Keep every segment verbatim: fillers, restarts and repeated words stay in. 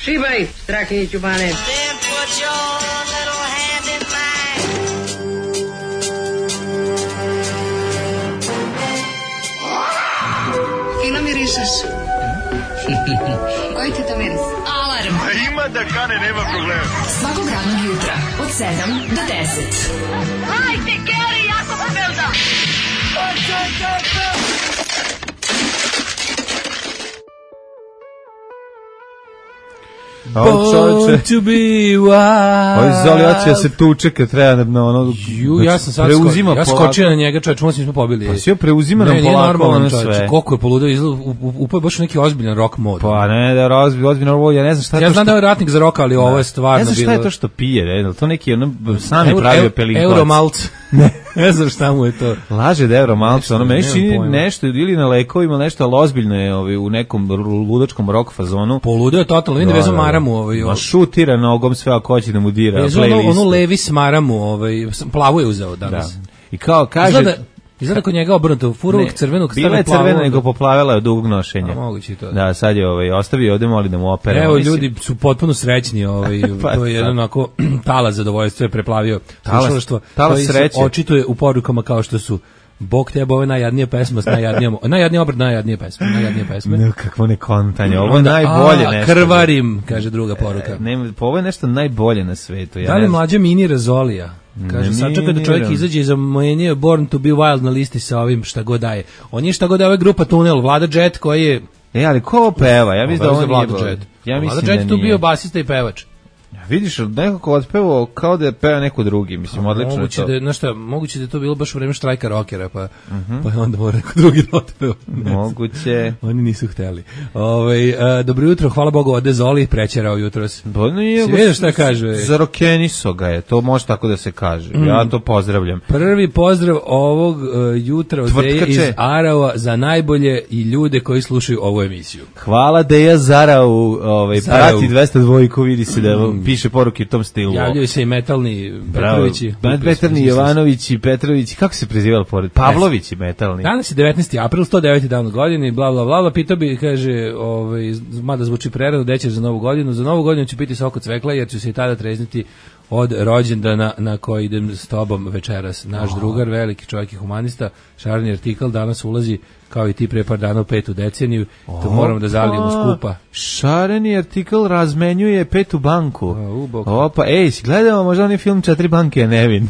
Šibaj, Strahinjiću Bane. Fino mirišeš. Koji ti to miris? Alarm. A ima da kane, nema problema. Svakog radnog jutra, od sedam do deset. Hajde, Geri, jako se velda. Born to be wild. Ovo Zoli hoće da se tuče kad treba na ono... Ju, ja sam sad preuzima sko, ja skočio na njega, čovječ, možda smo pobili. Pa si joj preuzima nam polako na sve. Koliko je poludeo, upao je baš neki ozbiljan rock mod. Pa ne, da je ozbiljan rock mod, ja ne znam šta je ja to što... Ja znam da je ratnik za rock, ali ovo je stvarno bilo... Ne znam šta je to što pije, ne, to neki ono, sam je pravio pelinkovac. Euromalc. Ne, ne znam šta mu je to. Laže da Euromalc, ono meni čini nešto, ili na lekovima, nešto, ali ozbiljno je ovaj, u nekom ludačkom rock fazonu. Poludeo je totalno, vidim da vezom maramu. Ovaj, ma šutira nogom sve ako hoće da mu dira playlist. Ono levi smaramu, ovaj, plavu je uzeo danas. Da. I kao kaže... Izgleda, izgleda kod njega obrnuto, furovog crvenog stavio plavu. Bila je crvena, nego poplavila je od dugog nošenja. A, moguće to. Da, sad je ovaj, ostavio ovde, moli da mu opere. Evo, ljudi su potpuno srećni, ovaj, pa, to je jedan onako talas zadovoljstvo je preplavio slušalaštvo. Talas sreće. Očituje u porukama kao što su Bog tebe, ovo je najjadnija pesma, najjadnija, najjadnija obrat, najjadnija pesma, najjadnija pesma. No, kakvo nekontanje, ovo je najbolje a, nešto. Krvarim, kaže druga poruka. E, ne, ovo je nešto najbolje na svetu. Ja da li mlađa mini razolija? Kaže, sačeka da čovjek izađe iz mojenje Born to be Wild na listi sa ovim šta god daje. On je šta god daje, ovo je grupa Tunel, Vlada Jet koji je... E, ali ko peva? Ja mislim da on nije... Vlada Jet. Ja mislim Vlada Jet tu bio basista i pevač. Vidiš, nekako otpevao kao da je peva neko drugi, mislim, odlično moguće je to. Da, znaš šta, moguće da je to bilo baš u vreme štrajka rockera, pa, uh-huh. pa je onda mora neko drugi da otpeva. Moguće. Oni nisu hteli. Ove, a, dobro jutro, hvala Bogu, ode Zoli, prećerao jutros. Bo, no je, si vidiš šta kaže? Zarokeniso ga je, to može tako da se kaže. Mm. Ja to pozdravljam. Prvi pozdrav ovog uh, jutra od Deje iz Arava za najbolje i ljude koji slušaju ovu emisiju. Hvala Deja Zarau, ovaj, prati dvesta dvojku, vidi se da mm. piše poruke u tom stilu. Javljaju se i metalni Petrovići. Metalni Jovanovići, Petrovići, kako se prezivali pored? Pavlovići metalni. Danas je devetnaesti april, sto deveti dan u godini, bla, bla, bla, bla. Pitao bi, kaže, ovaj, mada zvuči prerano, gde ćeš za novu godinu? Za novu godinu ću piti sok od cvekla, jer ću se i tada trezniti od rođendana na koji idem s tobom večeras. Naš oh. drugar, veliki čovjek i humanista, Šarni Artikal, danas ulazi kao i ti pre par dana u petu deceniju, oh, to moramo da zalijemo skupa. Šareni Artikal razmenjuje petu banku. Uh, Opa, ej, si gledamo možda onaj film Četiri banke je nevin.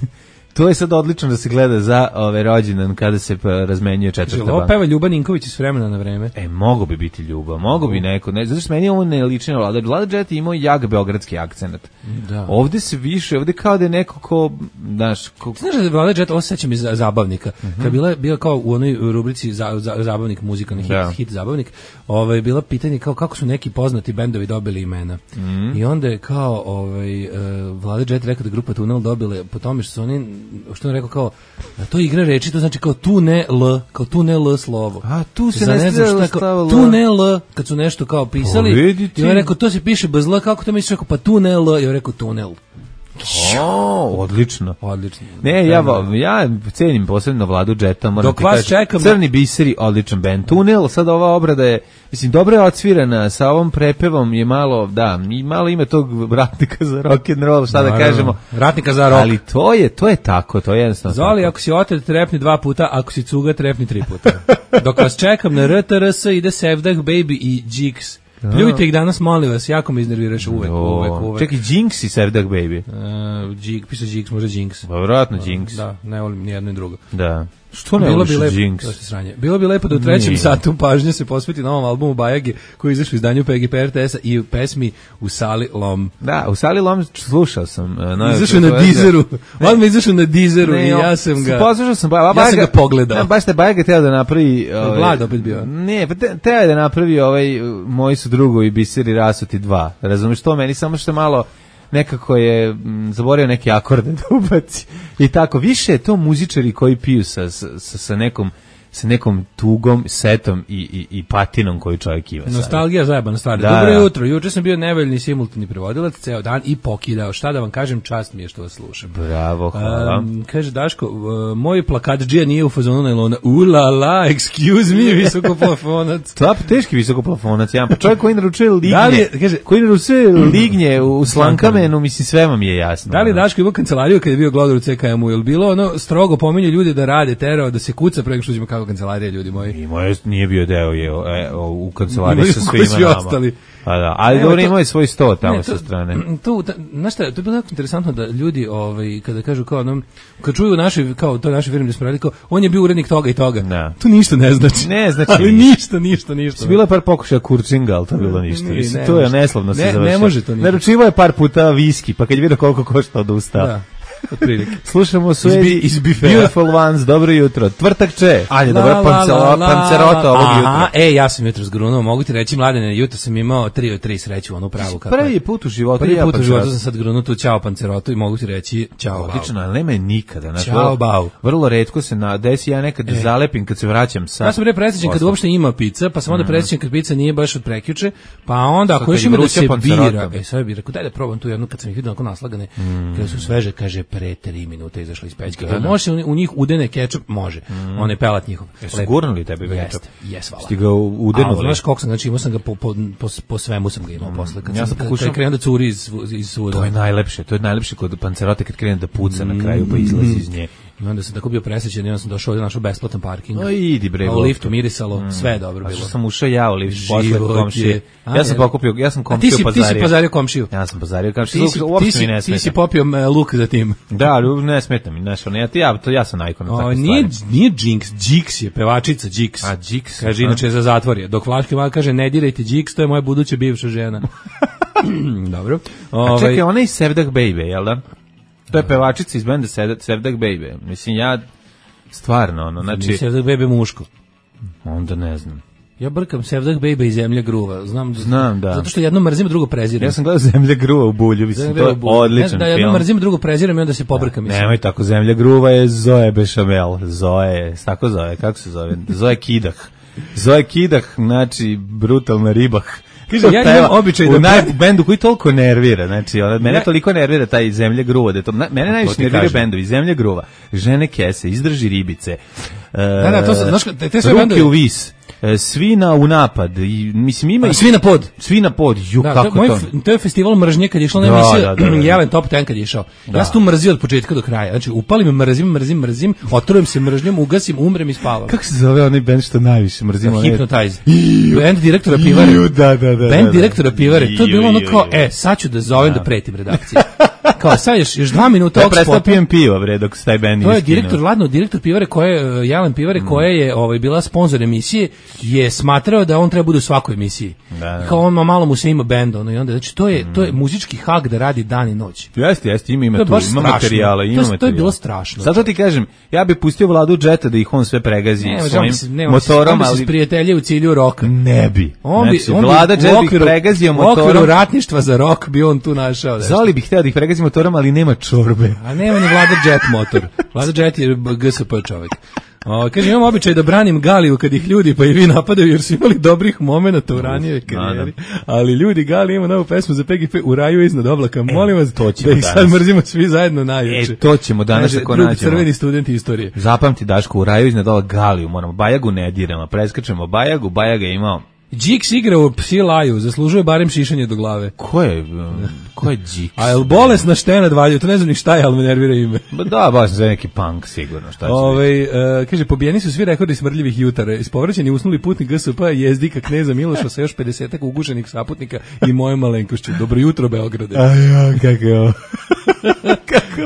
To je sad odlično da se gleda za ove rođendan kada se razmenjuje četvrta banka. Ovo peva Ljuba Ninković iz vremena na vreme. E, mogo bi biti Ljuba, mogo bi neko, ne, zato što meni ovo ne liči na Vlada. Vlada Jet imao jak beogradski akcenat. Da. Ovde se više, ovde kao da je neko ko, znaš... Ko... Znaš da Vlada Jet, ovo sećam iz zabavnika, uh-huh. kad bila, bila kao u onoj rubrici za, za, zabavnik muzika, hit, da. hit zabavnik, ovaj, bila pitanje kao kako su neki poznati bendovi dobili imena. Uh-huh. I onda je kao ovaj, uh, Vlada Jet rekao da grupa Tunel dobile po tome što su oni, što on rekao kao, da to igra reči, to znači kao tu ne L, kao tu ne L slovo. A tu se za ne znam šta kao, tu ne L, kad su nešto kao pisali, i on rekao, to se piše bez L, kako to misliš, rekao, pa tu ne L, i on rekao tunel. O, odlično. Odlično. Ne, ja, ja cenim posebno Vladu Jeta, moram ti kaži, čekam, Crni biseri, odličan band. Tunel, sad ova obrada je, mislim, dobro je odsvirana, sa ovom prepevom je malo, da, i malo ima tog ratnika za rock and roll, šta da kažemo. Ratnika za rock. Ali to je, to je tako, to je jednostavno. Zoli, tako. Ako si otet, trepni dva puta, ako si cuga, trepni tri puta. Dok vas čekam na R T R S, ide Sevdah Baby i Jigs. Pljujte ih danas, molim vas, jako me iznerviraš uvek, o, uvek, uvek. Čekaj, Jinx i Sevdah Baby. Uh, Jig, piše Jigs, možda Jinx. Pa vjerojatno Jinx. Da, ne volim ni jedno ni drugo. Da. Što ne voliš Jinx? Bilo bi lepo da u trećem Nije. satu pažnje se posveti novom albumu Bajage koji je izašao u izdanju P G P R T S-a i u pesmi U Sali Lom. Da, U Sali Lom slušao sam. Uh, izašao na Deezeru. On mi izašao na Deezeru ne, i ja sam ga... Poslušao sam, ba, ja Bajaga, sam ga pogledao. Ne, baš te Bajaga teo da napravi... Ovaj, Vlad opet bio. Ne, pa te, teo je da napravi ovaj, Moji su drugovi biseri rasuti dva. Razumiješ to? Meni samo što malo... nekako je m, zaboravio neke akorde da ubaci i tako, više je to muzičari koji piju sa, sa, sa nekom sa nekom tugom, setom i, i, i patinom koju čovjek ima. Nostalgija zajebana stvar. Da, Dobro da. jutro, juče sam bio nevoljni simultani prevodilac ceo dan i pokidao. Šta da vam kažem, čast mi je što vas slušam. Bravo, hvala. Um, kaže Daško, uh, moj plakatdžija nije u fazonu najlona. Ulala, excuse me, visokoplafonac. Top, teški visokoplafonac, ja. Pa čovjek koji naručuje lignje, Da li je, kaže, koji naručuje lignje u Slankamenu, mislim, sve vam je jasno. Da li Daško ima kancelariju kad je bio glodar u C K M-u? Je li bilo ono strogo pominju ljudi da rade, terao, da se kuca pre nego što uđemo kako kancelarija, ljudi moji? I moje nije bio deo je e, o, u kancelariji Imali sa smo svima svi nama. ostali. A da, ali dobro imao je svoj sto tamo Ne, to, sa strane. To, ta, znaš šta, to je bilo jako interesantno da ljudi, ovaj, kada kažu kao onom, kad čuju naše, kao to naše firme gdje smo radili, kao, on je bio urednik toga i toga. Da. To ništa ne znači. Ne znači ali ništa, ništa, ništa. Bilo je par pokušaja kurčinga, ali to je bilo ništa. Ne, Mislim, ne to je može. neslavno se Ne, završilo. ne može to ništa. Naručivao je par puta viski, pa kad je vidio koliko košta odustao. Da. Otprilike. Slušamo Iz bi- Suedi iz bifea. Beautiful Ones, dobro jutro. Tvrtakče, ajde, La, dobro, la, pancelo, la, la, pancerota ovog aha, jutra. E, ja sam jutro zgrunuo, mogu ti reći, Mladene, jutro sam imao tri od tri sreću, onu pravu. Kako Prvi je. put u životu Prvi ja put u životu pancerotu. sam sad grunuo tu ćao pancerotu i mogu ti reći ćao bau. Odlično, ali nema je nikada. Znači, Ćao, vrlo, bau. vrlo retko se na desi, ja nekad E. zalepim kad se vraćam sa... Ja sam pre presrećen kad posla. uopšte ima pizza, pa sam onda presrećen kad pizza nije baš od prekjuče, pa onda Sad ako kad još je ima da vruća se pancerota. bira, e sad bih rekao daj da probam tu jednu kad sam ih vidio onako naslagane, kada su sveže, kaže pre tri minute izašla iz pećke. Da, da. Može se u u njih udene kečap, može. On je pelat njihov. Jesu Lepo. gurnuli tebi kečap? Jeste, jes, hvala. Sti ga u- udenuli? A, znaš koliko sam, znači imao sam ga po, po, po, po svemu sam ga imao posle. Kad Ja sam, sam kad, pokušao- kad krenuo da curi iz, iz svuda. To je najlepše, to je najlepše kod pancerote kad krene da puca na kraju pa izlazi iz nje. I onda sam tako bio presrećen i onda sam došao ovdje našao besplatan parking. O, idi bre. A u Bog. liftu mirisalo, sve je dobro A bilo. što sam ušao ja u lift posle Život komšije. je- A, Ja sam je. pokupio, ja sam A ti komšiju si, ti pazario. si pazario komšiju. Ja sam pazario Ti komšiju. si, ti, Uopšte mi si, ne ti si smeta. popio e, luk za tim. Da, ali ne smeta mi, znaš, ono, ja, ti- ja, to ja sam najkon na O, takve nije, stvari. nije Jinx, Jix je, pevačica Jix. A, Jix, Kaže, aha. inače je za zatvor je. Dok Flaški Mal kaže, ne dirajte Jix, to je moja buduća bivša žena. Dobro. A Ovaj, čekaj, ona je iz Sevdah Baby, jel da? To je pevačica iz benda Sevdah Sevdah Baby. Mislim, ja stvarno, ono, znači, Sevdah Bebe muško. onda ne znam. Ja brkam Sevdah Bebe i Zemlja gruva. Znam, Znam, da. Zato što jedno mrzim, drugo prezirem. Ja sam gledao Zemlja gruva u Bulju, mislim, Zemlja to je gruva u- odličan Da, jedno film. mrzim, drugo prezirem i onda se pobrkam. mislim. Nemoj tako, Zemlja gruva je Zoe Bešamel. Zoe, tako zove, kako se zove? Zoe Kidah. Zoe Kidah, znači, brutalna ribah. Kaže, ja Peva imam običaj da u naj, pre- bendu koji toliko nervira, znači, ona, mene Ja- toliko nervira taj Zemlja gruva, da je to, na, mene najviše ti nervira kažem. bendovi, Zemlja gruva, Žene kese, Izdrži ribice, Da, da, to se- znaš, te- te sve Ruke bendovi- u vis, e, Svina u napad, i, mislim, ima... A, i- Svi na pod. Svi na pod, ju, Da, to, kako je moj, to? f- to je festival mržnje kad je išla na Da, emisija da, da, da. Jelen Top ten kad je išao. Ja sam tu mrzio od početka do kraja. Znači, upalim, mrzim, mrzim, mrzim, otrujem se mržnjom, ugasim, umrem i spavam. Kako se zove onaj bend što najviše mrzimo? onaj- Hypnotize. Band direktora Pivare. Ju, da, da, da, Band da. direktora Pivare. To je bilo ono Ju, ju, kao, ju. e, sad ću da zovem da pretim redakciju. Kao, sad još, još dva minuta Ja ovog prestao spota. pijem pivo, bre, dok se taj bend To je iskinuo. direktor, ladno, direktor Pivare koje, uh, Jelen Pivare Mm. koja je ovaj, bila sponsor emisije, je smatrao da on treba bude u svakoj emisiji. Da, da. Kao on ma malo mu se ima bend, ono, i onda, znači, to je, to je muzički hak da radi dan i noć. Jeste, jeste, ima, ima To je tu, baš ima strašno. materijala, ima To je- to je materijala. bilo strašno. Zato ti kažem, ja bih pustio Vladu Džeta da ih on sve pregazi Ne, svojim motorom, on bi se ali sprijateljio u cilju roka. ne bi. On bi, Znači, on bi Vlada u Džet bi ih okviru- pregazio U okviru motorom. ratništva za rok bi on tu našao. nešto. Zoli bih hteo da ih pregazi motorom, ali nema čorbe. A nema ni Vlada Jet motor. Vlada Jet je G S P čovjek. O, kaže, imam običaj da branim Galiju kad ih ljudi pa i vi napadaju jer su imali dobrih momenata u ranijoj karijeri. Ali ljudi, Gali ima novu pesmu za P G P u raju iznad oblaka. Molim vas to ćemo da ih sad danas. mrzimo svi zajedno najjače. E, to ćemo danas Kaže, ako drugi nađemo. crveni studenti istorije. Zapamti, Daško, u raju iznad ova Galiju, moramo, Bajagu ne diramo, preskačemo Bajagu, Bajaga je imao. Jix igra u Psi laju, zaslužuje barem šišanje do glave. Ko je, um, ko je Džik? A jel bolesna štena dvalju, to ne znam ni šta je, ali me nervira ime. Ba da, baš za neki punk sigurno, šta će biti. Ove, uh, kaže, pobijeni su svi rekordi smrdljivih jutara. Ispovraćeni usnuli putnik G S P jezdika kneza Miloša sa još pedesetak ugušenih saputnika i moje malenkošću. Dobro jutro, Beograde. Ajo, kako je ovo.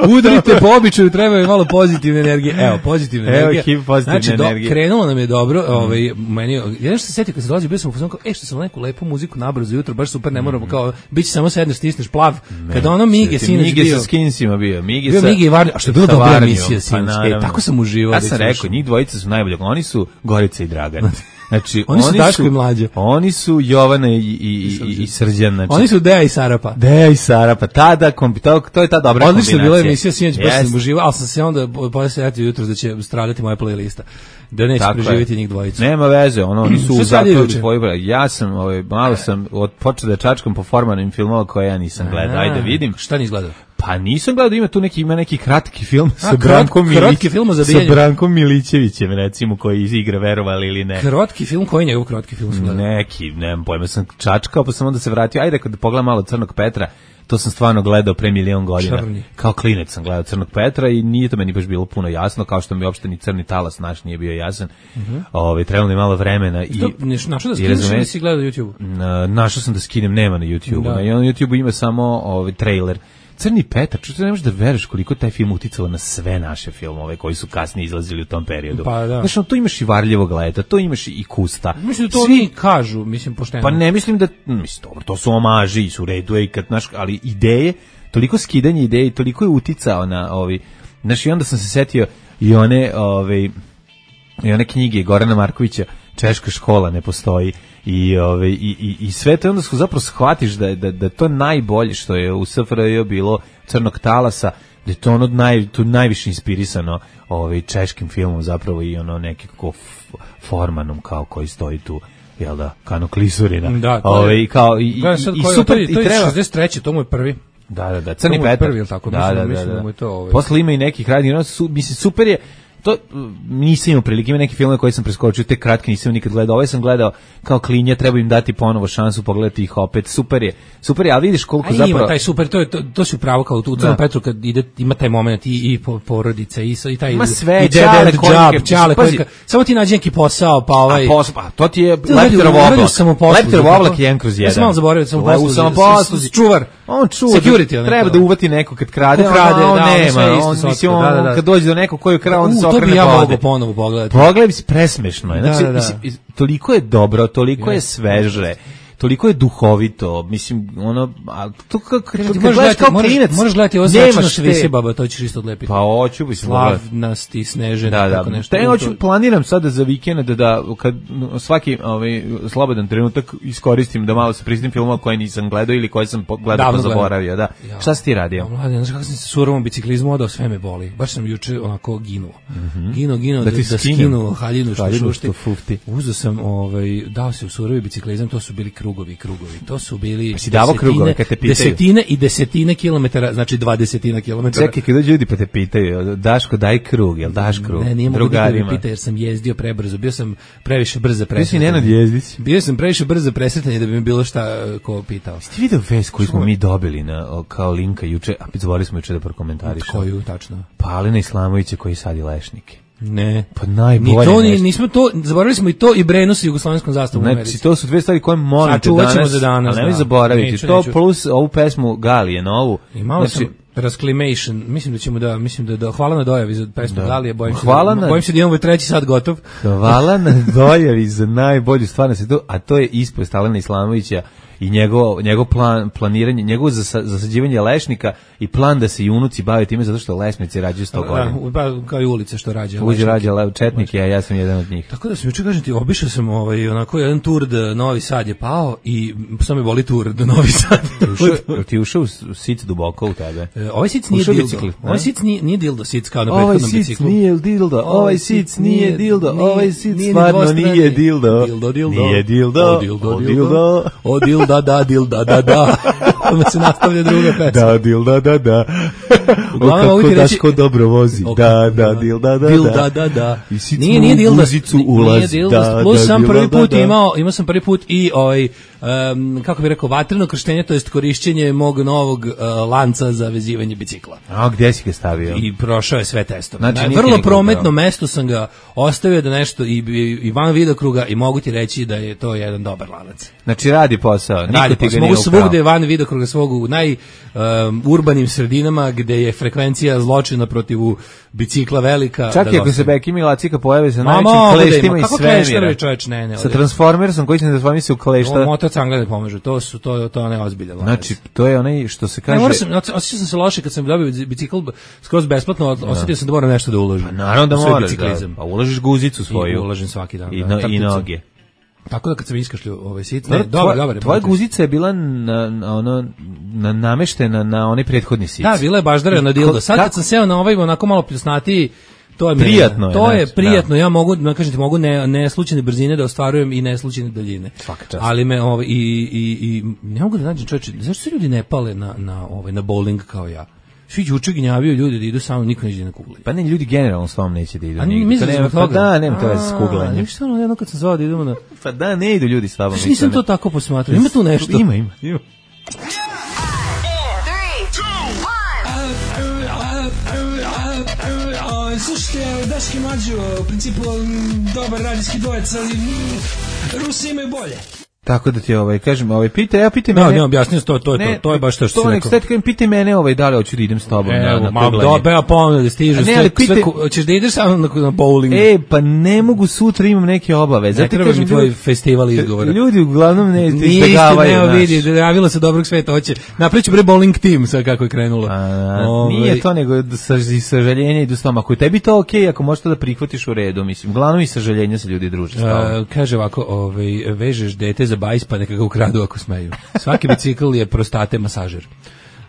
Udrite po običaju, treba je malo pozitivne energije. Evo, pozitivna Evo, energija. hip pozitivne znači, do, energije. krenulo nam je dobro. Ovaj, meni, ja nešto se setio kad se dolazi, bio sam u fazonu kao, e, što sam neku lepu muziku nabrzo jutro, baš super, ne moramo kao, bit će samo sedneš, stisneš plav. Kada ono Mige, sinoć Mige bio. sa Skinsima bio. Mige Bio sa, Mige i Varnja, a što je bila sa dobra Varnjom, emisija pa sinoć. E, naravno. tako sam uživao. Ja da ih sam rekao, slušam. njih dvojica su najbolji. Oni su Gorica i Dragan. Znači, Oni su Daško i Mlađa. Oni su Jovana i, i, i, i, i Srđan. Znači, Oni su Deja i Sarapa. Deja i Sara, pa tada, kombi, to, to je ta dobra Odlično je kombinacija. bila emisija, sinoć baš Jeste. sam uživao, ali sam se onda posle setio jutros da će stradati moja playlista. da neće Tako preživjeti je. njih dvojicu. Nema veze, ono, oni su Sve u sad je zatvoru juče. tvoji bra. Ja sam, ovaj, malo sam od počeo da čačkam po formanim filmova koje ja nisam gledao. Ajde vidim. Šta nisi gledao? Pa nisam gledao, ima tu neki ima neki kratki film sa krot- Brankom kratki Milić, film o sa zabijanju. Brankom Milićevićem recimo koji igra verovali ili ne. Kratki film, koji je njegov kratki film? si gledao? Neki, nemam pojma, sam čačkao pa sam onda se vratio. Ajde kad pogledam malo Crnog Petra, to sam stvarno gledao pre milion godina. Crni. Kao klinec sam gledao Crnog Petra i nije to meni baš bilo puno jasno, kao što mi uopšte ni Crni talas naš nije bio jasan. Uh-huh. Ovaj trebalo mi malo vremena i To, neš, našao da i skineš razumeš- ili si gledao na YouTube? Na, našao sam da skinem, nema na YouTubeu. Da. Na YouTubeu ima samo ovaj trailer. Crni Petar, čuti, ne možeš da veruješ koliko je taj film uticalo na sve naše filmove koji su kasnije izlazili u tom periodu. Pa da. Znaš, ono, tu imaš i Varljevog leta, to imaš i Kusta. Mislim da to Svi- oni kažu, mislim, pošteno. Pa ne mislim da, mislim, dobro, to su omaži i su u redu, i kad, znaš, ali ideje, toliko skidanje ideje i toliko je uticao na ovi, znaš, i onda sam se setio i one, ove, i one knjige Gorana Markovića, Češka škola ne postoji, i ove i i i sve to, onda zapravo shvatiš da da da to najbolje što je u S F R J bilo Crnog talasa, da je to ono naj to najviše inspirisano ovaj češkim filmom zapravo i ono neki kako Formanom kao koji stoji tu, jel da, Kano Klisurina. Da, to je- ovaj kao i, Gledaj sad i koji- super to je- i to je treba. šezdeset treće, to mu je prvi. Da, da, da, Crni To mu je Petar. prvi, jel tako? Da, Mislim- da, da, mislim da. da mu je to, ovaj- Posle ima i nekih radnji, ono su, mislim, super je, to mm, nisam imao prilike, ima neki filmove koje sam preskočio, te kratke nisam nikad gledao, ovaj sam gledao kao klinja, treba im dati ponovo šansu, pogledati ih opet, super je, super je, ali vidiš koliko A zapravo... ima taj super, to je to, to si upravo kao tu u Crnom Da. Petru kad ide ima taj momenat i i po- porodica i sa- i taj Ima sve, i dead Ćale end koji- job, Ćale pazi. koji- samo ti nađi neki posao pa ovaj A posao, pa to ti je Ti Lepterov uradio oblak. samoposlugu, Lepterov tako? oblak je jedan kroz jedan. Ja sam malo zaboravio da sam U- u samoposluzi. Čuvar. On čuva. Security, da, onaj treba to. da uvati neko kad krade, Ko krade, on, on da, ono nema. sve isto On, socko, mislim, on, da, da, da. kad dođe do nekog koji je krao, onda U, se to bi okrene ja vode. mogao ponovo pogledati. Pogledaj, mislim, presmešno je. Da, Znači, da, da. mislim, toliko je dobro, toliko je sveže, toliko je duhovito, mislim, ono, a to kako, kad Kažem ti, gledaš možeš kao gledati, klinac, možeš, možeš gledati ovo nemaš srećno te- Švisi baba, to ćeš isto odlepiti. Pa hoću, mislim, pogledati. Slavnosti, Snežena, Da, tako da. nešto. Te U, hoću, to- planiram sada za vikend da, da kad no, svaki ovaj slobodan trenutak iskoristim da malo se pristim filmova koje nisam gledao ili koje sam po- gledao pa Davno gledao. zaboravio, da. Ja. Šta si ti radio? A mlade, znaš kako sam se surovom biciklizmu odao, sve me boli. Baš sam juče onako ginuo. Ginuo, ginuo, Da da, ti da skinem. skinu haljinu što Haljinu šušti. što fufti. Uzeo sam, ovaj, dao se u surovi biciklizam, to su bili krugovi, krugovi. To su bili Pa si davao krugove kad te pitaju? desetine i desetine kilometara, znači dvadesetina kilometara. Čekaj, kad dođu ljudi pa te pitaju, Daško, daj krug, jel daš krug? Ne, nije mogu da Drugarima. me pita jer sam jezdio prebrzo. Bio sam previše brzo Ti si presretan. Nenad Jezdić. Bio sam previše brzo presretan da bi mi bilo šta eh, ko pitao. Ti video vest koju smo mi dobili na, o, kao linka juče, a zaboravili smo juče da prokomentarišemo. Koju, tačno? Pa Alina Islamovića koji sadi lešnike. Ne. Pa najbolje Ni to, ni, nešto. nismo to, zaboravili smo i to i Brenu sa jugoslovenskom zastavom u Americi. Znači, to su dve stvari koje molim te Sačuvat ćemo danas, za danas, ali nemoj da. zaboraviti. Neću, to neću. plus ovu pesmu Galije, novu. I malo znači, sam Rasclimation, mislim da ćemo da, mislim da, da hvala na dojavi za pesmu Da. Galije, bojim se, Hvala da, na- bojim se da imamo treći sat gotov. Hvala na dojavi za najbolju stvar na svetu, a to je ispovest Alena Islamovića i njegov, njegov plan, planiranje, njegovo zasa, zasađivanje lešnika i plan da se i unuci bave time zato što lešnici rađaju sto godina. Da, pa, kao i ulice što rađe. Uđe rađa le- četnike, a ja sam jedan od njih. Tako da sam juče, kažem ti, obišao sam ovaj, onako jedan tur da Novi Sad je pao i samo me boli tur do Novi Sad. Ušao, jel ti ušao u sic duboko u tebe? E, ovaj sic nije Ušao dildo. bicikli, ne? Ovaj sic nije, nije dildo sic kao na Ovaj prethodnom sic biciklu. nije dildo, ovaj sic nije dildo, nije- ovaj sic nije ni stvarno dvostrani. nije dildo. Dildo, dildo. Nije dildo, O dildo, o dildo. dildo. O dilda, da, dilda, da, da. Onda se nastavlja druga pesma. Da, dilda, da, da. Uglavnom, O, mogu kako ti reći- Daško dobro vozi. O, Da, da, dilda, da, Dilda, da, da. I sic Nije, mu nije u dilda. guzicu Nije ulazi. dilda. Da, Plus da, sam dilda, prvi da, put da. imao, imao sam prvi put i ovaj, um, kako bih rekao, vatreno krštenje, to jest korišćenje mog novog uh, lanca za vezivanje bicikla. A gde si ga stavio? I prošao je sve testove. Znači, Na nije vrlo ti prometno nikako. mesto sam ga ostavio da nešto i, i, i van vidokruga i mogu ti reći da je to jedan dobar lanac. Znači radi posao. Niko Radi, ti ga pa nije mogu ukrao. svugde van vidokruga svog u naj um, urbanim sredinama gde je frekvencija zločina protiv bicikla velika. Čak da i ako se dostavim. Beki Milacika pojave sa Ma, najvećim mogu da ima. kleštima iz Kako svemira. klešterovi, čoveč, ne, ne, Sa ovdje. Transformersom koji se ne transformi se u Ovo klešta. motor cangla ne pomažu, to su to to ne ozbiljan lanac. Znači, to je onaj što se Ne, kaže... morao sam, osjećao sam se loše kad sam dobio bicikl skroz besplatno, osjetio sam da moram nešto da uložim. Pa naravno da U svoj moraš, da, biciklizam. pa ulažiš guzicu I svoju. ulažem svaki dan. I, da, no, i trpicom. noge. Tako da kad sam iskašljio ovaj sit, ne, Dobro, dobar, tvoja- dobar. je Tvoja potez. guzica je bila na, na, ono, na, nameštena na onaj prethodni sic. Da, bila je baždara na dildo. Sad Kako- kad sam seo na ovaj onako malo pljusnatiji, To je prijatno je, to je znači, prijatno. Ja mogu, da kažem ti, mogu ne ne slučajne brzine da ostvarujem i ne slučajne daljine. Svaka čast. Ali me ovaj i i i ne mogu da nađem čoveče, zašto se ljudi ne pale na na ovaj na bowling kao ja? Svi juče gnjavio ljudi da idu samo, niko neće na kugli. Pa ne, ljudi generalno s vama neće da idu. A nigde. To nema, pa da, nema to veze s kuglanjem. Šta ono, jedno kad sam zvao da idemo na... Pa da, ne idu ljudi s vama. Što nisam to tako posmatrao? Ima tu nešto? Ima, ima. ima. Slušajte, Daški Mađo, u principu dobar radijski dvojec, ali Rusi imaju bolje. Tako da ti ovaj kažem, ovaj pita, ja pitaj mene. No, ne, objasnio to, to je ne, to, to je baš to što to se rekao. To nek pitaj mene, ovaj da li hoću da idem s tobom e, na na ma dobro, ja ponovno da stižeš, ne, sve, pite, sve, hoćeš da ideš samo na, na bowling. E, pa ne mogu, sutra imam neke obaveze. Ne treba mi tvoj festival izgovora. Ljudi uglavnom ne izbegavaju. Ne, vidi, javilo se dobrog sveta, hoće. Napraviću bre bowling tim, sad kako je krenulo. A, Ove, nije to nego sa sažaljenje idu s tobom. Ako tebi to okej, okay, ako možeš to da prihvatiš u redu, mislim. Uglavnom i sažaljenja se ljudi druže s tobom. Kaže ovako, ovaj vežeš dete za bajs pa neka ga ukradu ako smeju. Svaki bicikl je prostate masažer.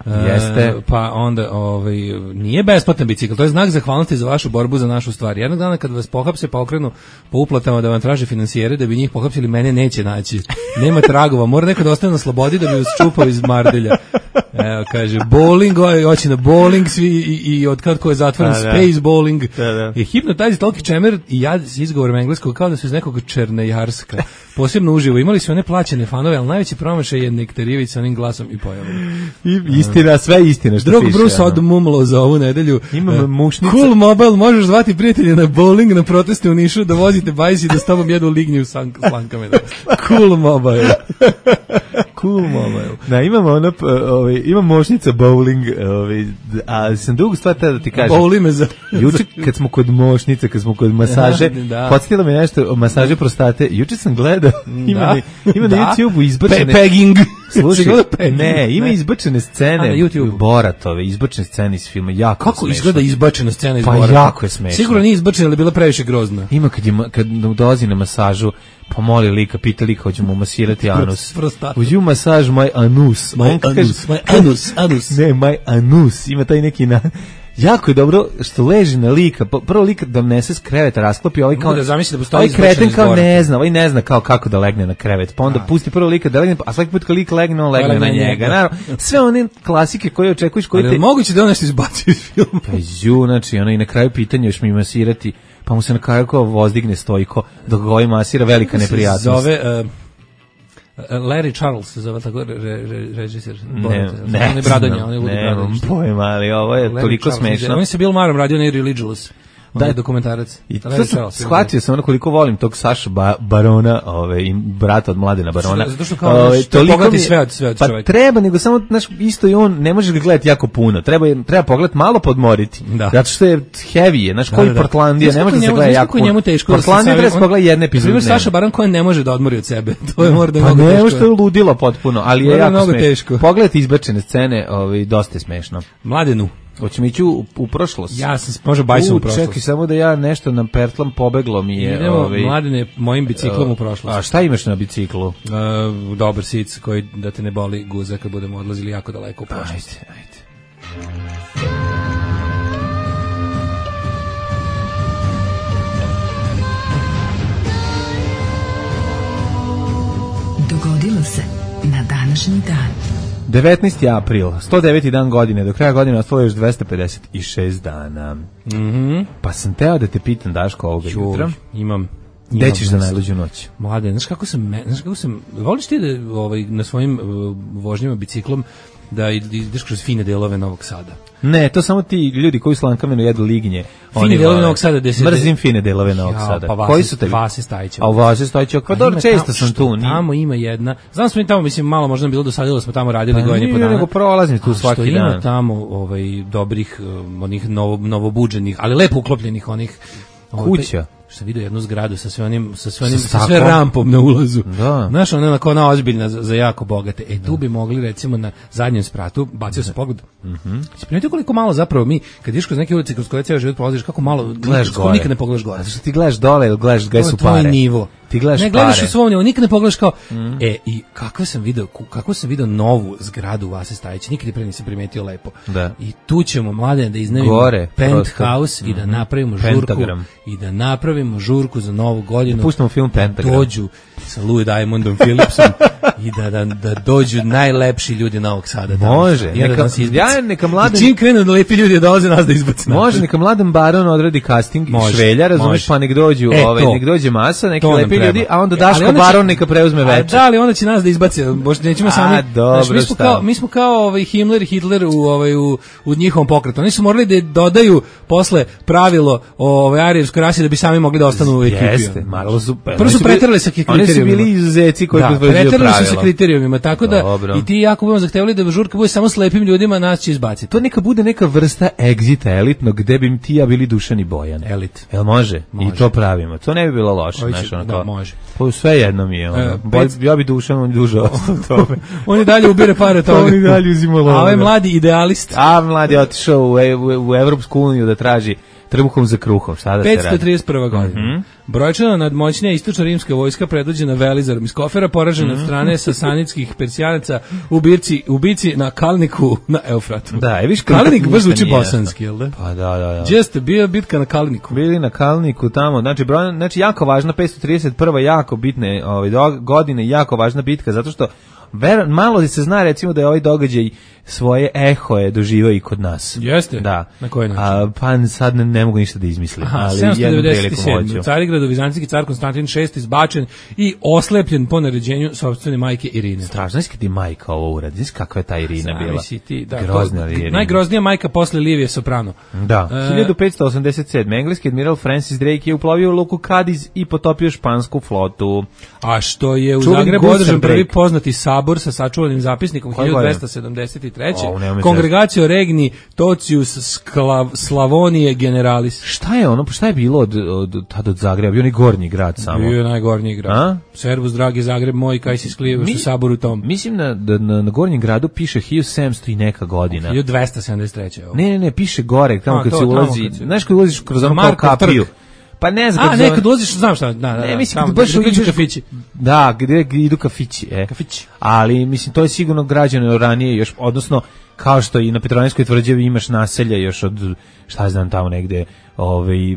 Jeste. Uh, pa onda ovaj nije besplatan bicikl, to je znak zahvalnosti za vašu borbu za našu stvar. Jednog dana kad vas pohapse pa okrenu po uplatama da vam traže finansijere da bi njih pohapsili, mene neće naći. Nema tragova, mora neko da ostane na slobodi da bi vas čupao iz mardelja. Evo, kaže, bowling, hoće na bowling svi i, i od kad ko je zatvoren, da, space da. bowling. Da, da. I Hypnotize Talkie Čemer i ja s izgovorom engleskog kao da su iz nekog Černejarska. Posebno uživo. Imali su one plaćene fanove, ali najveći promašaj je Nektarijević sa onim glasom i pojavom. I istina, sve istina što Drug piše. Drug Bruce odmumlo za ovu nedelju. Imam uh, mušnica. Cool Mobile, možeš zvati prijatelje na bowling, na proteste u Nišu, da vozite bajs i da s tobom jedu lignju s slankama. Cool Mobile. Cool Mobile. Da, imamo ono, ovaj, imam mošnica bowling, ovaj, a sam drugu stvar tada da ti kažem. Bowli me za... Juče kad smo kod mošnice, kad smo kod masaže, da. Podsjetilo me nešto o masaže prostate. Juče sam gledao, ima, da. na, ima da. na YouTubeu izbačene... Pe pegging. Slušaj, ne, ima ne. izbačene scene Boratove, izbačene scene iz filma, jako Kako smešno. izgleda izbačena scena iz pa Borata? Pa jako je smešno. Sigurno nije izbačena, ali bila previše grozna. Ima kad, je, kad dolazi na masažu, pomoli lika, pita lika, hoćemo masirati anus. Would you massage my anus? My anus, kaže, my anus, anus. Ne, my anus, ima taj neki na... Jako je dobro što leži na lika, prvo lika da nese s kreveta, rasklopi, ovaj kao... Da zamisli da postoji ovaj kreten kao ne zna, ovaj ne zna kao kako da legne na krevet, pa onda a. pusti prvo lika da legne, a svaki put kad lik legne, on legne, legne na njega. Naravno, sve one klasike koje očekuješ, koje ali te... moguće da on nešto izbaci iz filma. Pa ju, znači, ono i na kraju pitanja još mi masirati, pa mu se na kraju kao vozdigne stojko, dok ga ovaj masira, velika neprijatnost. Zove... Uh, Larry Charles se zove tako re, re, režisir. Ne, ne, on je Bradonja, on je Ludi Bradonja. Ne, pojma, ali ovo je Larry toliko Charles, smešno. On se Bill Marom radio na Irreligious. Da je dokumentarac. I to sam shvatio sam ono koliko volim tog Saša ba, Barona, ove, i brata od Mladena Barona. Zato što kao ove, to pogledati sve od, sve od pa čovjeka. Treba, nego samo, znaš, isto i on, ne možeš ga gledati jako puno. Treba, treba pogledati malo podmoriti. Da. Zato što je heavy je, znaš, koji da, da, da. Portlandija, ne može da se gleda jako puno. Njemu teško Portlandija treba se pogledati jedne epizode. Primjer, Saša Baron koji ne može da odmori od sebe. To je možda pa mnogo teško. Pa ne, što je ludilo potpuno, ali je jako smešno. Pogledajte izbačene scene, ovaj, dosta je smešno. Mladenu. Hoćemo ići u, u prošlost. Ja sam može bajsom u prošlost. Čekaj, samo da ja nešto na pertlam pobeglo mi je. Idemo, ovaj, Mladene, mojim biciklom uh, u prošlost. A šta imaš na biciklu? Uh, dobar sic koji da te ne boli guza kad budemo odlazili jako daleko u prošlost. Ajde, ajde. Dogodilo se na današnji dan. devetnaesti april, sto deveti dan godine, do kraja godine ostalo još dvesta pedeset šest dana. Mhm. Pa sam teo da te pitam, Daško, ovoga jutra. Imam. Gde ćeš za najluđu noć? Mlade, znaš kako sam, znaš kako sam, voliš ti da ovaj, na svojim uh, vožnjama biciklom da ideš kroz fine delove Novog Sada? Ne, to samo ti ljudi koji s lankamenu jedu lignje. Fine delove Novog Sada. De se mrzim fine delove Novog Sada. Pa koji su tebi? Vase Stajića. A u Vase Stajića, pa dobro, često sam tu. Tamo ima jedna, znam smo mi tamo, mislim, malo možda bilo dosadilo, smo tamo radili pa godinu po dana. Nego prolazim tu svaki dan. Što ima tamo ovaj, dobrih, onih novo, novobuđenih, ali lepo uklopljenih onih... Kuća. Što vidio jednu zgradu sa sve onim sa sve onim sa, sa sve rampom na ulazu. Da. Znaš, ona onako ona ozbiljna za, za jako bogate. E tu da. bi mogli recimo na zadnjem spratu, bacio se pogled. Mhm. Mm Primetio koliko malo zapravo mi kad ideš kroz neke ulice kroz koje ceo život prolaziš, kako malo gledaš gore. Nikad ne pogledaš gore. Zato što ti gledaš dole ili gledaš gde su pare. To je nivo. Ti gledaš ne gledaš pare. u svom, nikad ne pogledaš kao, mm. e, i kako sam video, kako sam video novu zgradu Vase Stajića, nikad pre nisam primetio lepo. Da. I tu ćemo, mladene, da iznajmimo Gore, penthouse i da mm-hmm. napravimo žurku. Pentagram. I da napravimo žurku za novu godinu. Da pustimo film Pentagram. Dođu sa Louis Diamondom Philipsom i da, da, da dođu najlepši ljudi Novog Sada. Može. Tamo, neka, da ja, neka mladen... I čim krenu da lepi ljudi dolaze nas da izbaci. Može, neka mladen baron odradi casting i švelja, razumeš, pa nek dođu, e, ovaj, nek dođe masa, neki lepi ljudi, a onda e, Daško baron neka preuzme večer. Da, ali onda će nas da izbaci, boš nećemo sami. A, dobro, znaš, mi smo kao, mi smo kao ovaj Himmler i Hitler u ovaj u, u njihovom pokretu. Oni su morali da dodaju posle pravilo o ovaj arijevskoj rasi da bi sami mogli da ostanu u ekipi. Jeste, malo su. Prvo su preterali sa kriterijumima. Oni su bili izuzeci koji potvrđuju pravila. Preterali su sa kriterijumima, tako da dobro. I ti jako budemo zahtevali da žurka bude samo slepim ljudima, nas će izbaciti. To neka bude neka vrsta egzita elitnog gde bi ti ja bili Dušan i Bojan. Elit. Jel može? može? I to pravimo. To ne bi bilo loše, Oviće, znaš, ono da, kao. može. Pa sve jedno mi je, ono. E, Bolj, ja bi Dušan, on duže ostao tome. Oni dalje ubire pare toga. Oni dalje uzima loga. A ovaj mladi idealist. A mladi je otišao u, u, u Evropsku uniju da traži trbuhom za kruhom, šta da se radi? petsto trideset prva godina. Mm -hmm. Brojčano nadmoćnija istočno-rimska vojska predvođena Velizarom iz Kofera, poražena mm -hmm. od strane sasanidskih persijanaca u birci, u bici na Kalniku na Eufratu. Da, je viš Kalnik baš zvuči bosanski, jel da? Pa da, da, da. Jeste, bio bitka na Kalniku. Bili na Kalniku tamo, znači, broj, znači jako važna, petsto trideset prva jako bitne ovaj, do, godine, jako važna bitka, zato što ver, malo se zna recimo da je ovaj događaj svoje ehoje doživao i kod nas. Jeste? Da. Na koji način? A, pa sad ne, ne mogu ništa da izmislim. Aha, ali sedamsto devedeset sedam. hoću. U Carigradu vizantijski car Konstantin šesti izbačen i oslepljen po naređenju sopstvene majke Irine. Strašno, znaš kad ti majka ovo uradi, znaš kakva je ta Irina bila? Ti, da, grozna to, Irina. Najgroznija majka posle Livije Soprano. Da. E, hiljadu petsto osamdeset sedme. Engleski admiral Francis Drake je uplovio u luku Cadiz i potopio špansku flotu. A što je u Čuveni Zagrebu Gustav održan prvi Drake. poznati sabor sa sačuvanim zapisnikom Koje hiljadu dvesta sedamdeset treće. O, Kongregacio Regni Tocius Sklav, Slavonije Generalis. Šta je ono, šta je bilo od, od, tad od Zagreba? Bio onaj gornji grad samo. Bio je najgornji grad. A? Servus, dragi Zagreb moj, kaj si sklijevaš u saboru tom. Mislim na, da na, na gornjem gradu piše hiljadu sedamsto i neka godina. hiljadu dvesta sedamdeset treće. Ovo. Ne, ne, ne, piše gore, tamo A, kad to, se ulazi. kad se... Znaš kad ulaziš kroz ono kao kapiju. Pa ne znam. A, ne, kad ulaziš, znam šta. Da, da, ne, mislim, tamo, kad baš da, ideš kafići. Da, gdje idu kafići. E. Kafići. Ali, mislim, to je sigurno građano ranije još, odnosno, kao što i na Petrovaradinskoj tvrđavi imaš naselja još od, šta znam, tamo negde, ovaj,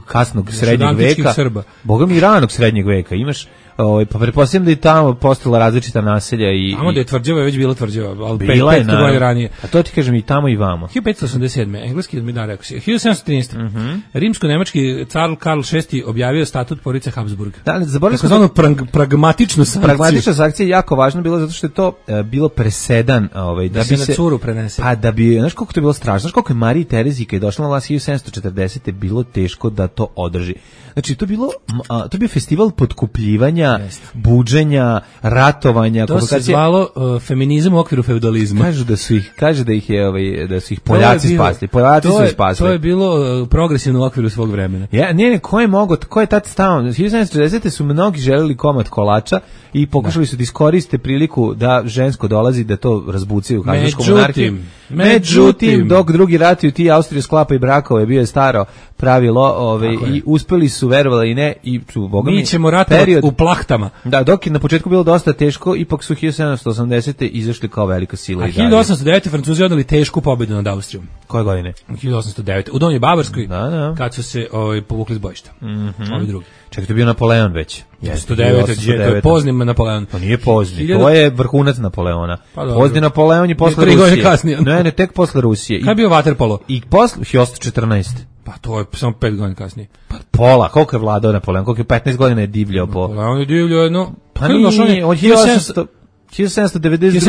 kasnog još srednjeg veka. Srba. Boga mi ranog srednjeg veka. Imaš, ovaj, pa pretpostavljam da je tamo postala različita naselja i... Tamo da je tvrđava, je već bila tvrđava, ali bila pet, je, pet godina ranije. A to ti kažem i tamo i vamo. hiljadu petsto osamdeset sedme. Engleski admiral, rekao si. hiljadu sedamsto trinaeste. Mm -hmm. Rimsko-nemački car Karl šesti objavio statut porodice Habsburg. Da, zaboravili smo takozvanu prag, pragmatičnu sankciju. Pragmatična sankcija je jako važna bila zato što je to uh, bilo presedan, ovaj da, da bi se se na curu prenese. Pa da bi, znaš koliko to je bilo strašno, znaš koliko je Mariji Terezi kad je došla na vlast hiljadu sedamsto četrdesete bilo teško da to održi. Znači to je bilo a, to je bio festival potkupljivanja, Jeste. buđenja, ratovanja, to se zvalo uh, feminizam u okviru feudalizma. Kažu da su ih, kaže da ih je ovaj da su ih Poljaci bilo, spasli. Poljaci su ih spasli. To je bilo uh, progresivno u okviru svog vremena. Ja, ne, ne, ko je mogao, ko je tad stao? hiljadu sedamsto četrdesete su mnogi želeli komad kolača i pokušali da. su da iskoriste priliku da žensko dolazi da to razbucaju u Habsburgsku monarhiju. Međutim, dok drugi ratuju ti Austriju sklapaju brakove, bio je staro pravilo, ove, i uspeli su, verovali i ne, i tu, boga mi, mi ćemo ratovati u plahtama. Da, dok je na početku bilo dosta teško, ipak su hiljadu sedamsto osamdesete izašli kao velika sila. A hiljadu osamsto devete. Francuzi odali tešku pobedu nad Austrijom. Koje godine? hiljadu osamsto devete. U Donjoj Bavarskoj, da, da. kad su se ovaj, povukli s bojišta. Mm -hmm. Ovi drugi. Čekaj, to je bio Napoleon već. hiljadu devetsto devete. To je pozni Napoleon. To nije pozni, hiljadu... to je vrhunac Napoleona. Pa pozni Napoleon je posle Rusije. Rusije. Kasnije. Ne, ne, tek posle Rusije. Kad je bio vaterpolo? I posle hiljadu osamsto četrnaeste. Pa to je samo pet godina kasnije. Pa pola, koliko je vladao Napoleon? Koliko je petnaest godina je divljao po... Napoleon je divljao jedno... Pa nije, od hiljadu sedamsto devedeset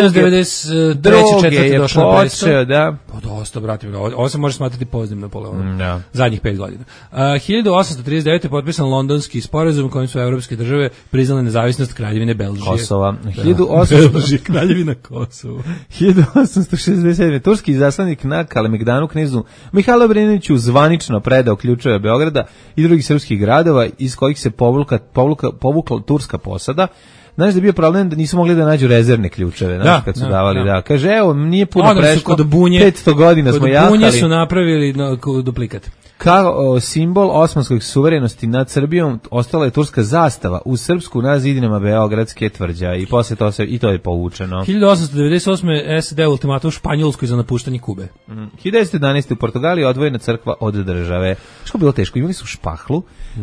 druge je počeo, da. Pa dosta, brate, ovo se može smatrati poznim Napoleonom. Da. Zadnjih pet godina. Uh, hiljadu osamsto trideset devete. potpisan londonski sporazum kojim su evropske države priznale nezavisnost Kraljevine Belžije. Kosova. Da. hiljadu osamsto Belžije, Kraljevina Kosova. hiljadu osamsto šezdeset sedme. Turski izaslanik na Kalemegdanu knezu Mihajlo Obrenoviću zvanično predao ključeve Beograda i drugih srpskih gradova iz kojih se povukla, povukla, povukla turska posada. Znaš da je bio problem da nisu mogli da nađu rezervne ključeve, znaš, da, kad su da, davali, da. da. Kaže, evo, nije puno Odnosno, prešlo, kod bunje, petsto godina kod smo jahali. Kod bunje su napravili no, duplikat. Kao simbol osmanskog suverenosti nad Srbijom ostala je turska zastava u srpsku na zidinama Beogradske tvrđave i posle to se i to je povučeno. hiljadu osamsto devedeset osme S A D ultimatum Španjolskoj za napuštanje Kube. Mm. hiljadu devetsto jedanaeste u Portugaliji odvojena crkva od države. Što je bilo teško? Imali su špahlu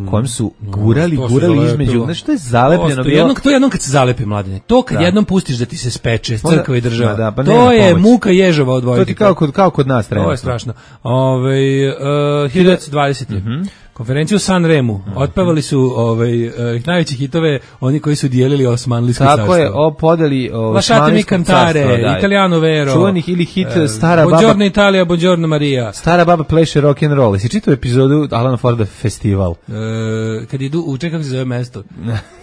kojom su gurali, to se gurali zalepilo. između. Znaš, to je zalepljeno To, bilo. jednom, to je jednom kad se zalepi, mladine. To kad Da. jednom pustiš da ti se speče Onda- crkva i država. Ma da, pa to nema je pomoći. muka ježova To odvojiti. ti kao kod, kao kod nas trenutno. Ovo je strašno. Ove, uh, hiljadu devetsto dvadesete Mhm. Konferenciju u San Remu. Otpevali su ovaj, uh, najveći hitove oni koji su dijelili Osmanlijsko carstvo. Tako je, o podeli o Lasciatemi Osmanlijskog cantare, carstva, da. Italiano vero. Čuvanih ili hit e, Stara baba. Buongiorno Italija, buongiorno Maria. Stara baba pleše rock and roll. Jesi čitao epizodu Alana Forda Festival? E, kad idu, u čekam se zove mesto,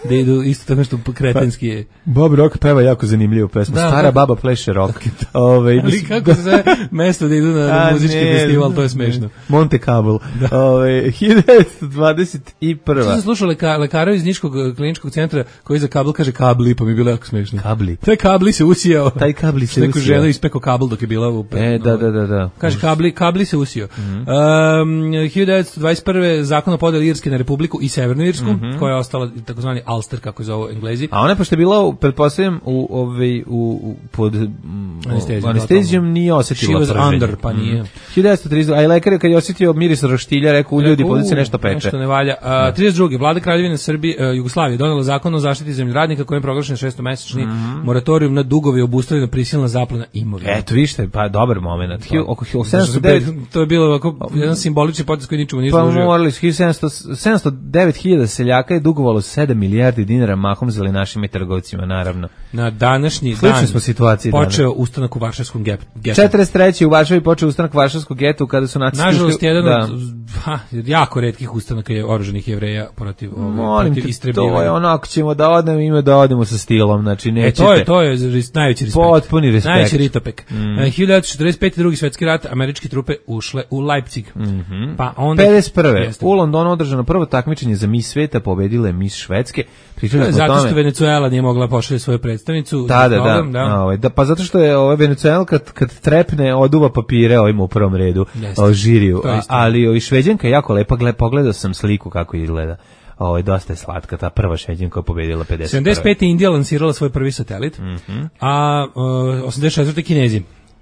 da idu isto tako što kretenski je. Bob Rock peva jako zanimljivu pesmu. Da, Stara kako- baba pleše rock. Ove, Ali kako se zove mesto da idu na, na A, muzički ne, festival, to je ne. smešno. Monte Carlo. Ove, hiljadu devetsto dvadeset prva. Sad sam slušao leka, lekara iz Niškog eh, kliničkog centra koji za kabel kaže kabli, pa mi je bilo jako smešno. Kabli. Taj kabli se usijao. Taj kabli se Neku usijao. ženu ispekao kabel dok je bila u... E, da, da, da, da. Kaže, kabli, kabli se usio. Mhm. Um, hiljadu devetsto dvadeset prve zakon o podeli Irske na Republiku i Severnu Irsku, Mhm. koja je ostala takozvani Ulster, kako je zovu Englezi. A ona pošto je bila, u- pretpostavljam, u, ovaj, u, u, pod mm, Anestezijom, anestezijom totalno. nije She osetila was prženje. under, pa nije. Mhm. hiljadu devetsto trideset, a i lekar je kad je osjetio miris roštilja, rekao u ljudi, pod se nešto peče. Nešto ne valja. A, trideset druge Vlada Kraljevine Srbije, e, Jugoslavije donela zakon o zaštiti zemljoradnika kojim je proglašen šestomesečni Mhm. moratorijum na dugovi obustavljena prisilna zaplena imovine. Eto, vište, pa dobar moment. Hi- Oko Zato što sedamsto devet to je bilo ovako jedan simbolični potez koji ničemu nije Pa služio. morali su sedamsto sedamsto devet hiljada seljaka je dugovalo sedam milijardi dinara mahom zelenašima i trgovcima, naravno. Na današnji Sličnoj dan smo situaciji počeo danas. ustanak u Varšavskom gep- getu. četrdeset treće u Varšavi počeo ustanak Varšavskog geta kada su nacisti Nažalost, ušli- jedan da. od ha, jako retkih ustanaka je oružanih Jevreja protiv, ovaj, Molim protiv te, istrebljivanja. to je ono, ako ćemo da odemo, ima da odemo sa stilom, znači E, nećete. to je, to je ris- najveći respekt. Potpuni respekt. Najveći ritopek. Mm. E, hiljadu devetsto četrdeset pete. drugi svetski rat, američke trupe ušle u Leipzig. Mhm. Pa onda... pedeset prve. Jeste. U Londonu održano prvo takmičenje za Miss sveta, pobedile Miss Švedske. Pričali smo o Zato što tome. Venezuela nije mogla pošalje svoju predstavnicu. Da, da, da. Program, da. Ovaj, da, pa zato što je ovaj Venezuela kad, kad trepne oduva papire ovim u prvom redu, Jeste. o, žiriju. To je A, istina. ali ovi Šveđanka je jako lepa, gled, pogledao sam sliku kako izgleda. Ovo, dosta je slatka, ta prva Šveđanka koja je pobedila pedeset prve. sedamdeset pete. Indija lansirala svoj prvi satelit, Mhm. a uh, osamdeset četvrte. Kinezi.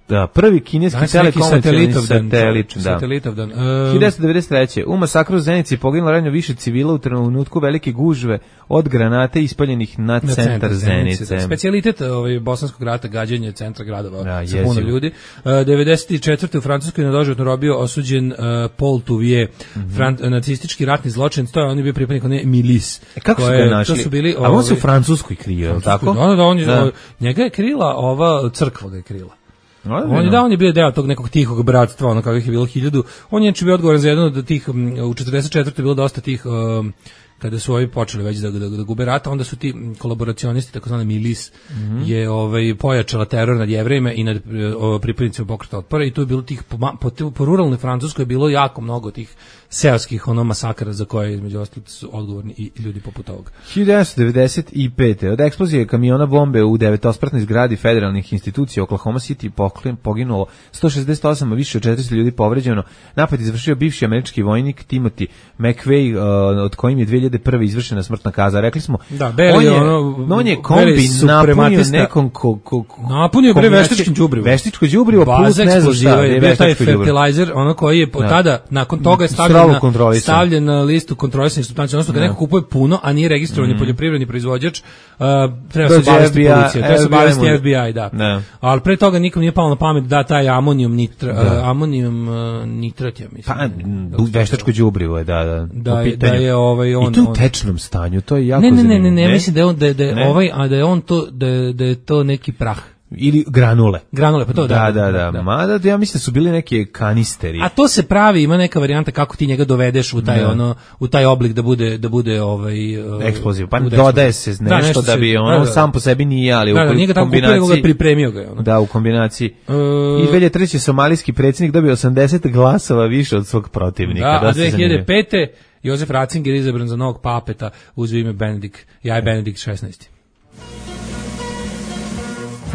Da, prvi kineski Danas je neki telekomunikacioni satelitov dan. satelit. Da. Satelitov dan. Uh, hiljadu devetsto devedeset treće. U masakru u Zenici poginulo ranjeno više civila u trenutku velike gužve od granate ispaljenih na, na centar Zenice. Specijalitet ovaj bosanskog rata, gađanje centra gradova Da, sa puno jezivo. ljudi. Uh, devedeset četvrte. u Francuskoj na doživotnu robiju osuđen uh, Paul Touvier, Mhm. fran- nacistički ratni zločin, to je on je bio pripadnik one milis. E, kako su koje- ga našli? To su bili, A on se u ovaj, Francuskoj krio, je li tako? Da, da, da, on je, Da. njega je krila ova crkva ga je krila. Ozbiljno? On je da, on je bio deo tog nekog tihog bratstva, ono kakvih je bilo hiljadu. On je znači bio odgovoran za jedno od tih, m, u četrdeset četvrtoj je bilo dosta tih, um, kada su ovi počeli već da, da, da gube rata, onda su ti m, kolaboracionisti, takozvani milis, Mhm. je ovaj, pojačala teror nad Jevrejima i nad e, o, pripadnicima pokreta otpora i tu je bilo tih, po, ma- po, po ruralnoj Francuskoj je bilo jako mnogo tih seoskih ono masakara za koje između ostalog su odgovorni i ljudi poput ovoga. hiljadu devetsto devedeset pete. Od eksplozije kamiona bombe u devetospratnoj zgradi federalnih institucija u Oklahoma City poklen- poginulo sto šezdeset osam, a više od četiristo ljudi povređeno. Napad izvršio bivši američki vojnik Timothy McVeigh, uh, od kojim je dve hiljade prve izvršena smrtna kazna. Rekli smo, Da, Barry on je, ono, no, on je Barry kombi napunio suprematista. nekom ko, ko, ko, Napunio je bre kombinacije- veštačkim đubrivom. Veštičko đubrivo plus Baza ne znam eksploziva šta. je bio taj veštačko đubrivo. fertilizer, ono koji je od Da. tada, nakon toga je Strogo stavljen na, kontrolisan. stavljen na listu kontrolisanih supstanci, odnosno kad neko kupuje puno, a nije registrovani Mm. poljoprivredni proizvođač, uh, treba se Dođe obavesti F B I, policija, treba se F B I obavesti mu- F B I, da. Da. Ali pre toga nikom nije palo na pamet da taj amonijum nitra, Da. uh, amonijum uh, nitrat, ja mislim. Pa, m, veštačko đubrivo je, da, da. Da u je- pitanju. da je ovaj on- I to u on- tečnom stanju, to je jako Ne, ne, ne, ne, zanimljivo. ne, ja mislim da je on, da, je- da je Ne? ovaj, a da je on to, da je, da je to neki prah. Ili granule. Granule, pa to Da, da, da. Mada ja mislim da su bili neke kanisteri. A to se pravi, ima neka varijanta kako ti njega dovedeš u taj Da. ono u taj oblik da bude da bude ovaj uh, Eksploziv. Pa bude dodaje eksploziv. se nešto da, se- bi ono da, da, da. sam po sebi nije, ali Da, da, u nije ga tamo kupio, nego ga kombinaciji... pripremio ga je, ono. Da, u kombinaciji. E, I dve hiljade treće. somalijski predsjednik dobio osamdeset glasova više od svog protivnika. Da, a Dosta dve hiljade zanimljivo. pete. Jozef Ratzinger izabran za novog papeta uz ime Benedikt, ja je Benedikt šesnaesti.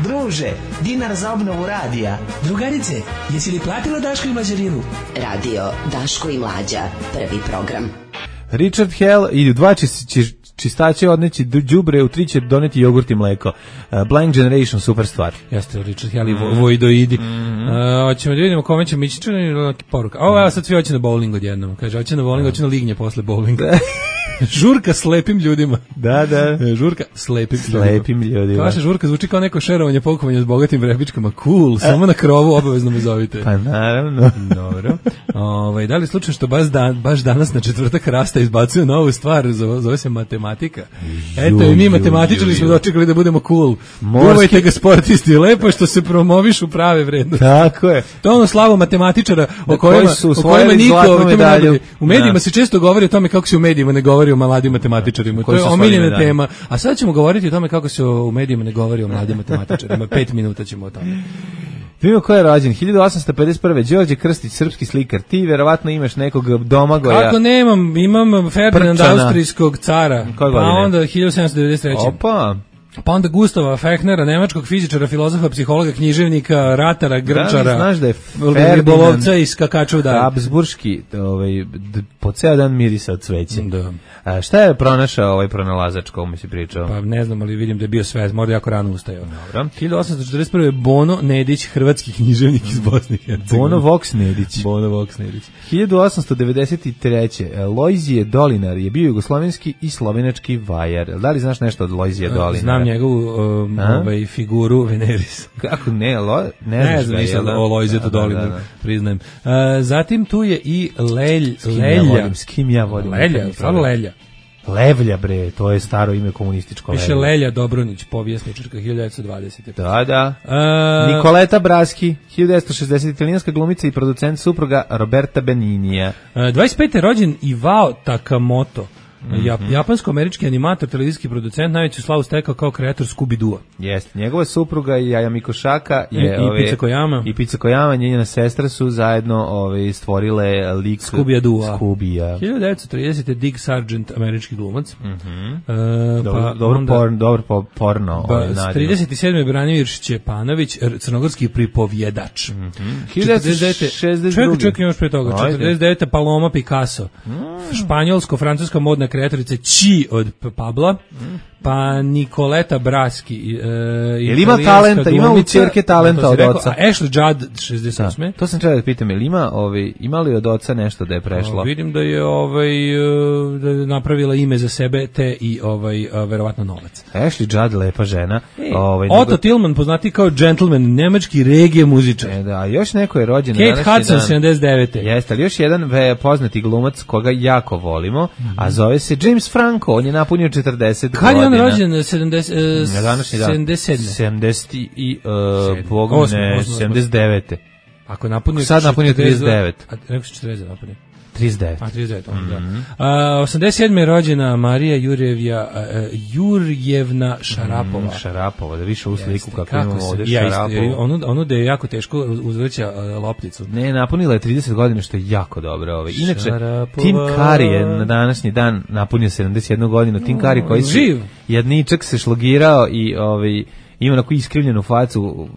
Druže, dinar za obnovu radija. Drugarice, jesi li platila Daško i Mlađarinu? Radio Daško i Mlađa, prvi program. Richard Hell i dva čis, čistače odneći đubre, u tri će doneti jogurt i mleko. Uh, Blank Generation, super stvar. Jeste, Richard Hell i mm. Vojdoidi. Mm. Uh, hoćemo da vidimo kome će mići čini poruka. Ovo, evo sad svi hoće na bowling odjednom. Kaže, hoće na bowling, hoće na lignje posle bowlinga. Žurka slepim ljudima. Da, da. Žurka slepim, slepim ljudima. ljudima. Vaša žurka zvuči kao neko šerovanje, pokovanje s bogatim vrebičkama. Cool, samo na krovu obavezno me zovite. Pa naravno. Dobro. Ovaj, da li slučaj što baš, dan, baš danas na četvrtak Rasta izbacuje novu stvar, zove se matematika. Eto i mi matematičari smo dočekali da budemo cool. Uvajte ga sportisti, lepo što se promovišu prave vrednosti. Tako je. To je ono slavu matematičara o kojima, o kojima niko, u medijima se često govori o tome kako se u medijima ne govori o mladim matematičarima. To je omiljena tema. A sad ćemo govoriti o tome kako se u medijima ne govori o mladim matematičarima. Pet minuta ćemo o tome. Vidimo ko je rođen, hiljadu osamsto pedeset prve. Đorđe Krstić, srpski slikar. Ti verovatno imaš nekog Domagoja. Kako nemam, imam Ferdinanda Austrijskog cara. Pa onda hiljadu sedamsto devedeset treće. Opa. Pa onda Gustava Fechnera, nemačkog fizičara, filozofa, psihologa, književnika, ratara, grčara, da, znaš da je ribolovca i skakača u dalje. Habsburški, ovaj, po ceo dan mirisa od cveće. Da. A šta je pronašao ovaj pronalazač, komu mi si pričao? Pa ne znam, ali vidim da je bio sve, možda jako rano ustajao. Dobro. hiljadu osamsto četrdeset prve. Bono Nedić, hrvatski književnik iz Bosne i Hercegovine. Bono Vox Nedić. Bono Vox Nedić. hiljadu osamsto devedeset treće. Lojzije Dolinar je bio jugoslovenski i slovenački vajar. Da li znaš nešto od Lojzije Dolinara? Znam njegovu um, ovaj, figuru Veneris. Kako ne, lo, ne, ne znam nisam o Lojzetu Dolinaru, da, da, da. priznajem. Uh, zatim tu je i Lelj, s kim Lelja. Ja volim, s kim ja volim? Lelja, stvarno Lelja. Levlja, bre, to je staro ime komunističko. Piše Lelja Dobronić, povjesničarka, hiljadu devetsto dvadesete. Da, da. Uh, Nikoleta Braski, hiljadu devetsto šezdesete. italijanska glumica i producent, supruga Roberta Beninija. Uh, dvadeset pete. rođen Iwao Takamoto. Mm-hmm. Japansko-američki animator, televizijski producent, najveću slavu stekao kao kreator Scooby-Doo. Jeste, njegova supruga i Jaja Mikošaka je, i, ove, i Pizza Koyama. I Pizza Koyama, njena sestra su zajedno ove, stvorile lik Scooby-Doo. Scooby-a. hiljadu devetsto tridesete. Dick Sargent, američki glumac. Mm-hmm. Uh, dobro, pa, dobro, onda, porn, dobro porno. Pa, ovaj, trideset sedme. Branimir Šćepanović, crnogorski pripovjedač. Mm-hmm. hiljadu devetsto šezdeset druge. Čekaj, čekaj, imaš pre toga. četrdeset devete. Paloma Picasso. Mm. Španjolsko-francuska modna kreatorica Či od Pabla, mm. pa Nikoleta Braski. E, je li ima talenta, glumica, ima u ćerke talenta od oca? A Ashley Judd, šezdeset osme. Da, to sam trebao da pitam, je li ima, ovaj, ima li od oca nešto da je prešlo? O, vidim da je, ovaj, da je napravila ime za sebe, te i ovaj, verovatno novac. Ashley Judd, lepa žena. E, ovaj, Otto nego... Tillman, poznati kao gentleman, nemački regije muzičar. E, da, još neko je rođen. Kate Hudson, sedamdeset devete. Jeste, ali još jedan ve, poznati glumac koga jako volimo, mm-hmm. a zove se James Franco, on je napunio četrdeset Kad godina. Kad je on rođen? sedamdeset, uh, na današnji dan. sedamdeset sedme. sedamdeset i uh, Bogne, sedamdeset devete. Ako je napunio sad napunio trideset devet. A rekao si četrdeset napunio. trideset devet. A trideset devet, on, mm-hmm. da. Uh, osamdeset sedme je rođena Marija Jurjevja, uh, Jurjevna Šarapova. Mm, Šarapova, da više u sliku kako, kako imamo ovde ja Šarapovu. Ono, ono da je jako teško uzvrća uh, lopticu. Ne, napunila je trideset godina, što je jako dobro. Ovaj. Inače, Šarapova. Tim Curry je na današnji dan napunio sedamdeset jednu godinu. Tim Curry koji se jedničak se šlogirao i ovaj, ima onako iskrivljenu facu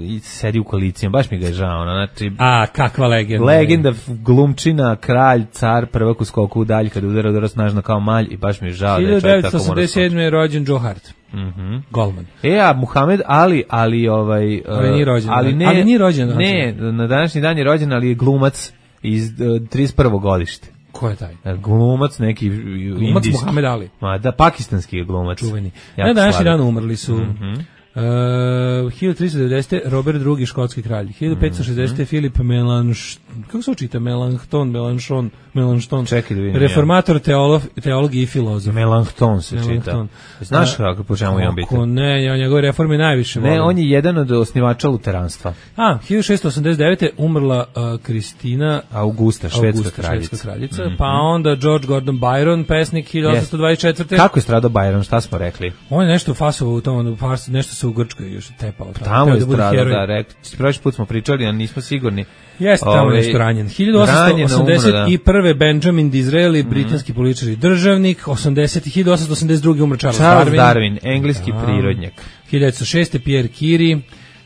i sedi u koalicijama, baš mi ga je žao. Znači, a, kakva legenda. Legenda, glumčina, kralj, car, prvak u skoku u dalj, kada udara udara snažno kao malj i baš mi je žao da je čovjek tako mora hiljadu devetsto osamdeset sedme. je rođen Joe Hart. Mm-hmm. Golman. E, a Muhammed Ali, ali ovaj... Ali nije rođen. Ali, ne, ali nije rođen. Ne, na današnji dan je rođen, ali je glumac iz uh, trideset prvo godište. Ko je taj? Glumac neki glumac indijski. Muhammed Ali. Ma, da, pakistanski je glumac. Čuveni. Na današnji dan umrli su... Mm-hmm. Uh, hiljadu tristo devedesete. Robert drugi, škotski kralj. hiljadu petsto šezdesete. Mm-hmm. Filip Melanš... Kako se učita? Melanchthon, Melanchthon, Melanchthon. Čekaj da vidim. Reformator, teolog, teolog i filozof. Melanchthon se Melanchthon. čita. Znaš kako po čemu je on biti? Ne, ja njegove reforme najviše volim. Ne, on je jedan od osnivača luteranstva. A, hiljadu šessto osamdeset devete. umrla uh, Kristina Augusta, švedska Augusta, kraljica. Švedska kraljica. Mm-hmm. Pa onda George Gordon Byron, pesnik hiljadu osamsto dvadeset četvrte. Kako je stradao Byron, šta smo rekli? On je nešto fasovo u tom, nešto se u Grčkoj još tepao. Tamo je stradao, da, rekli. Prošli put smo pričali, a nismo sigurni. Jeste tamo nešto ranjen. hiljadu osamsto osamdeset prve. Benjamin Disraeli, mm-hmm. britanski političar i državnik. osamdeset hiljadu osamsto osamdeset druge. umro Charles, Charles Darwin. Darwin, engleski da. prirodnjak. hiljadu devetsto šeste. Pierre Curie,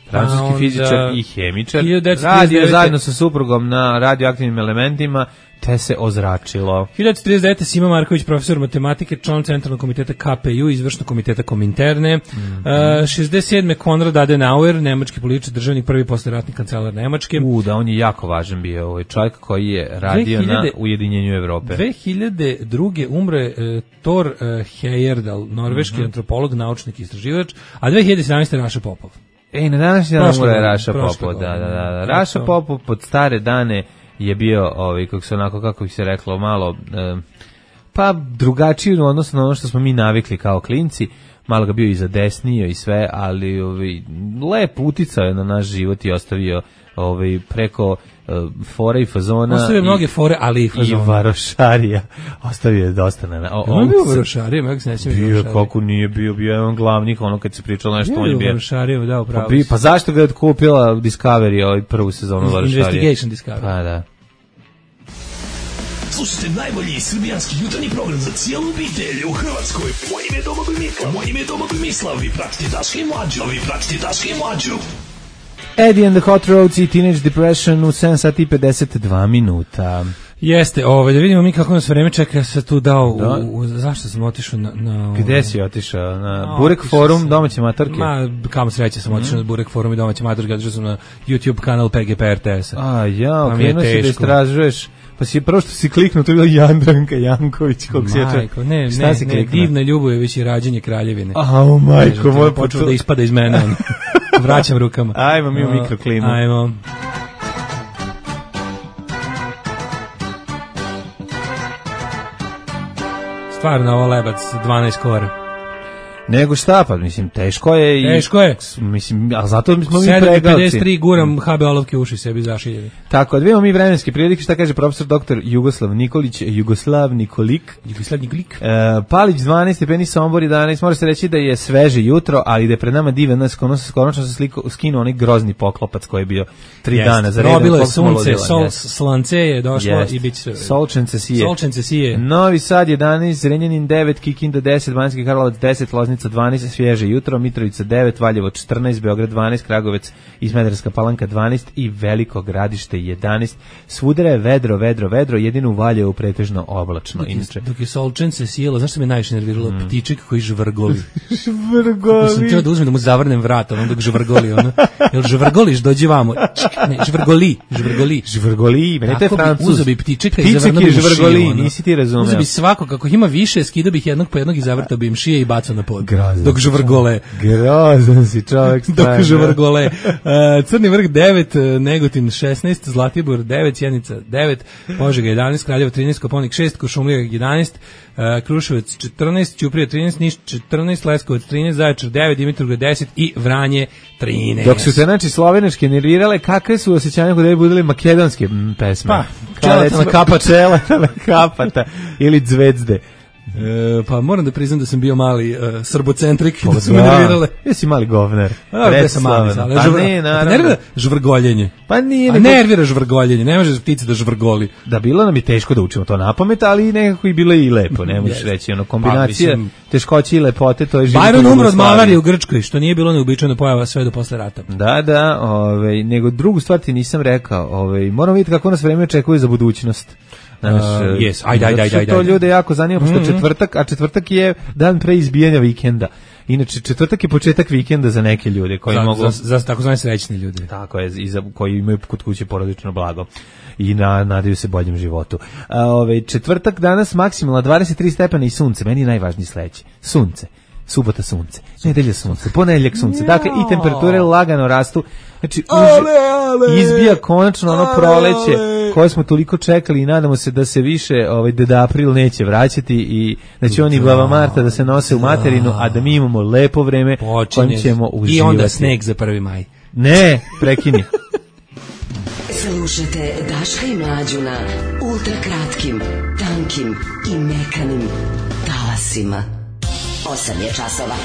francuski fizičar i hemičar, hiljadu devetsto trideset devete. radio zajedno sa suprugom na radioaktivnim elementima, te se ozračilo. hiljadu devetsto trideset devete. Sima Marković, profesor matematike, član Centralnog komiteta K P U, izvršnog komiteta Kominterne. Mm-hmm. uh, šezdeset sedme. Konrad Adenauer, nemački političar, državnik, prvi posleratni kancelar Nemačke. U, da, on je jako važan bio, ovaj čovjek koji je radio dve hiljade na Ujedinjenju Evrope. dve hiljade druge. umre uh, Thor uh, Heyerdahl, norveški mm-hmm. antropolog, naučnik i istraživač, a dve hiljade sedamnaeste. Raša Popov. Ej, na današnji dan umre Raša Popov, da, da, da. Raša Popov pod stare dane je bio, ovaj, kako se onako, kako bi se reklo, malo, eh, pa drugačiji odnosno na ono što smo mi navikli kao klinci, malo ga bio i zadesnio i sve, ali ovaj, lep uticao je na naš život i ostavio ovaj, preko uh, fora i fazona. Ostavio mnoge fore, ali i fazona. I varošarija. Ostavio je dosta na... O, on bio varošarija, kako se nećem bio varošarija. Kako nije bio, bio je on glavnik, ono kad se pričalo nešto, on je bio... Bio varošarija, da, upravo. Pa, pa zašto ga je kupila Discovery ovaj prvu sezonu varošarije? Investigation Discovery. Pa da. Slušajte najbolji srbijanski jutarnji program za cijelu obitelj u Hrvatskoj. Moje ime je Domagoj Mislav. Moje ime je Domagoj Mislav. Vi pratite Daška i Mlađu. Vi pratite Daška i Mlađu. Eddie and the Hot Roads i Teenage Depression u sedam sati i pedeset dva minuta. Jeste, ovaj, da vidimo mi kako nas vreme čeka, ja sam tu dao, da. u, u, zašto sam otišao na... na Gde si otišao? Na no, Burek forum sam, domaće matorke? Ma, kamo sreće sam otišao mm. na Burek forum i domaće matorke, otišao sam na YouTube kanal P G P R T S-a. A, ja, pa krenuo si da istražuješ, pa si prvo što si kliknuo, to je bila Jandranka Janković, kog si jača. Majko, ne, ne, ne, Divna Ljubojević i Rađenje kraljevine. A, o majko, moj počeo da ispada iz mene, on. Vraćam rukama. Ajmo mi u mikroklimu. Ajmo. Stvarno ovo lebac, dvanaest kora. Nego šta, pa mislim, teško je i... Teško je. Mislim, a zato smo mi pregalci. sedam pedeset tri guram H B olovke uši sebi zašiljeni. Tako, odvijemo mi vremenske prilike, šta kaže profesor doktor Jugoslav Nikolić, Jugoslav Nikolik. Jugoslav Nikolik. E, Palić dvanaest stepeni, Sombor jedanaest, mora se reći da je sveže jutro, ali da je pred nama divan, konačno se sliko, skinuo onaj grozni poklopac koji je bio tri Jest. dana za redom. Probilo je sunce, sol, slance je došlo Jest. i bit će... Solčence sije. Solčence sije. Novi Sad jedanaest, Zrenjanin devet, Kikinda deset, Banjski Karlovac deset, Loznica dvanaest, svježe jutro, Mitrovica devet, Valjevo četrnaest, Beograd dvanaest, Kragovec i Smederevska Palanka dvanaest i Veliko Gradište jedanaest. Svudera je vedro, vedro, vedro, jedino u Valjevu pretežno oblačno. Dok je, Inače. dok je Solčence sjelo, znaš što me najviše nerviralo? Mm. Ptiček koji žvrgoli. Žvrgoli. Mislim, teo da uzmem da mu zavrnem vrat, ono dok žvrgoli, ono. Jel žvrgoliš, dođi vamo. Ne, žvrgoli, žvrgoli. Žvrgoli, meni to je Francuz. Uzo bi ptičeka i zavrnuo bi mu šiju. Nisi ti razumeo. Uzo bi svako, kako ih ima više, skidao bih jednog po jednog i zavrtao bi im šije i bacao na pod. Grozan dok žvrgole. Grozan si čovjek. Dok žvrgole. Uh, Crni vrh devet, Negotin šesnaest, Zlatibor devet, Sjenica devet, Požega jedanaest, Kraljevo trinaest, Koponik šest, Kuršumlija jedanaest, uh, Kruševac četrnaest, Ćuprija trinaest, Niš četrnaest, Leskovac trinaest, Zaječar devet, Dimitrovgrad deset i Vranje trinaest. Dok su se znači slovenačke nervirale, kakve su osjećanja kod da budili makedonske m, pesme? Pa, Čelatana kapata. Čelatana kapata ili Zvezde. E, pa moram da priznam da sam bio mali uh, srbocentrik, da su me nervirale. Jesi mali govner. A, gde sam mali, ali pa žvr... ne, naravno. Nervira žvrgoljenje. Pa nije. A nervira žvrgoljenje, ne može ptica da žvrgoli. Da, bilo nam je teško da učimo to napamet, ali nekako i bilo i lepo, ne možeš yes. reći. Ono, kombinacija pa, mislim, teškoće i lepote, to je život. Byron umro od malarije u Grčkoj, što nije bilo neuobičajena pojava sve do posle rata. Da, da, ovaj, nego drugu stvar ti nisam rekao. Ovaj, moramo vidjeti kako nas vreme očekuje za budućnost. Znaš, uh, yes. ajde, ajde, ajde, ajde. To ljude jako zanima, pošto mm-hmm. četvrtak, a četvrtak je dan pre izbijanja vikenda. Inače, četvrtak je početak vikenda za neke ljude koji za, mogu... Za, za takozvani srećni ljude. Tako je, i za, koji imaju kod kuće porodično blago i na, nadaju se boljem životu. A, ove, četvrtak danas maksimalno dvadeset tri stepena i sunce. Meni je najvažniji sledeći. Sunce. Subota sunce, nedelja sunce, ponedeljak sunce. Dakle, i temperature lagano rastu. Znači, uže, izbija konačno ono proleće koje smo toliko čekali i nadamo se da se više ovaj Deda April neće vraćati i da će oni Baba Marta da se nose u materinu, a da mi imamo lepo vreme kojim ćemo uživati. I onda sneg za prvi maj. Ne, prekini. Slušajte Daška i Mlađu na ultrakratkim, tankim i mekanim talasima. osam je časova.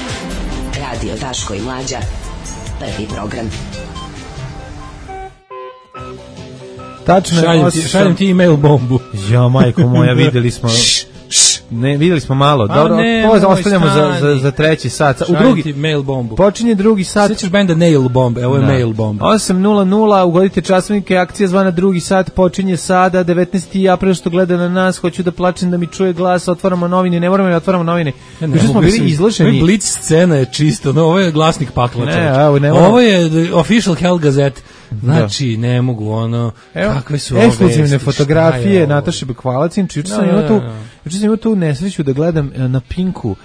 Radio Daško i Mlađa. Prvi program. Tačno je. Šaljem ti, šaljem ti e-mail bombu. Ja, majko moja, videli smo... Ne, videli smo malo. A Dobro, ne, ovo moj ostavljamo za, za, za treći sat. U drugi ti mail bombu. Počinje drugi sat. Sećaš benda Nail Bomb, evo je Da. Mail Bomb. osam nula nula, ugodite časovnike, akcija zvana drugi sat, počinje sada, devetnaesti april, što gleda na nas, hoću da plačem da mi čuje glas, otvaramo novine, ne moramo da otvaramo novine. Ja ne Juče smo mogu bili se- izloženi. Ovaj Blitz scena je čisto, no, ovo je glasnik pakla. Ne, čoveče. evo, ne mogu. Ovo je the official Hell Gazette. Znači, ne mogu, ono, Evo, kakve su ove ekskluzivne vesti, fotografije šta je ovo? Nataše Bekvalac. Juče sam Da, imao da, tu, da. juče sam imao tu nesreću da gledam e, na Pinku.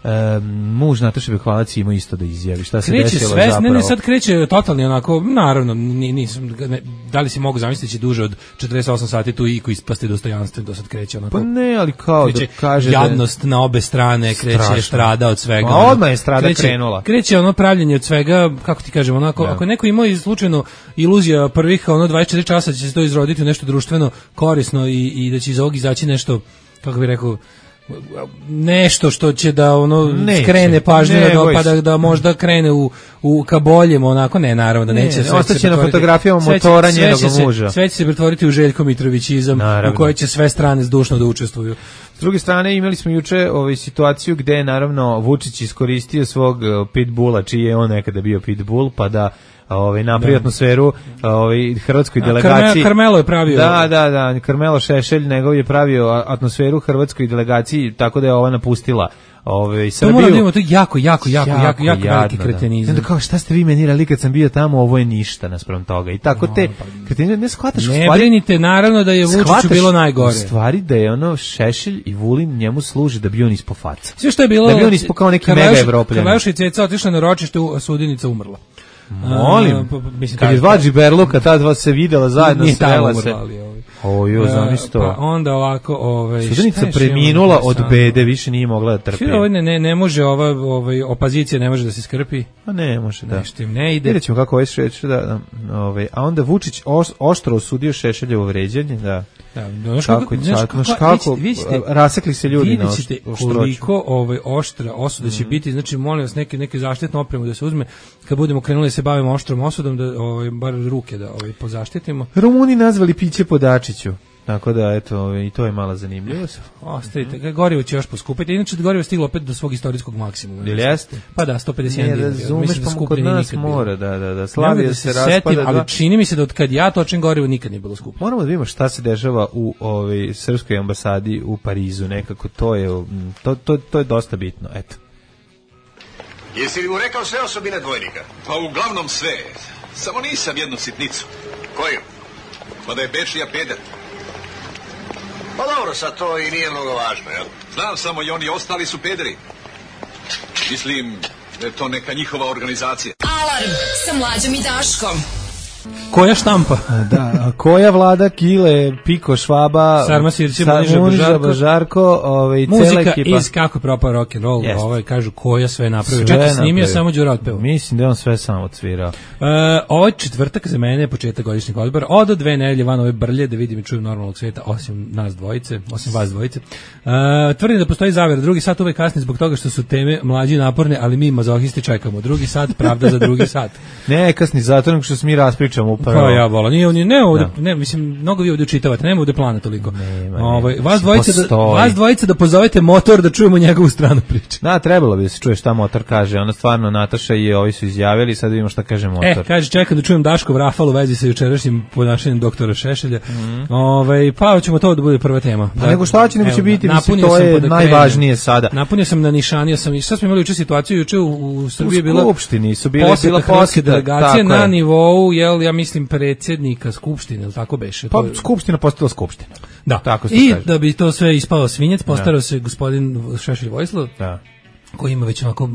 E, muž Nataše Bekvalac ima isto da izjavi šta se Kreće desilo sve, zapravo. ne, ne, sad kreće totalni onako, naravno, ni- nisam, ne, da li si mogu zamisliti da će duže od četrdeset osam sati tu iku ispasti dostojanstven, do sad kreće onako. Pa ne, ali kao da kreće kaže da je- jadnost na obe strane, kreće Strašno. strada od svega. Ma, ono. odmah je strada kreće, krenula. Kreće ono pravljenje od svega, kako ti kažem, onako, ako je neko imao i slučajno iluzija prvih ono dvadeset četiri časa će se to izroditi u nešto društveno korisno i, i da će iz ovog izaći nešto, kako bih rekao, nešto što će da ono Neće. skrene pažnju Ne, da, boj pa se. da, da možda krene u, u ka boljem, onako, ne, naravno da Ne, neće. ne, sve će ostaće se na pretvoriti- fotografijama sve će- motora sve će njenog se- muža. Sve će se pretvoriti u Željko Mitrovićizam Naravno. u kojoj će sve strane zdušno da učestvuju. S druge strane imali smo juče ovaj situaciju gde je naravno Vučić iskoristio svog eh, pitbulla, čiji je on nekada bio pitbull, pa da ovaj napravi atmosferu ovaj hrvatskoj A, delegaciji. Karme- Karmelo je pravio. Da, da, da, Karmelo Šešelj njegov je pravio a- atmosferu hrvatskoj delegaciji, tako da je ova napustila ovaj To Srbiju. moramo da imamo, to je jako, jako, jako, jako, jako, jako veliki jadno, da. kretenizam. I onda kao šta ste vi meni rekli kad sam bio tamo, ovo je ništa naspram toga. I tako te kretenizam ne shvataš u Ne stvari. brinite, naravno da je Vučiću Shvataš bilo najgore. u stvari da je ono Šešelj i Vulin njemu služi da bi on ispo faca. Sve što je bilo... Da bi on ispao kao neki mega Evropljanin. Karleuša i Ceca otišla na ročište, u Sudinica umrla. Molim, A, pa- pa- mislim, kad je kažu- dva džiberluka, ta dva se videla zajedno, Nije tamo srela se. umrla, ali ovaj. O, jo, E, zamisli to. Pa onda ovako, ovaj, šta Sudanica je još preminula imamo od interesantno? bede, više nije mogla da trpi. Sve ovo ne, ne, ne može ova ovaj, opozicija ne može da se skrpi. Pa ne može, da. Nešto im ne ide. Vidjet ćemo kako ovaj Šešelj, da, da, ovaj, a onda Vučić os, oštro osudio Šešeljevo vređanje, da. Da, znaš Kako, kako, kako, znaš kako, kako, kako vidite, vidite, rasekli se ljudi na vidjet oš- ćete oštroću. koliko ovaj, oštra osuda će biti, znači molim vas neke, neke zaštitne opremu da se uzme, kad budemo krenuli da se bavimo oštrom osudom, da ovaj, bar ruke da ovaj, pozaštitimo. Rumuni nazvali piće po Dačiću. Tako da, eto, ovaj, i to je mala zanimljivost. Ostavite, ga, gorivo će još poskupiti, inače gorivo je stiglo opet do svog istorijskog maksimuma. Ili jeste? Pa da, sto pedeset Ne jedan dinara. razumeš, Mislim da pa skuplje kod nije nas nikad bilo. mora, da, da, da. Ne mogu Slavija da se setim, raspada. ali dva- čini mi se da od kad ja točim gorivo nikad nije bilo skuplje. Moramo da vidimo šta se dešava u ovaj srpskoj ambasadi u Parizu, nekako to je mm, to to to je dosta bitno, eto. Jesi li mu rekao sve osobine dvojnika? Pa uglavnom sve. Samo nisam jednu sitnicu. Koju? Pa da je Bečija peder. Pa dobro, sad to i nije mnogo važno, jel? Znam samo i oni ostali su pederi. Mislim da je to neka njihova organizacija. Alarm sa Mlađom i Daškom. Koja štampa? Da, a koja vlada Kile, Piko, Švaba, Sarma Sirće, Sa- Muniža Muniža, Božarko, Bažarko, ovaj, cela Muzika ekipa. iz kako je propao rock and roll, Jeste. ovaj kažu koja sve napravio. Sve Čak i snimio napravio. samo Đura otpeo. Mislim da je on sve sam odsvirao. Uh, ovo je četvrtak za mene, početak godišnjeg odbora. Od do dve nedelje van ove brlje da vidim i čujem normalnog sveta, osim nas dvojice, osim vas dvojice. Uh, tvrdim da postoji zavera. Drugi sat uvek kasni zbog toga što su teme mlađi naporne, ali mi mazohisti čekamo. Drugi sat, pravda za drugi sat. Ne, kasni zato nego što se mi raspričamo upravo. Pa ja vola, nije oni ne ovde, Da. ne mislim mnogo vi ovde učitavate, nema ovde plana toliko. Nema, Ovaj nema. vas dvojice da Postoji. vas dvojice da pozovete motor da čujemo njegovu stranu priče. Da, trebalo bi da se čuje šta motor kaže. Ona stvarno, Nataša i ovi su izjavili, sad vidimo šta kaže motor. E, kaže, čekam da čujem Daškov rafal u vezi sa jučerašnjim ponašanjem doktora Šešelja. Ovaj, pa ćemo to da bude prva tema. Pa nego šta će, nego će Evo, biti, mislim, napunio to sam je pa da najvažnije krenem. sada. Napunio sam na nišanija sam i sad smo imali juče situaciju, juče u, u Srbiji je bila Skupštini su bile, poseta bila hrvatske poseta, delegacije tako na je. nivou, jel, ja mislim, predsjednika Skupštine, ili tako beše? Pa To je- skupština postala skupština. Da, Tako se i kaže. da bi to sve ispao svinjec, postarao se gospodin Šešelj Vojislav, Da. koji ima već onako,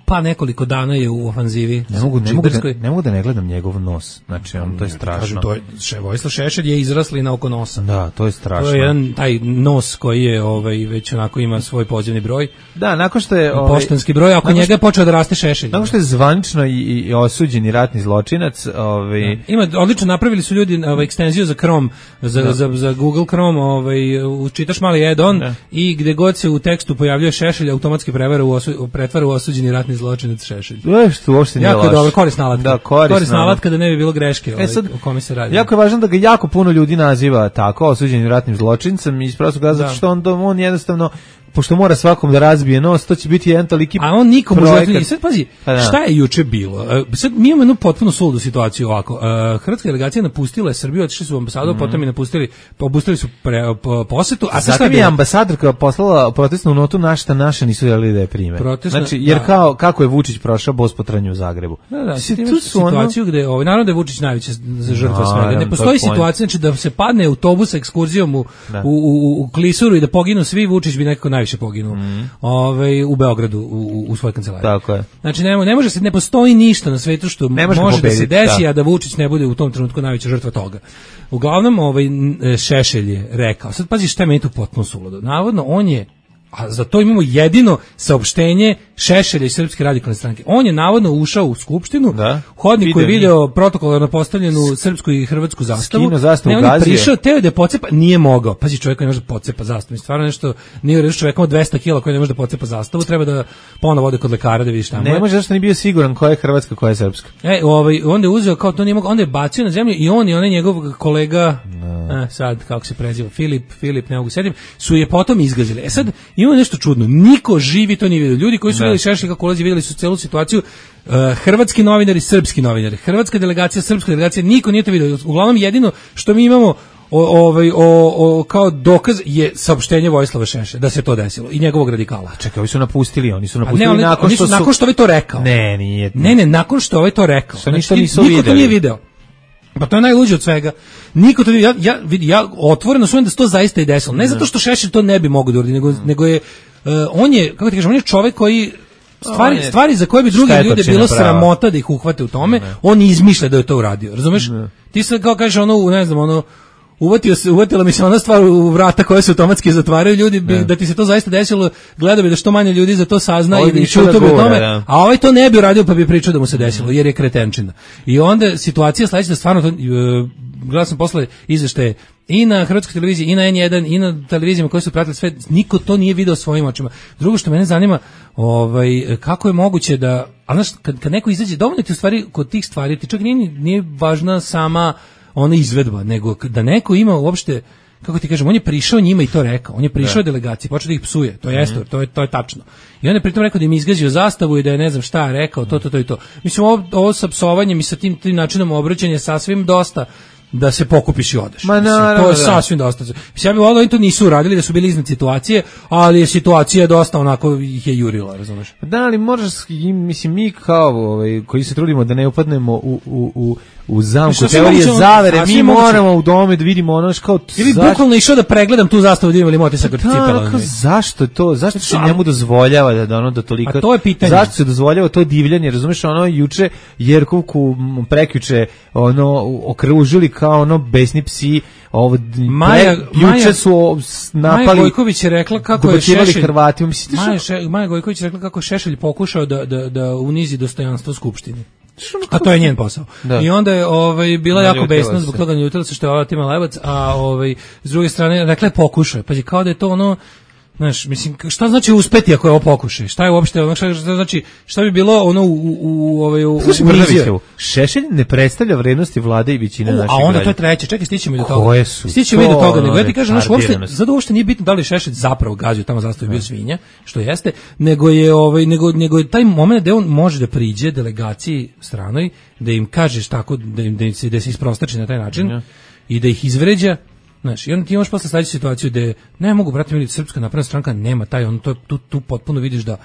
pa nekoliko dana je u ofanzivi. Ne mogu, ne, mogu da, džiberskoj. ne mogu da ne gledam njegov nos. Znači, on, to je strašno. Kažem, to je, še, Vojislav Šešelj je izrasli na oko nosa. Da, to je strašno. To je jedan taj nos koji je ovaj već onako ima svoj pozivni broj, Da, nakon što je... ovaj, poštanski broj, ako nakon njega je počeo da raste Šešelj. Nakon što je zvanično i, i osuđeni ratni zločinac, ovaj, Ima odlično napravili su ljudi ovaj ekstenziju za Chrome, za, za, za Google Chrome, ovaj učitaš mali add-on Da. i gde god se u tekstu pojavljuje Šešelj automatski prevodi prevara u osu, pretvara u osuđeni ratni zločinac Šešelj. E, što uopšte nije jako loše. Jako dobro, korisna alatka. Da, korisna, korisna alatka da ne bi bilo greške ovaj, e sad, o kome se radi. Jako je važno da ga jako puno ljudi naziva tako, osuđenim ratnim zločincem, iz prostog razloga što on, on jednostavno pošto mora svakom da razbije nos, to će biti jedan toliki a on nikomu projekat. I sad pazi, šta je juče bilo? Sad mi imamo jednu potpuno suludu situaciju ovako. Hrvatska delegacija napustila je Srbiju, otišli su u ambasadu, mm. potom i napustili, obustavili su pre, po, posetu. A zatim je ambasadorka poslala protestnu notu na šta naše nisu želeli da je prime. Protestna, znači, jer da. kao, kako je Vučić prošao bospotranju u Zagrebu. Da, da, si, tu su situaciju ono... gde, ovaj, naravno da je Vučić najveća žrtva no, svega. Ne postoji situacija znači, da se padne autobus sa ekskurzijom u, u, u, u Klisuru i da poginu svi, Vučić bi nekako najviše poginuo. Mm. Ove, u Beogradu u, u svojoj kancelariji. Tako je. Znači ne, ne može se ne postoji ništa na svetu što može pobediti, da se desi da. a da Vučić ne bude u tom trenutku najveća žrtva toga. Uglavnom ovaj Šešelj je rekao. Sad pazi šta je meni tu potpuno suludo. Navodno on je a za to imamo jedino saopštenje Šešelja iz Srpske radikalne stranke. On je navodno ušao u skupštinu, da. hodnik koji je video protokolarno postavljenu srpsku i hrvatsku zastavu. Skino zastavu ne, on je prišao, teo da je pocepa, nije mogao. Pazi, čovjek ne može da pocepa zastavu. I stvarno nešto, nije reći čovjekom od dvesta kilograma koji ne može da pocepa zastavu, treba da ponovo ode kod lekara da vidi šta mu je. Ne može, zašto nije bio siguran koja je hrvatska, koja je srpska. E, ovaj, onda je uzeo, kao to nije mogao, onda je bacio na zemlju i on i onaj njegov kolega, no. e, sad, kako se preziva, Filip, Filip, ne mogu sedim, su je potom izgazili. E sad, ima nešto čudno, niko živi to nije vidio. Ljudi koji su vidjeli Šešelja kako ulazi, vidjeli su celu situaciju, uh, hrvatski novinari, srpski novinari, hrvatska delegacija, srpska delegacija, niko nije to vidio. Uglavnom jedino što mi imamo o, ovaj, o, o, kao dokaz je saopštenje Vojislava Šešelja da se to desilo i njegovog radikala. Čekaj, ovi su napustili, oni su napustili ne, oni, nakon, oni što su, nakon što ovaj to rekao. Ne, nije. Ne, ne, nakon što ovaj to rekao. Što ništa znači, nisu niko videli. to nije video. Pa to je najluđe od svega. Niko to ja ja vidi ja otvoreno sumnjam da se to zaista i desilo. Ne zato što Šešelj to ne bi mogao da uradi, nego mm. nego je uh, on je kako ti kažem, on je čovjek koji stvari je, stvari za koje bi drugi ljudi bilo sramota da ih uhvate u tome, ne. on izmišlja da je to uradio. Razumeš? Ne. Ti sad kao kažeš ono, ne znam, ono uvatio se, uvatila mi se ona stvar u vrata koje se automatski zatvaraju, ljudi bi, da ti se to zaista desilo, gledao bi da što manje ljudi za to sazna i bi čuto bi o tome, da. a ovaj to ne bi uradio pa bi pričao da mu se desilo, jer je kretenčina. I onda situacija sledeća da stvarno to, uh, gledao sam posle izveštaje i na Hrvatskoj televiziji, i na N jedan, i na televizijama koje su pratili sve, niko to nije video svojim očima. Drugo što mene zanima, ovaj, kako je moguće da, ali znaš, kad, kad neko izađe, dovoljno ti u stvari, kod tih stvari, ti čak nije, nije važna sama ona izvedba, nego da neko ima uopšte, kako ti kažem, on je prišao njima i to rekao, on je prišao da. delegaciji, počeo da ih psuje, to jeste, mm-hmm. to je to je tačno. I on je pritom rekao da im izgazio zastavu i da je ne znam šta rekao, to to to i to. Mislim ovo, ovo sa psovanjem i sa tim, tim načinom obraćanja sasvim dosta da se pokupiš i odeš. Ma, mislim, no, to je da. sasvim dosta. Mislim, ja bih volio, oni to nisu uradili, da su bili iznad situacije, ali je situacija dosta onako ih je jurila, razumeš? Da, ali možeš, mislim, mi kao ovaj, koji se trudimo da ne upadnemo u, u, u, u zamku teorije zavere, mi moramo u dome da vidimo ono kao... Ili zaš... bukvalno išao da pregledam tu zastavu, da imam li motisak od cipela. Zašto to? Zašto se njemu dozvoljava da, da ono da toliko... A to je pitanje. Zašto se dozvoljava to divljanje, razumeš, ono juče Jerkovku prekjuče ono okružili kao ono besni psi, ovo Maja, pre, juče su napali. Maja Gojković je rekla kako je Šešelj Hrvatima, mislite Maja, še, Maja Gojković je rekla kako Šešelj pokušao da da da unizi dostojanstvo skupštine. A to je njen posao. Da. I onda je ovaj bila da, jako besna zbog toga, ljutila se što je ova Tima Lebac, a ovaj s druge strane rekla je pokušaj. Pa je kao da je to ono, znaš, mislim, šta znači uspeti ako je ovo pokušaj? Šta je uopšte, ono šta, šta znači, šta bi bilo ono u u, u ovaj u, u Šešelj ne predstavlja vrednosti vlade i većine naših građana. A onda to je treće, čekaj, stićemo i do toga. Stićemo i do toga, nego ja ti kažem, znaš, uopšte, zato uopšte nije bitno da li Šešelj zapravo gazio tamo zastavu bio svinja, što jeste, nego je ovaj nego nego je taj momenat da on može da priđe delegaciji stranoj, da im kažeš tako da im da se da se isprostači na taj način ja. i da ih izvređa. Znaš, i onda ti imaš posle sledeću situaciju da ne mogu, brate mili, Srpska napredna stranka nema taj, on to tu, tu potpuno vidiš da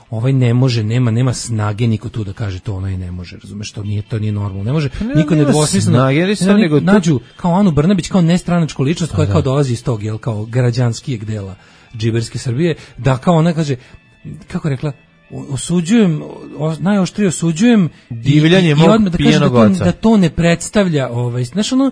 ovaj ne može, nema nema snage niko tu da kaže to onaj ne može, razumeš, to nije to nije normalno. Ne može ne, niko ne dvosmisleno nego nađu kao Anu Brnabić kao nestranačku ličnost koja da. kao dolazi iz tog, jel, kao građanskijeg dela džiberske Srbije, da kao ona kaže, kako rekla, osuđujem, najoštrije osuđujem divljanje mog da pijenog da, da to ne predstavlja, ovaj, znaš, ono,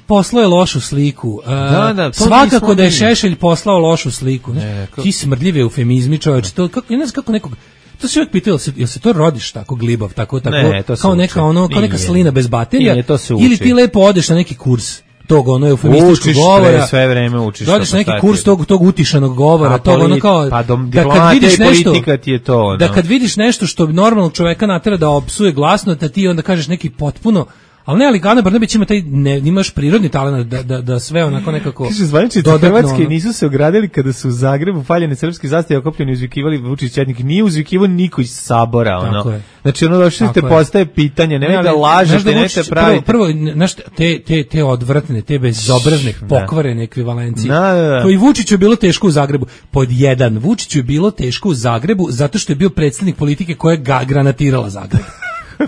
poslao je lošu sliku. Uh, da, da, svakako da je Šešelj poslao lošu sliku. Ne, ti smrdljive eufemizmi, čoveče, to kako ne znam kako nekog. To se uvijek pitao, jel se, jel se to rodiš tako glibav, tako tako ne, kao neka ono, kao neka slina bez baterija, nije, ili ti lepo odeš na neki kurs. tog ono eufemističkog govora. Učiš sve vreme učiš. Dođeš neki kurs tog, tog utišanog govora, tog ono kao, pa dom, da kad vidiš nešto, ti je to, ono. Da kad vidiš nešto što normalnog čoveka natera da opsuje glasno, da ti onda kažeš neki potpuno. Ali ne, ali Ana Brnabić ima taj, ne, imaš prirodni talent da, da, da sve onako nekako... Kaže, zvaničnici Hrvatske nisu se ogradili kada su u Zagrebu paljene srpske zastave okopljeni uzvikivali Vučić četnik. Nije uzvikivao niko iz Sabora, ono. Tako je. Znači, ono došli te postaje pitanje, nemoj da lažete, nemoj te pravite. Prvo, prvo znaš, te, te, te odvratne, te bezobrazne, pokvarene ekvivalencije. Da, da, da. To i Vučiću je bilo teško u Zagrebu. Pod jedan, Vučiću je bilo teško u Zagrebu zato što je bio predstavnik politike koja je ga granatirala Zagreb.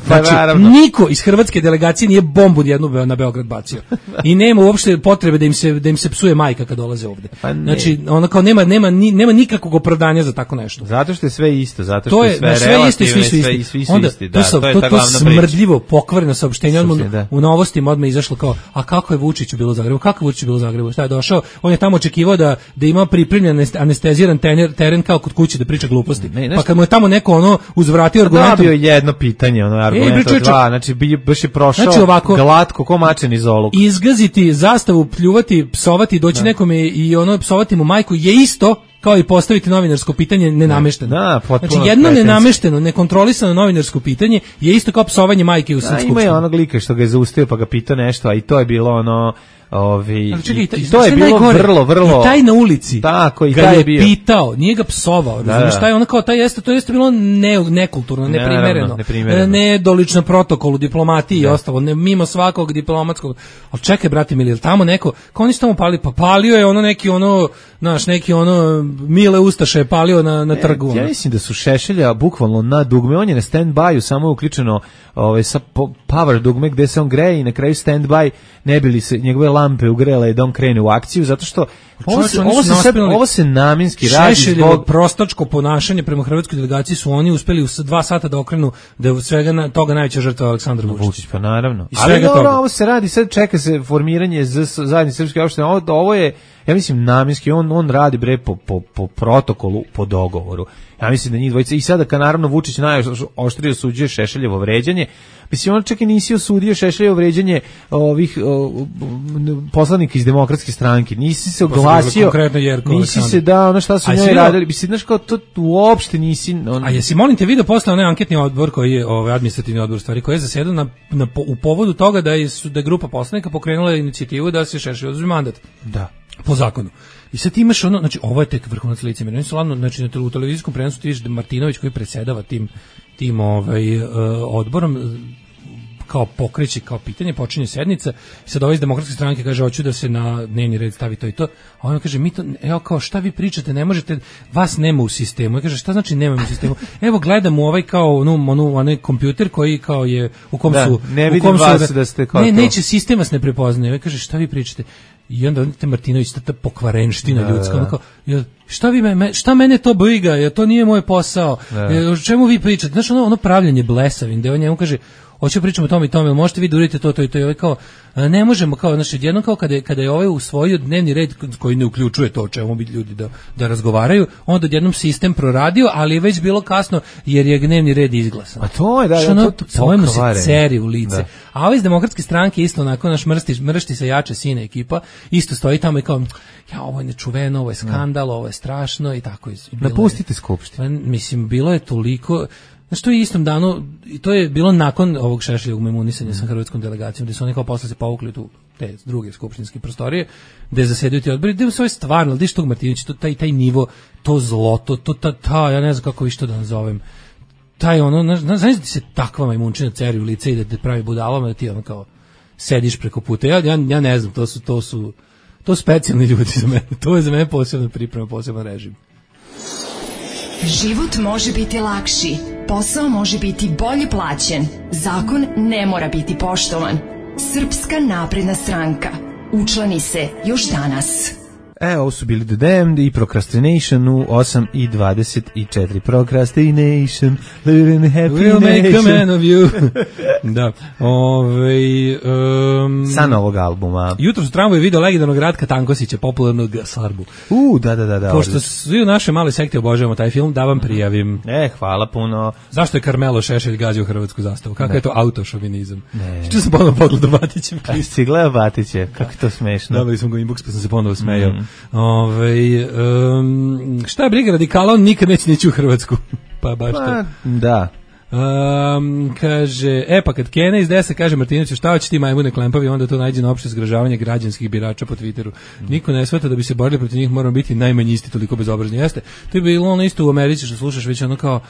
Znači, pa, niko iz hrvatske delegacije nije bombu jednu na Beograd bacio. I nema uopšte potrebe da im se da im se psuje majka kad dolaze ovde. Pa znači, ona kao nema nema ni, nema nikakvog opravdanja za tako nešto. Zato što je sve isto, zato što je sve sve isto, svi su isti. Svi su onda, isti, da, to, to je ta glavna priča. To smrdljivo pokvareno saopštenje odmah u novostima odmah izašlo kao, a kako je Vučić bilo u Zagrebu? Kako je Vučić bilo u Zagrebu? Šta je došao? On je tamo očekivao da da ima pripremljen anesteziran teren, teren kao kod kuće da priča gluposti. Ne, pa kad mu je tamo neko ono uzvratio argumentom, dobio jedno pitanje, ono argument od dva, znači baš je prošao znači ovako, glatko ko mačen iz oluk. Izgaziti zastavu, pljuvati, psovati, doći da. nekome i ono psovati mu majku je isto kao i postaviti novinarsko pitanje nenamešteno. Da, znači jedno nenamešteno, nekontrolisano novinarsko pitanje je isto kao psovanje majke u Skupštini. Ima je onog lika što ga je zaustavio pa ga pitao nešto, a i to je bilo ono Ovi, čekaj, i, i to je bilo najgore, vrlo, vrlo... I taj na ulici tako, i ga taj je bio. pitao, nije ga psovao, da, razumiješ, taj ono kao, taj jeste, to jeste bilo ne, nekulturno, neprimereno, neprimereno. Nedolično protokolu, diplomatiji da. I ostalo, ne, mimo svakog diplomatskog, ali čekaj, brate mili, ili tamo neko, kao oni su tamo pali, pa palio je ono neki ono, znaš, neki ono, Mile Ustaše je palio na, na trgu. Ja mislim da su Šešelja bukvalno na dugme, on je na stand-by-u, samo je uključeno ovaj, sa power dugme gde se on greje i na kraju stand-by ne bili se njegove lampe ugrele da on krene u akciju, zato što ovo se, ovo se, sad, ovo se namjenski radi zbog prostačko ponašanje prema hrvatskoj delegaciji su oni uspeli u dva sata da okrenu da je svega na, toga najveća žrtva Aleksandar Vučić. Vučić, pa naravno. Ali dobro, ovo se radi, sad čeka se formiranje zajednice srpske opštine, ovo, ovo je, ja mislim, namjenski, on, on radi bre po, po, po protokolu, po dogovoru. Ja mislim da njih dvojica, i sada kad naravno Vučić najoštrije osuđuje Šešeljevo vređanje, mislim, on čak i nisi osudio Šešeljevo vređanje ovih o, poslanika iz Demokratske stranke, nisi se oglasio, nisi se da, ono šta su njoj radili, mislim, znaš kao, to uopšte nisi... On... A jesi, molim te, vidio posle onaj anketni odbor koji je, ovaj administrativni odbor stvari, koji je zasedao na, na, u povodu toga da je, da je grupa poslanika pokrenula inicijativu da se Šešelj oduzme mandat. Da. Po zakonu. I sad ti imaš ono, znači ovo je tek vrhunac licemjerja. Oni su ladno, znači na u televizijskom prenosu ti vidiš da Martinović koji predsjedava tim tim ovaj uh, odborom kao pokreće kao pitanje, počinje sednica i sad ovaj iz Demokratske stranke kaže hoću da se na dnevni red stavi to i to. A on kaže mi to, evo kao šta vi pričate, ne možete, vas nema u sistemu. I kaže šta znači nema u sistemu? Evo gledam u ovaj kao onu onu onaj kompjuter koji kao je u kom da, su ne vidim u kom vas su, da ste kao ne, to. neće sistem vas ne prepoznaje. I kaže šta vi pričate? I onda te Martinović ta pokvarenština da, ljudska, onako, šta vi me, šta mene to briga, jer to nije moj posao. O čemu vi pričate? Znaš, ono, ono pravljenje blesavim, da on njemu kaže hoće pričamo o tome i tome, možete vi da uradite to, to i to, i ovaj kao, ne možemo, kao, znači, jednom kao kada je, kada je ovaj usvojio dnevni red koji ne uključuje to o čemu bi ljudi da, da razgovaraju, onda odjednom sistem proradio, ali je već bilo kasno jer je dnevni red izglasan. A to je, da, da, to, to, to se ceri u lice. Da. A ovaj iz Demokratske stranke isto onako naš mrsti, mršti se jače sine ekipa, isto stoji tamo i kao, ja, ovo je nečuveno, ovo je skandal, ovo je strašno i tako. Napustite skupštinu. Mislim, bilo je toliko... Znači, to je istom danu, i to je bilo nakon ovog Šešeljevog memunisanja sa hrvatskom delegacijom, gde su oni kao posle se povukli tu te druge skupštinske prostorije, gde zasedaju ti odbori, gde su ove stvarno, gde što tog Martinović, to, taj, taj nivo, to zlo, to, to ta, ta, ja ne znam kako išto da nazovem, taj ono, znaš da ti se takva majmunčina ceri u lice i da te pravi budalama, da ti ono kao sediš preko puta, ja, ja, ja ne znam, to su, to su, to su specijalni ljudi za mene, to je za mene posebna priprema, poseban režim. Život može biti lakši, posao može biti bolje plaćen, zakon ne mora biti poštovan. Srpska napredna stranka. Učlani se još danas. E, ovo su bili The Damned i Procrastination u osam i dvadeset četiri. Procrastination, living in happy We'll make a nation. man of you. Da. Ove, um, Sa novog albuma. Jutro su tramvaju video legendarnog Ratka Tankosića, popularnog Sarbu. U, da, da, da. da Pošto svi u našoj maloj sekti obožavamo taj film, da vam prijavim. E, hvala puno. Zašto je Karmelo Šešelj gazio hrvatsku zastavu? Kako ne. je to autošovinizam? Ne. Što sam ponovno pogledao Batićev klip. Si gledao Batiće, kako je to smešno. Dobili smo ga inbox, pa sam se ponovo smejao. Mm. Ove, um, šta je briga radikala, on nikad neće nići u Hrvatsku. Pa baš to. Pa, da. Um, kaže, e pa kad Kena iz desa kaže Martinoviću šta hoće ti majmune klempavi, onda to najde na opšte zgražavanje građanskih birača po Twitteru. Niko ne shvata da bi se borili protiv njih, moramo biti najmanji isti, toliko bezobrazni. Jeste, to je bilo ono isto u Americi što slušaš već ono kao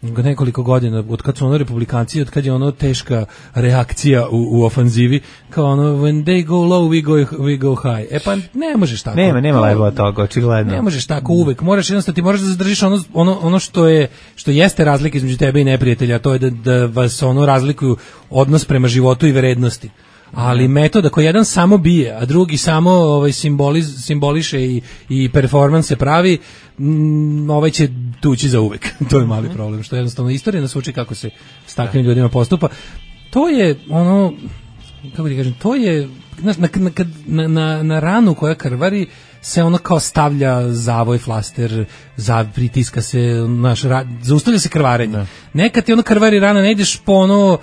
nekoliko godina, od kad su ono republikanci, od kad je ono teška reakcija u, u ofanzivi, kao ono when they go low we go, we go high. E pa ne možeš tako. Nema, nema lajva od toga, očigledno. Ne možeš tako uvek, moraš jednostavno, ti moraš da zadržiš ono, ono, ono što je, što jeste razlika između tebe i neprijatelja, to je da, da vas ono razlikuju odnos prema životu i vrednosti. Ali metoda koji jedan samo bije, a drugi samo ovaj simboliz, simboliše i, i performanse pravi, m, ovaj će tući za uvek. To je mali problem, što jednostavno istorija nas uči kako se s takvim ljudima postupa. To je ono, kako ti kažem, to je na, na, na, na ranu koja krvari se ono kao stavlja zavoj, flaster, za, pritiska se, naš, zaustavlja se krvarenje. Nekad ti ono krvari rana, ne ideš po ono,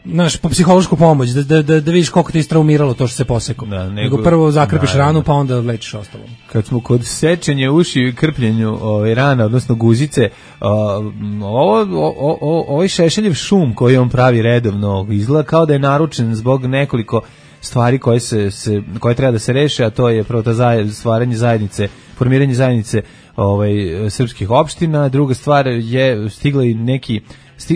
naš, po psihološku pomoć, da, da, da, da vidiš koliko te istraumiralo to što se posekao. Da, nego, nego prvo zakrpiš da, ranu, pa onda lečiš ostalo. Kad smo kod sečenja uši i krpljenju ovaj, rana, odnosno guzice, ovo, ovo, ovo, ovaj Šešeljev šum koji on pravi redovno izgleda kao da je naručen zbog nekoliko stvari koje, se, se, koje treba da se reše, a to je prvo ta zaj, stvaranje zajednice, formiranje zajednice ovaj, srpskih opština, druga stvar je stigla i neki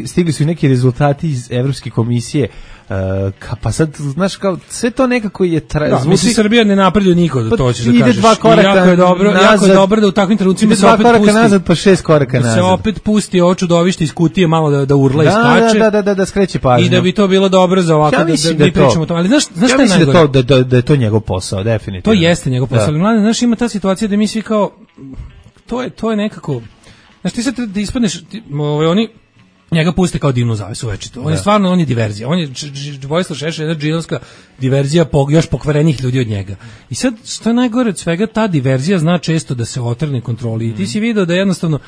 stigli su i neki rezultati iz Evropske komisije, uh, ka, pa sad, znaš, kao, sve to nekako je... Tra, da, zvuči, misli, Srbija ne napreduje niko, pa, to ćeš da kažeš. Dva koraka jako je dobro, nazad, jako je dobro da u takvim trenucima ide se dva opet koraka pusti, nazad, pa šest koraka da nazad. se opet pusti ovo čudovište iz kutije malo da, da urla da, i skače. Da, da, da, da, skreće pažnju. I da bi to bilo dobro za ovako, ja da, da, da, da pričamo o tome. Ali znaš, znaš ja šta je mislim najgore? da, to, da, da je to njegov posao, definitivno. To jeste njegov posao, ali mladen, znaš, ima ta situacija da mi svi kao, to je, to je nekako, znaš, ti sad da ispadneš, ti, ove, oni, njega puste kao divnu zavesu večito. On je stvarno, on je diverzija. On je Vojislav Šešelj, jedna džinovska diverzija po, još pokvarenih ljudi od njega. I sad, što je najgore od svega, ta diverzija zna često da se otrgne kontroli. I ti si video da jednostavno,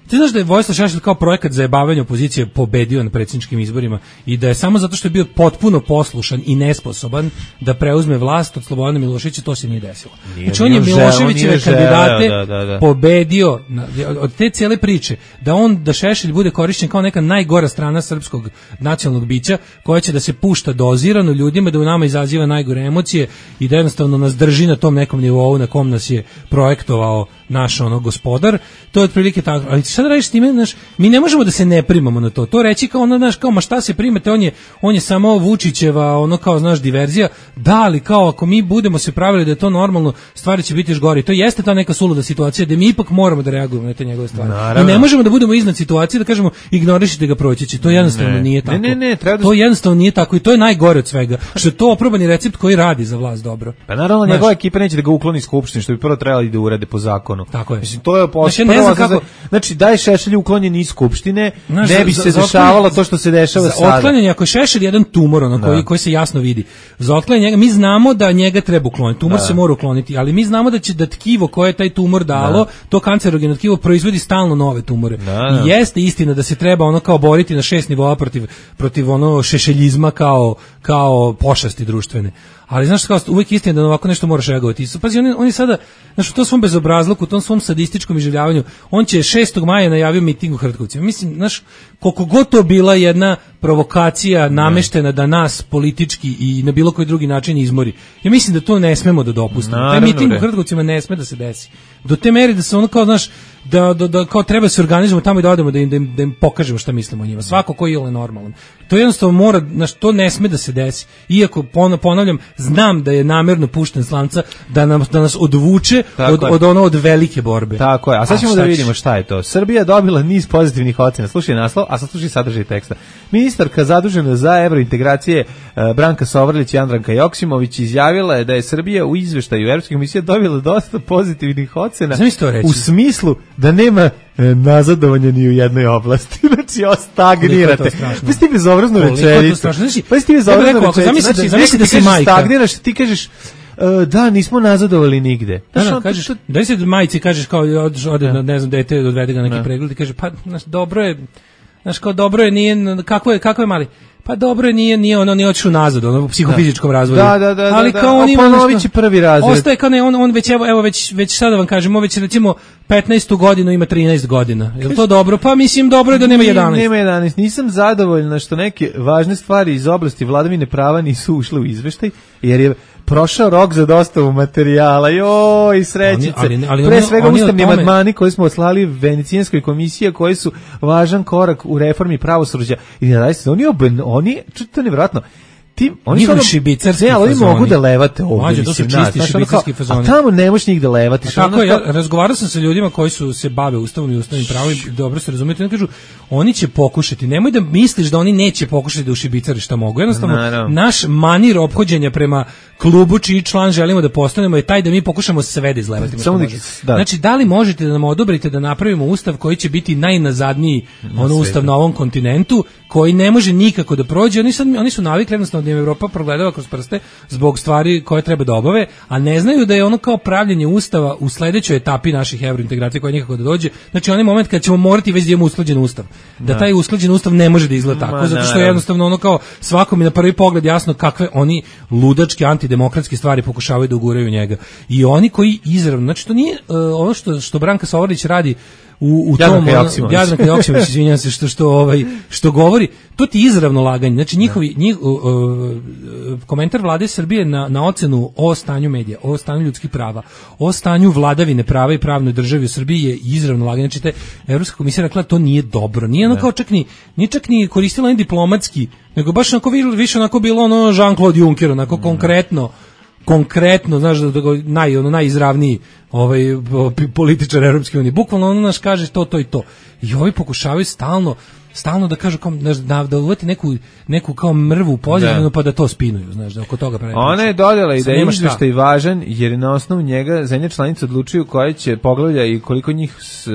ti znaš da je Vojislav Šešelj kao projekat za jebavanje opozicije pobedio na predsjedničkim izborima i da je samo zato što je bio potpuno poslušan i nesposoban da preuzme vlast od Slobodana Miloševića, to se nije desilo. Nije, znači on je Miloševićeve kandidate da, da, da. pobedio na, od te cijele priče, da on, da Šešelj bude korišćen kao neka najgora strana srpskog nacionalnog bića koja će da se pušta dozirano ljudima, da u nama izaziva najgore emocije i da jednostavno nas drži na tom nekom nivou na kom nas je projektovao naš ono gospodar, to je otprilike tako. Ali šta da radiš s time, znaš, mi ne možemo da se ne primamo na to. To reći kao ono, znaš, kao ma šta se primate, on je, on je samo Vučićeva, ono kao, znaš, diverzija. Da, ali kao ako mi budemo se pravili da je to normalno, stvari će biti još gore. To jeste ta neka suluda situacija da mi ipak moramo da reagujemo na te njegove stvari. Naravno. I ne možemo da budemo iznad situacije da kažemo ignorišite ga, proći će. To jednostavno ne. nije tako. Ne, ne, ne, treba da... To jednostavno nije tako i to je najgore od svega. Što je to oprobani recept koji radi za vlast dobro. Pa naravno njegova ekipa neće da ga ukloni iz skupštine, što bi prvo trebali da urade po zakonu. Tako je. Mislim, to je znači, ne znam kako... znači daj Šešelju uklonjen iz skupštine, znaš, ne bi za, se za dešavalo to što se dešava sada. Za otklanjanje, ako je Šešelj jedan tumor, ono, koji, koji se jasno vidi, za otklanjanje njega, mi znamo da njega treba ukloniti, tumor da. se mora ukloniti, ali mi znamo da će da tkivo koje je taj tumor dalo, da. to kancerogeno tkivo proizvodi stalno nove tumore. Da, da. I jeste istina da se treba ono kao boriti na šest nivoa protiv, protiv ono šešeljizma kao, kao pošasti društvene. Ali znaš kao uvijek istina da ovako nešto moraš reagovati. Pazi, on je, on je sada, znaš, u tom svom bezobrazluku, u tom svom sadističkom iživljavanju, on će šestog maja najavio miting u Hrtkovcima. Mislim, znaš, koliko god to bila jedna provokacija nameštena da nas politički i na bilo koji drugi način izmori. Ja mislim da to ne smemo da dopustimo. Taj miting u Hrtkovcima ne sme da se desi. Do te meri da se ono kao, znaš, da, da, da kao treba se organizujemo tamo i da odemo da im, da im, da im pokažemo šta mislimo o njima. Svako ko je ili normalan. To jednostavno mora, znaš, to ne sme da se desi. Iako, ponavljam, znam da je namerno pušten s lanca da, nam, da nas odvuče od, od ono od velike borbe. Tako je, a sad ćemo a da vidimo šta je to. Srbija dobila niz pozitivnih ocena. Slušaj naslov, a sad slušaj sadržaj teksta. Ministarka zadužena za evrointegracije Branka Sovrlić i Andranka Joksimović izjavila je da je Srbija u izveštaju Evropske komisije dobila dosta pozitivnih ocena u smislu da nema nazadovanja ni u jednoj oblasti. Znači, stagnirate. Pa si ti bezobrazno rečenicu. Pa si ti bezobrazno rečenicu. Znači, zamisli da si majka. Stagniraš, ti kažeš, Uh, da, nismo nazadovali nigde. Da, da, kažeš, da se majci kažeš kao ode na, ne znam, dete odvede ga neki pregled i kaže, pa, znaš, dobro je, znaš, kao dobro je, nije, kako je, kako je mali? Pa dobro je, nije, nije ono, nije otišao nazad, ono, u psihofizičkom razvoju. Da, da, da, ali da, kao da. on ima ponovit će prvi razred. Ostaje kao ne, on, on već, evo, evo već, već sada vam kažemo, već recimo petnaestu godinu ima trinaest godina. Je li to dobro? Pa mislim dobro je da nema jedanaest. Nema jedanaest. Nisam zadovoljna što neke važne stvari iz oblasti vladavine prava nisu ušle u izveštaj, jer je prošao rok za dostavu materijala. Joj, srećice. Ali, ali, ali Pre svega ustavni amandmani koji smo oslali Venecijanskoj komisiji, koji su važan korak u reformi pravosuđa. I da se oni oben, oni to je nevjerojatno. Ti, oni su šibicarski ne, ali oni mogu da levate ovdje. Mađe, to su čisti šibicarski fazoni. A tamo ne možeš njih da levati. Tako je, ja razgovarao sam sa ljudima koji su se bave ustavom i ustavnim pravom i dobro se razumijete, oni kažu, oni će pokušati, nemoj da misliš da oni neće pokušati da ušibicari šta mogu. Jednostavno, Naravno. naš manir ophođenja prema klubu čiji član želimo da postanemo je taj da mi pokušamo sve da izlevati. Da. Znači, da li možete da nam odobrite da napravimo ustav koji će biti najnazadniji na ono ustav na ovom kontinentu, koji ne može nikako da prođe. Oni, sad, oni su navikli jednostavno da im Evropa progledava kroz prste zbog stvari koje treba da obave, a ne znaju da je ono kao pravljenje ustava u sledećoj etapi naših evrointegracija koja nikako da dođe. Znači, onaj moment kad ćemo morati već da imamo usklađen ustav. Da, da taj usklađen ustav ne može da izgleda tako, Ma, zato što je jednostavno ono kao svakom je na prvi pogled jasno kakve oni ludačke antidemokratske stvari pokušavaju da uguraju njega. I oni koji izravno, znači to nije uh, ono što, što Branka Sovrlić radi u, u tom Jadranka Joksimović, izvinjavam se što što ovaj što govori, to ti izravno laganje. Znači njihovi njih, uh, uh, komentar vlade Srbije na na ocenu o stanju medija, o stanju ljudskih prava, o stanju vladavine prava i pravnoj državi u Srbiji je izravno laganje. Znači te Evropska komisija rekla to nije dobro. Nije ono kao čak ni nije čak ni koristila ni diplomatski, nego baš onako više onako bilo ono Jean-Claude Juncker, onako mm. konkretno konkretno, znaš, da naj, ono, najizravniji ovaj, političar Europske unije. Bukvalno ono naš kaže to, to i to. I ovi pokušavaju stalno, stalno da kažu, kao, znaš, da, da uvati neku, neku kao mrvu pozitivnu pa da to spinuju, znaš, da oko toga pravi. Ona je dodala i da je izveštaj važan, jer na osnovu njega zemlje članice odlučuju koje će poglavlja i koliko njih s,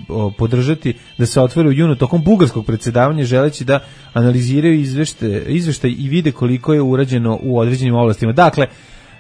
o, podržati da se otvore u junu tokom bugarskog predsjedavanja, želeći da analiziraju izvešte, izveštaj i vide koliko je urađeno u određenim oblastima. Dakle,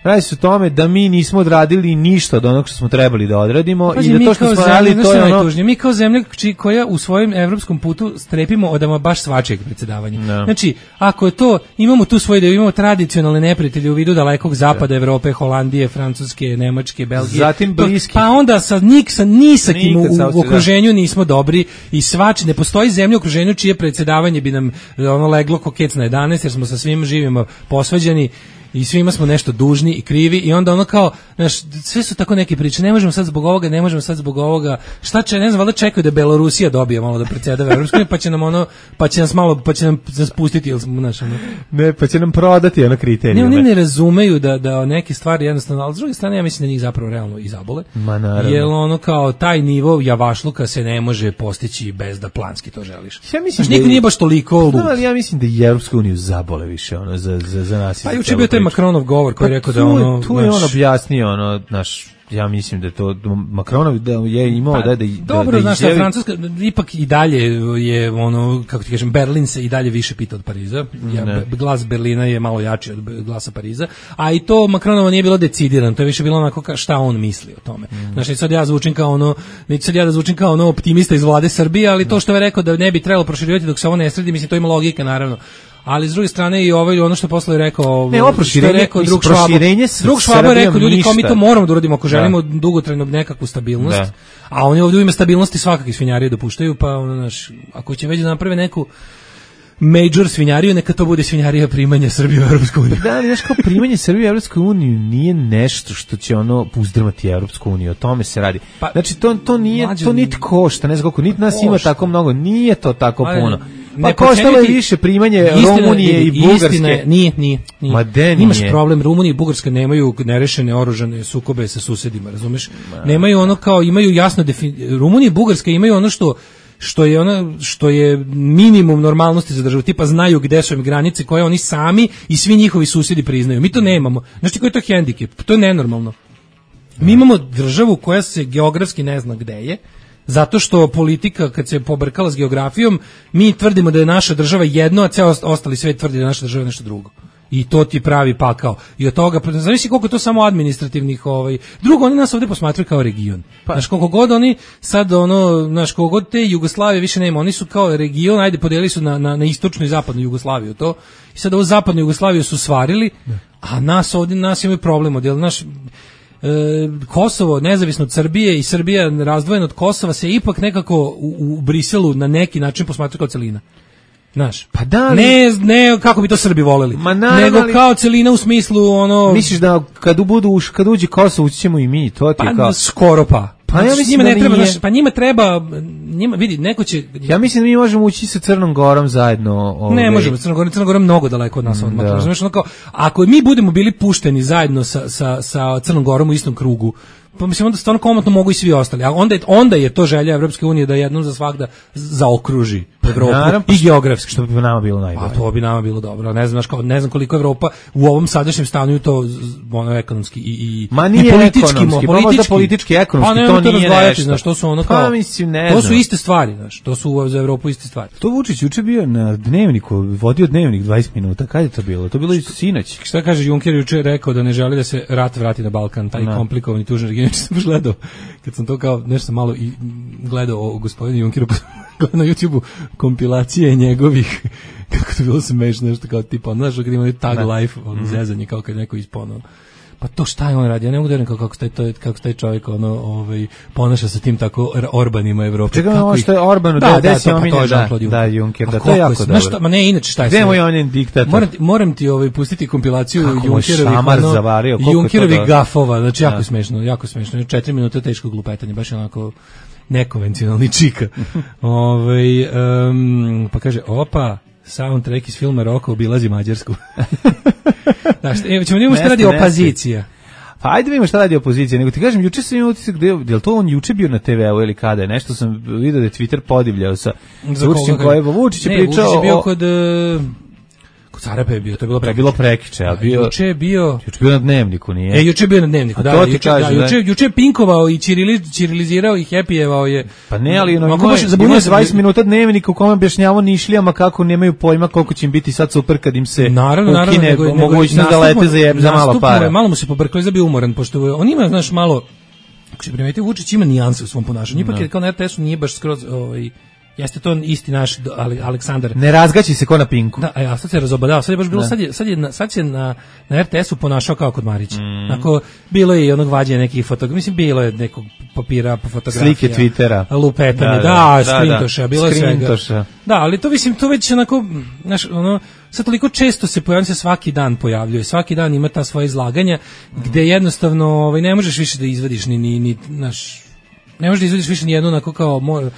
radi se o tome da mi nismo odradili ništa od onog što smo trebali da odradimo. Pazi, i da to što smo radili, to je ono... Najtužnije. Mi kao zemlja koja u svojem evropskom putu strepimo od ama baš svačijeg predsjedavanja. No. Znači, ako je to, imamo tu svoje da imamo tradicionalne neprijatelje u vidu dalekog zapada yeah. Evrope, Holandije, Francuske, Nemačke, Belgije. Zatim bliski. Pa onda sa, nik, sa nisakim u, u okruženju nismo dobri i svač, ne postoji zemlja u okruženju čije predsjedavanje bi nam ono leglo ko kec na jedanaest, jer smo sa svim živima posvađani i svima smo nešto dužni i krivi i onda ono kao, znaš, sve su tako neke priče, ne možemo sad zbog ovoga, ne možemo sad zbog ovoga, šta će, ne znam, valjda čekaju da Belorusija dobije malo da predsjedava Evropskom, pa će nam ono, pa će nas malo, pa će nam spustiti, ili smo, znaš, ono. Ne, pa će nam prodati ono kriterije. Ne, oni ne razumeju da, da neke stvari jednostavno, ali s druge strane ja mislim da njih zapravo realno i zabole. Ma naravno. Jer ono kao, taj nivo javašluka se ne može postići bez da planski to želiš. Ja mislim znaš, niko nije baš toliko lud. No, ali ja mislim da i Evropsku uniju zabole više, ono, za, za, za nas. Pa juče bio taj Macronov govor koji je rekao da ono... Tu je on objasnio, ono, naš, ja mislim da to Macronov da je imao pa, da da dobro, da, da znaš, Francuska ipak i dalje je ono, kako ti kažem, Berlin se i dalje više pita od Pariza. Ja, glas Berlina je malo jači od glasa Pariza, a i to Macronovo nije bilo decidirano, to je više bilo onako ka šta on misli o tome. Mm. Znači sad ja zvučim kao ono, neću sad ja da zvučim kao ono optimista iz vlade Srbije, ali to što je rekao da ne bi trebalo proširivati dok se ovo ne sredi, mislim to ima logike naravno. Ali s druge strane i ovaj ono što posle je rekao, ne, oproširenje, je rekao drug Švabo. Drug Švabo je rekao, ljudi, kao mi to moramo da uradimo ako želimo da. dugotrajnu nekakvu stabilnost. Da. A oni ovdje u ime stabilnosti svakakve svinjarije dopuštaju, pa ono naš, ako će već da naprave neku major svinjariju, neka to bude svinjarija primanja Srbije u Evropsku uniju. Da, ali znaš kao primanje Srbije u Evropsku uniju nije nešto što će ono uzdrmati Evropsku uniju, o tome se radi. Pa, znači to, to nije, mlađe, to niti košta, ne znam koliko, niti nas košta. Ima tako mnogo, nije to tako mlađe, puno. Pa koštalo je više primanje istina, Rumunije i Bugarske. Istina, nije, nije, nije. Ma de nije. Imaš problem, Rumunija i Bugarska nemaju nerešene oružane sukobe sa susedima, razumeš? Ma, nemaju ono kao, imaju jasno defin... Rumunija i Bugarska imaju ono što što je ono što je minimum normalnosti za državu, tipa znaju gde su im granice koje oni sami i svi njihovi susedi priznaju. Mi to nemamo. Znači koji je to hendikep? To je nenormalno. Mi imamo državu koja se geografski ne zna gde je, zato što politika kad se pobrkala s geografijom, mi tvrdimo da je naša država jedno, a ceo ostali svet tvrdi da je naša država nešto drugo. I to ti pravi pakao. I od toga, zavisi koliko je to samo administrativnih, ovaj. Drugo, oni nas ovdje posmatraju kao region. Pa. Znaš, koliko god oni sad, ono, znaš, koliko god te Jugoslavije više nema, oni su kao region, ajde, podelili su na, na, na istočnu i zapadnu Jugoslaviju, to. I sad ovo zapadnu Jugoslaviju su svarili, a nas ovdje, nas imaju problem, odjel, naš, e, Kosovo, nezavisno od Srbije i Srbija razdvojena od Kosova, se ipak nekako u, u Briselu na neki način posmatraju kao celina. Znaš, pa da li... ne, ne kako bi to Srbi voleli, ma naravno, nego kao celina u smislu ono... Misliš da kad budu kad uđe Kosovo ući ćemo i mi, to ti pa, kao... skoro pa. Pa ja mislim njima da ne treba, nije... znaš, pa njima treba, njima, vidi, neko će... Ja mislim da mi možemo ući sa Crnom Gorom zajedno. Ove... Ne možemo, Crna Gora, Crna Gora mnogo daleko od nas odmah. Da. Znaš, ono kao, ako mi budemo bili pušteni zajedno sa, sa, sa Crnom Gorom u istom krugu, pa mislim onda stvarno komotno mogu i svi ostali. A onda je, onda je to želja Evropske unije da jednom za svagda zaokruži Evropu naravno, i geografski. Što bi nama bilo najbolje. A to bi nama bilo dobro. Ne znam, kao, ne znam koliko Evropa u ovom sadašnjem stanju to ono ekonomski i, i, Ma nije i politički, ekonomski, politički, pa možda politički, ekonomski, pa, to nije nešto. Znaš, to su ono kao, pa, mislim, ne to znam. su iste stvari, znaš, to su za Evropu iste stvari. To Vučić juče bio na dnevniku, vodio dnevnik dvadeset minuta, kad je to bilo? To bilo i sinoć. Šta kaže Juncker juče rekao da ne želi da se rat vrati na Balkan, taj no. komplikovani tužan region, sam gledao. Kad sam to kao nešto malo i gledao o gospodinu Junckeru na YouTubeu kompilacije njegovih, kako to bilo smešno, nešto kao tipa, znaš, kad ima tag da. Life, ono, mm-hmm. zezanje, kao kad neko ispono. Pa to šta je on radi? Ja ne mogu da verujem kako, kako, taj, to, kako taj čovjek ono, ovaj, ponaša sa tim tako Orbanima Evrope. Čekaj, ono što je Orbanu, da, da, da, to, pa to je da, da, Juncker, da, to je jako dobro. Znaš šta, ma ne, inače šta je sve? Gde je on je diktator? Moram ti, moram ti ovaj, pustiti kompilaciju Junckerovih, ono, zavario, Junckerovih gafova, znači jako da. smešno, jako smešno. Četiri minute teškog lupetanja, baš onako nekonvencionalni čika. ovaj, um, pa kaže, opa, soundtrack iz filma Roko obilazi Mađarsku. Znaš, ćemo vidimo šta radi opozicija. Pa ajde vidimo šta radi opozicija, nego ti kažem, juče sam imao utisak, je li to on juče bio na te ve u ili kada je, nešto sam vidio da je Twitter podivljao sa Vučićem koje, Vučić je pričao Vučić je bio kod... Kod Carape je bio, to je bilo prekiče. bilo prekiče, a bio... Juče je bio... Juče bio na dnevniku, nije? E, juče je bio na dnevniku, da, juče, kaže, da, juče, juče je pinkovao i čirili, čirilizirao i hepijevao je... Pa ne, ali ono, ima je dvadeset minuta dnevnika u kome objašnjavao Nišlijama kako nemaju pojma koliko će im biti sad super kad im se naravno, ukine naravno, mogućnost da lete za, jeb, za malo para. Malo mu se pobrkao i zabio umoran, pošto on ima, znaš, malo... Ako se primetio, Vučić ima nijanse u svom ponašanju, ipak je kao na er te esu nije baš skroz... Ovaj, jeste to isti naš Aleksandar. Ne razgaći se ko na Pinku. Da, a sad se razobadao, sad je baš bilo, sad je, sad je, sad se na, na er te esu ponašao kao kod Marića. Mm. Ako, bilo je i onog vađenja nekih fotografija, mislim, bilo je nekog papira, fotografija. Slike Twittera. Lupetanje, da, da, da, skrintoša, da, bilo je svega. Da, ali to mislim, to već onako, znaš, ono, sad toliko često se pojavlja, se svaki dan pojavljuje, svaki dan ima ta svoje izlaganja, mm. gde jednostavno, ovaj, ne možeš više da izvadiš ni, ni, ni, naš, ne možeš da izvadiš više ni jednu, onako kao, mora,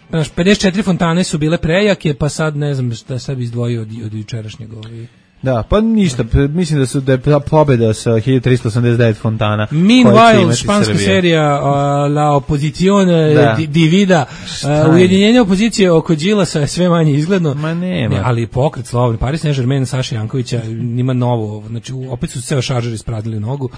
znaš, pedeset četiri fontane su bile prejake, pa sad ne znam šta sad bi izdvojio od, od jučerašnjeg ovaj. Da, pa ništa, mislim da su da je pobeda sa hiljadu trista osamdeset devet fontana. Meanwhile, španska serija uh, La Opozicione da. Divida, uh, ujedinjenje opozicije oko Đilasa je sve manje izgledno. Ma nema. Ne, ali pokret Slobodni, Paris Saint-Germain, Saša Jankovića, nima novo, znači opet su ceo šaržer ispradili nogu.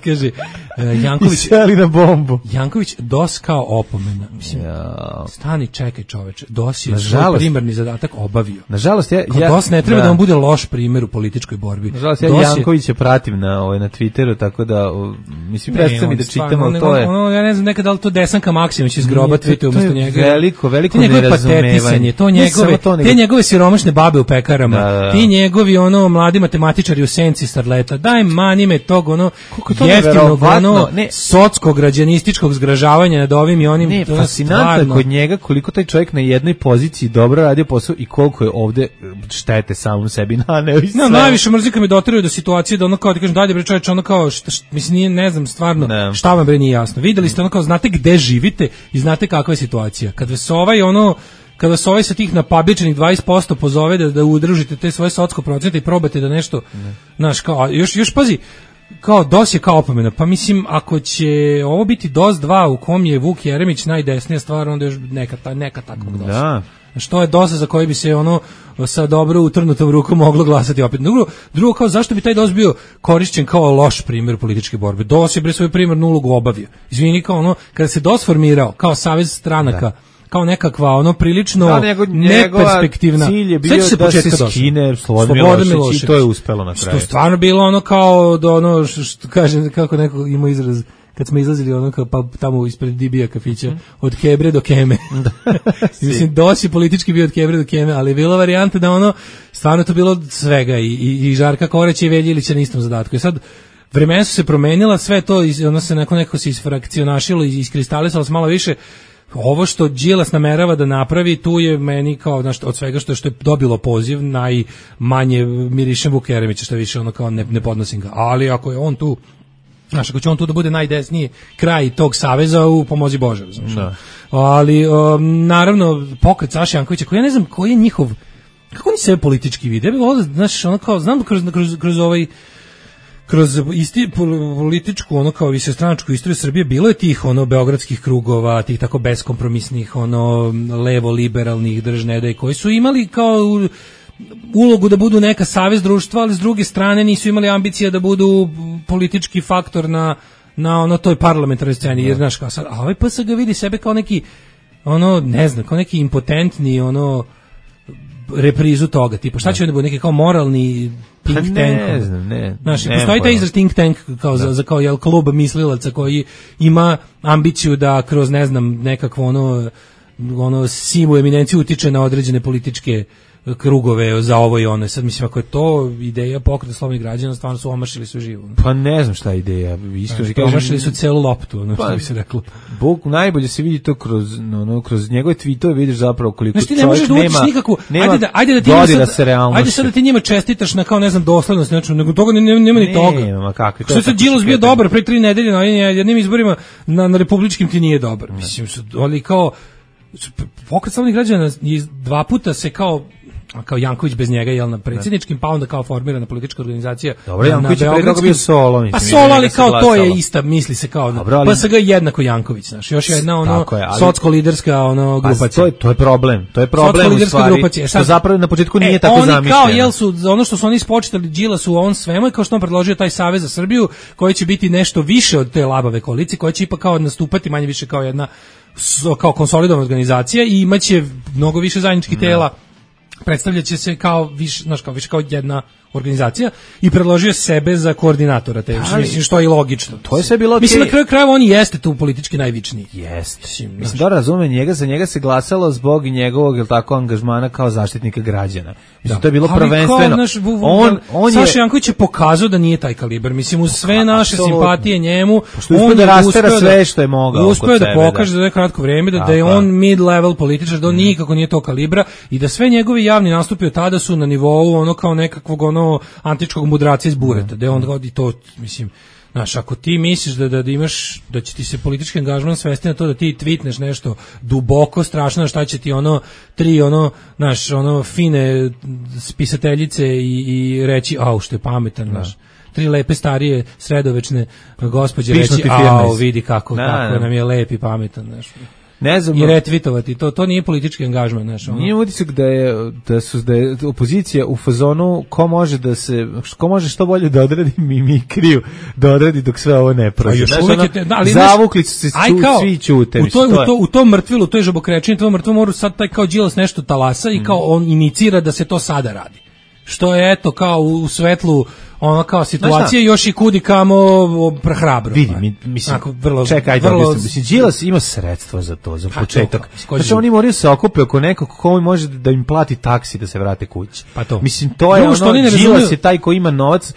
Kaže, uh, Janković... Iseli na bombu. Janković, dos kao opomena. Mislim, ja. Stani, čekaj čoveče, dos je svoj primarni zadatak obavio. Nažalost, ja... ja dos ne treba da, da on bude loš primjer u političkoj borbi. Nažalost, ja Jankovića pratim na, ovaj, na Twitteru, tako da, o, mislim, predstavim mi da čitamo, ali to je... Ono, ja ne znam nekada da li to Desanka Maksimović iz groba tweetuje umjesto njega. Veliko, veliko nerazumevanje. To njegove, to nego... te njegove siromašne babe u pekarama, da, da. Ti njegovi ono mladi matematičari u senci starleta, daj mani me tog ono jeftinog, ono socko-građanističkog zgražavanja nad ovim i onim. Ne, fascinantno kod njega koliko taj čovjek na jednoj poziciji dobro radio posao i koliko je ovde štete samom sebi naneo i sve. No, najviše mrzika me doteruje do situacije da ono kao ti kažem dalje bre čoveče, ono kao šta, šta, mislim nije, ne znam stvarno ne. Šta vam bre nije jasno. Videli ste ono kao znate gde živite i znate kakva je situacija. Kad vas ovaj ono kada se ovaj sa tih napabičenih dvadeset posto pozove da, da udružite te svoje socsko procente i probate da nešto, znaš, kao, još, još pazi, kao dos je kao opomena, pa mislim, ako će ovo biti dos dva u kom je Vuk Jeremić najdesnija stvar, onda još neka, neka takvog dosa. Da. Što je dosa za koji bi se ono sa dobro utrnutom rukom moglo glasati opet. Drugo, drugo kao zašto bi taj dos bio korišćen kao loš primjer političke borbe? Dos je bre svoju primarnu ulogu obavio. Izvini, kao ono, kada se dos formirao kao savez stranaka, da. Kao nekakva ono prilično da, nego, neperspektivna. Cilj je bio se da se skine Slobodan Milošević i to je uspelo na kraju. Što stvarno bilo ono kao do ono što kaže kako neko ima izraz kad smo izlazili ono kao pa tamo ispred D B A kafića od Kebre do Keme. Mislim dosi politički bio od Kebre do Keme, ali je bila varijanta da ono stvarno to bilo svega i i, i Žarka Korać i Veljića na istom zadatku. I sad vremena su se promenila, sve to ono se nekako nekako se isfrakcionašilo i iskristalisalo se malo više. Ovo što Đilas namerava da napravi, tu je meni kao znaš, od svega što je, što je dobilo poziv, najmanje mirišem Vuk Jeremića, što više ono kao ne, ne podnosim ga. Ali ako je on tu, znaš, ako će on tu da bude najdesniji kraj tog saveza, u pomozi Bože. Znaš. Da. Ali, um, naravno, pokret Saše Jankovića, koji ja ne znam koji je njihov, kako oni sebe politički vide, ja bih volio, znaš, ono kao, znam da kroz, kroz, kroz ovaj, kroz isti političku, ono kao višestranačku istoriju Srbije bilo je tih ono beogradskih krugova, tih tako beskompromisnih, ono levo liberalnih držnedaj koji su imali kao ulogu da budu neka savez društva, ali s druge strane nisu imali ambicije da budu politički faktor na na ono toj parlamentarnoj sceni, jer znaš kao sad, a ovaj P S G vidi sebe kao neki ono ne znam, kao neki impotentni ono reprizu toga, tipa šta će da bude neki kao moralni think tank. Ne znam, ne. Znaš, postoji taj izraz think tank kao za, za kao jel klub mislilaca koji ima ambiciju da kroz ne znam nekakvo ono ono simu eminenciju utiče na određene političke krugove za ovo i ono. Sad mislim ako je to ideja pokreta slobodnih građana, stvarno su omašili sve živo. Pa ne znam šta je ideja, isto kažem, omašili su celu loptu, ono pa, što bi se reklo. Bog najbolje se vidi to kroz ono kroz njegove tweetove, vidiš zapravo koliko znači, čovjek ne nema. Nikakvu, nema ajde da ajde da ti sad, ajde sad da ti njima čestitaš na kao ne znam doslednost, znači nego toga nema, nema ni toga. Nema, kako to. Što se Đilas bio dobar pre tri nedelje na jednim izborima na, na republičkim ti nije dobar. Mislim su ali kao pokret slobodnih građana dva puta se kao kao Janković bez njega jel na predsjedničkim, pa onda kao formirana politička organizacija. Dobro, Janković je pre toga bio solo, mislim. Pa solo, ali kao to je ista, misli se kao dobro, ali, P S G jednako Janković, znaš, još jedna ono je, ali, socsko-liderska ono grupacija. Pa to je, to je problem, to je problem u stvari, grupacija. Što zapravo na početku nije e, tako oni zamišljeno. Kao, jel su, ono što su oni spočitali Đilasu u ovom svemu i kao što on predložio taj Savez za Srbiju, koji će biti nešto više od te labave koalicije, koja će ipak kao nastupati manje više kao jedna kao konsolidovana organizacija i imaće mnogo više zajedničkih tela. Predstavljaće se kao više, znaš, kao više kao jedna organizacija i predložio sebe za koordinatora te, ali, mislim što je i logično. To je sve bilo okej. Mislim na kraju krajeva on jeste tu politički najvičniji. Jeste. Mislim, mislim da razumem njega, za njega se glasalo zbog njegovog il tako angažmana kao zaštitnika građana. Mislim da. To je bilo ali prvenstveno. Kao, naš, on on Saša Janković je pokazao da nije taj kalibar. Mislim uz sve naše simpatije njemu, on da rastera sve što je mogao. Uspeo da pokaže za kratko vrijeme da, da je on mid level političar, da on nikako nije to kalibra i da sve njegovi javni nastupi od tada su na nivou ono kao nekakvog ono antičkog mudraca iz bureta, da on godi to, mislim, znaš, ako ti misliš da, da, da imaš, da će ti se politički angažman svesti na to da ti tweetneš nešto duboko strašno, šta će ti ono, tri ono, znaš, ono fine spisateljice i, i reći, au, što je pametan, znaš. Tri lepe starije sredovečne gospođe reći, au, vidi kako, da, kako da. Nam je lep i pametan, znaš. Ne znam, i retvitovati, to to nije politički angažman, znaš. Ono. Nije utisak da je da su da je opozicija u fazonu ko može da se ko može što bolje da odradi mimikriju, da odradi dok sve ovo ne prođe. Znaš, ono, te, da, ali zavukli su se ču, kao, svi ćute. U to, u to u tom mrtvilu, to je žabokrečenje, to mrtvo moru sad taj kao Đilas nešto talasa i kao on inicira da se to sada radi. Što je eto kao u svetlu ono kao situacije još i kudi kamo prehrabro. Vidi, mi, mislim, Ako, vrlo, čekaj, ajde, vrlo, mislim, Đilas ima sredstva za to, za početak. Znači oni moraju se okupe oko nekog ko može da im plati taksi da se vrate kući. Pa to. Mislim, to je Drugo, ono, Đilas je taj ko ima novac,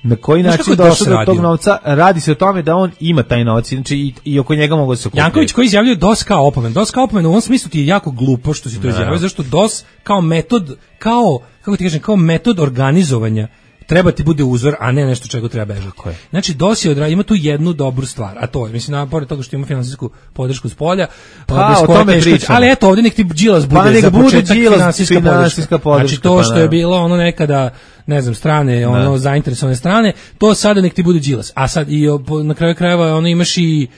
na koji Znaš način kako je došao do DOS tog radio? novca, radi se o tome da on ima taj novac, znači i, i oko njega mogu da se okupljaju. Janković koji izjavljuje DOS kao opomen. DOS kao opomen u ovom smislu ti je jako glupo što si to izjavio, zašto DOS kao metod, kao, kako ti kažem, kao metod organizovanja treba ti bude uzor, a ne nešto čega treba bežati. Znači, DOS je odra... ima tu jednu dobru stvar, a to je, mislim, na pored toga što ima finansijsku podršku s polja, pa, o tome teško, pričamo. Ali eto, ovdje nek ti Đilas bude pa, za bude početak Đilas, finansijska, finansijska podrška. podrška. Znači, to pa, što je bilo ono nekada, ne znam, strane, ono, ne. zainteresovane strane, to sada nek ti bude Đilas. A sad, i na kraju krajeva, ono, imaš i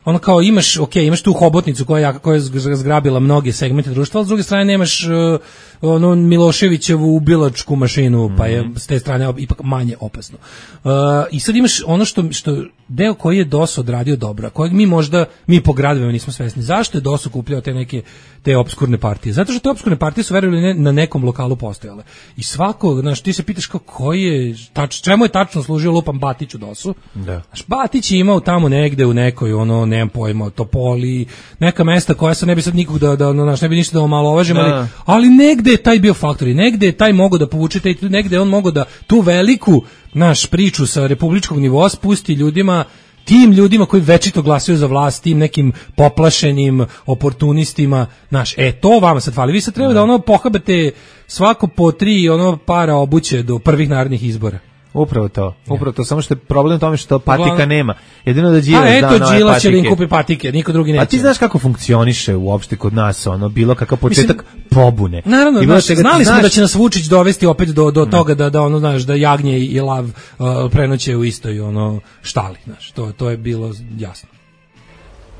ono kao imaš, ok, imaš tu hobotnicu koja je, koja je zgrabila mnoge segmente društva, ali s druge strane nemaš uh, ono Miloševićevu ubilačku mašinu, pa je s te strane ipak manje opasno. Uh, I sad imaš ono što, što deo koji je DOS odradio dobro, kojeg mi možda, mi po gradovima nismo svesni. Zašto je DOS okupljao te neke, te opskurne partije? Zato što te opskurne partije su verovali ne, na nekom lokalu postojale. I svako, znaš, ti se pitaš kao koji je, tač, čemu je tačno služio lupam Batić u DOS-u? Da. Znaš, Batić je imao tamo negde u nekoj, ono, nemam pojma, Topoli, neka mesta koja se ne bi sad nikog da, da, znaš, ne bi ništa da omalovažim, ali, ali negde je taj bio faktor i negde je taj mogao da povuče, taj, negde je on mogao da tu veliku, naš, priču sa republičkog nivoa spusti ljudima, tim ljudima koji večito glasaju za vlast, tim nekim poplašenim oportunistima, naš, e, to vama sad fali. Vi sad treba da, da ono pohabate svako po tri ono para obuće do prvih narodnih izbora. Upravo to, upravo to, samo što je problem u tome što patika nema. Jedino da Đilas da nove patike. A eto, Đilas će da im kupi patike, niko drugi neće. A ti znaš kako funkcioniše uopšte kod nas, ono, bilo kakav početak Mislim, pobune. Naravno, znaš, znali smo da će nas Vučić dovesti opet do, do toga da, da, ono, znaš, da jagnje i lav uh, prenoće u istoj, ono, štali, znaš, to, to je bilo jasno.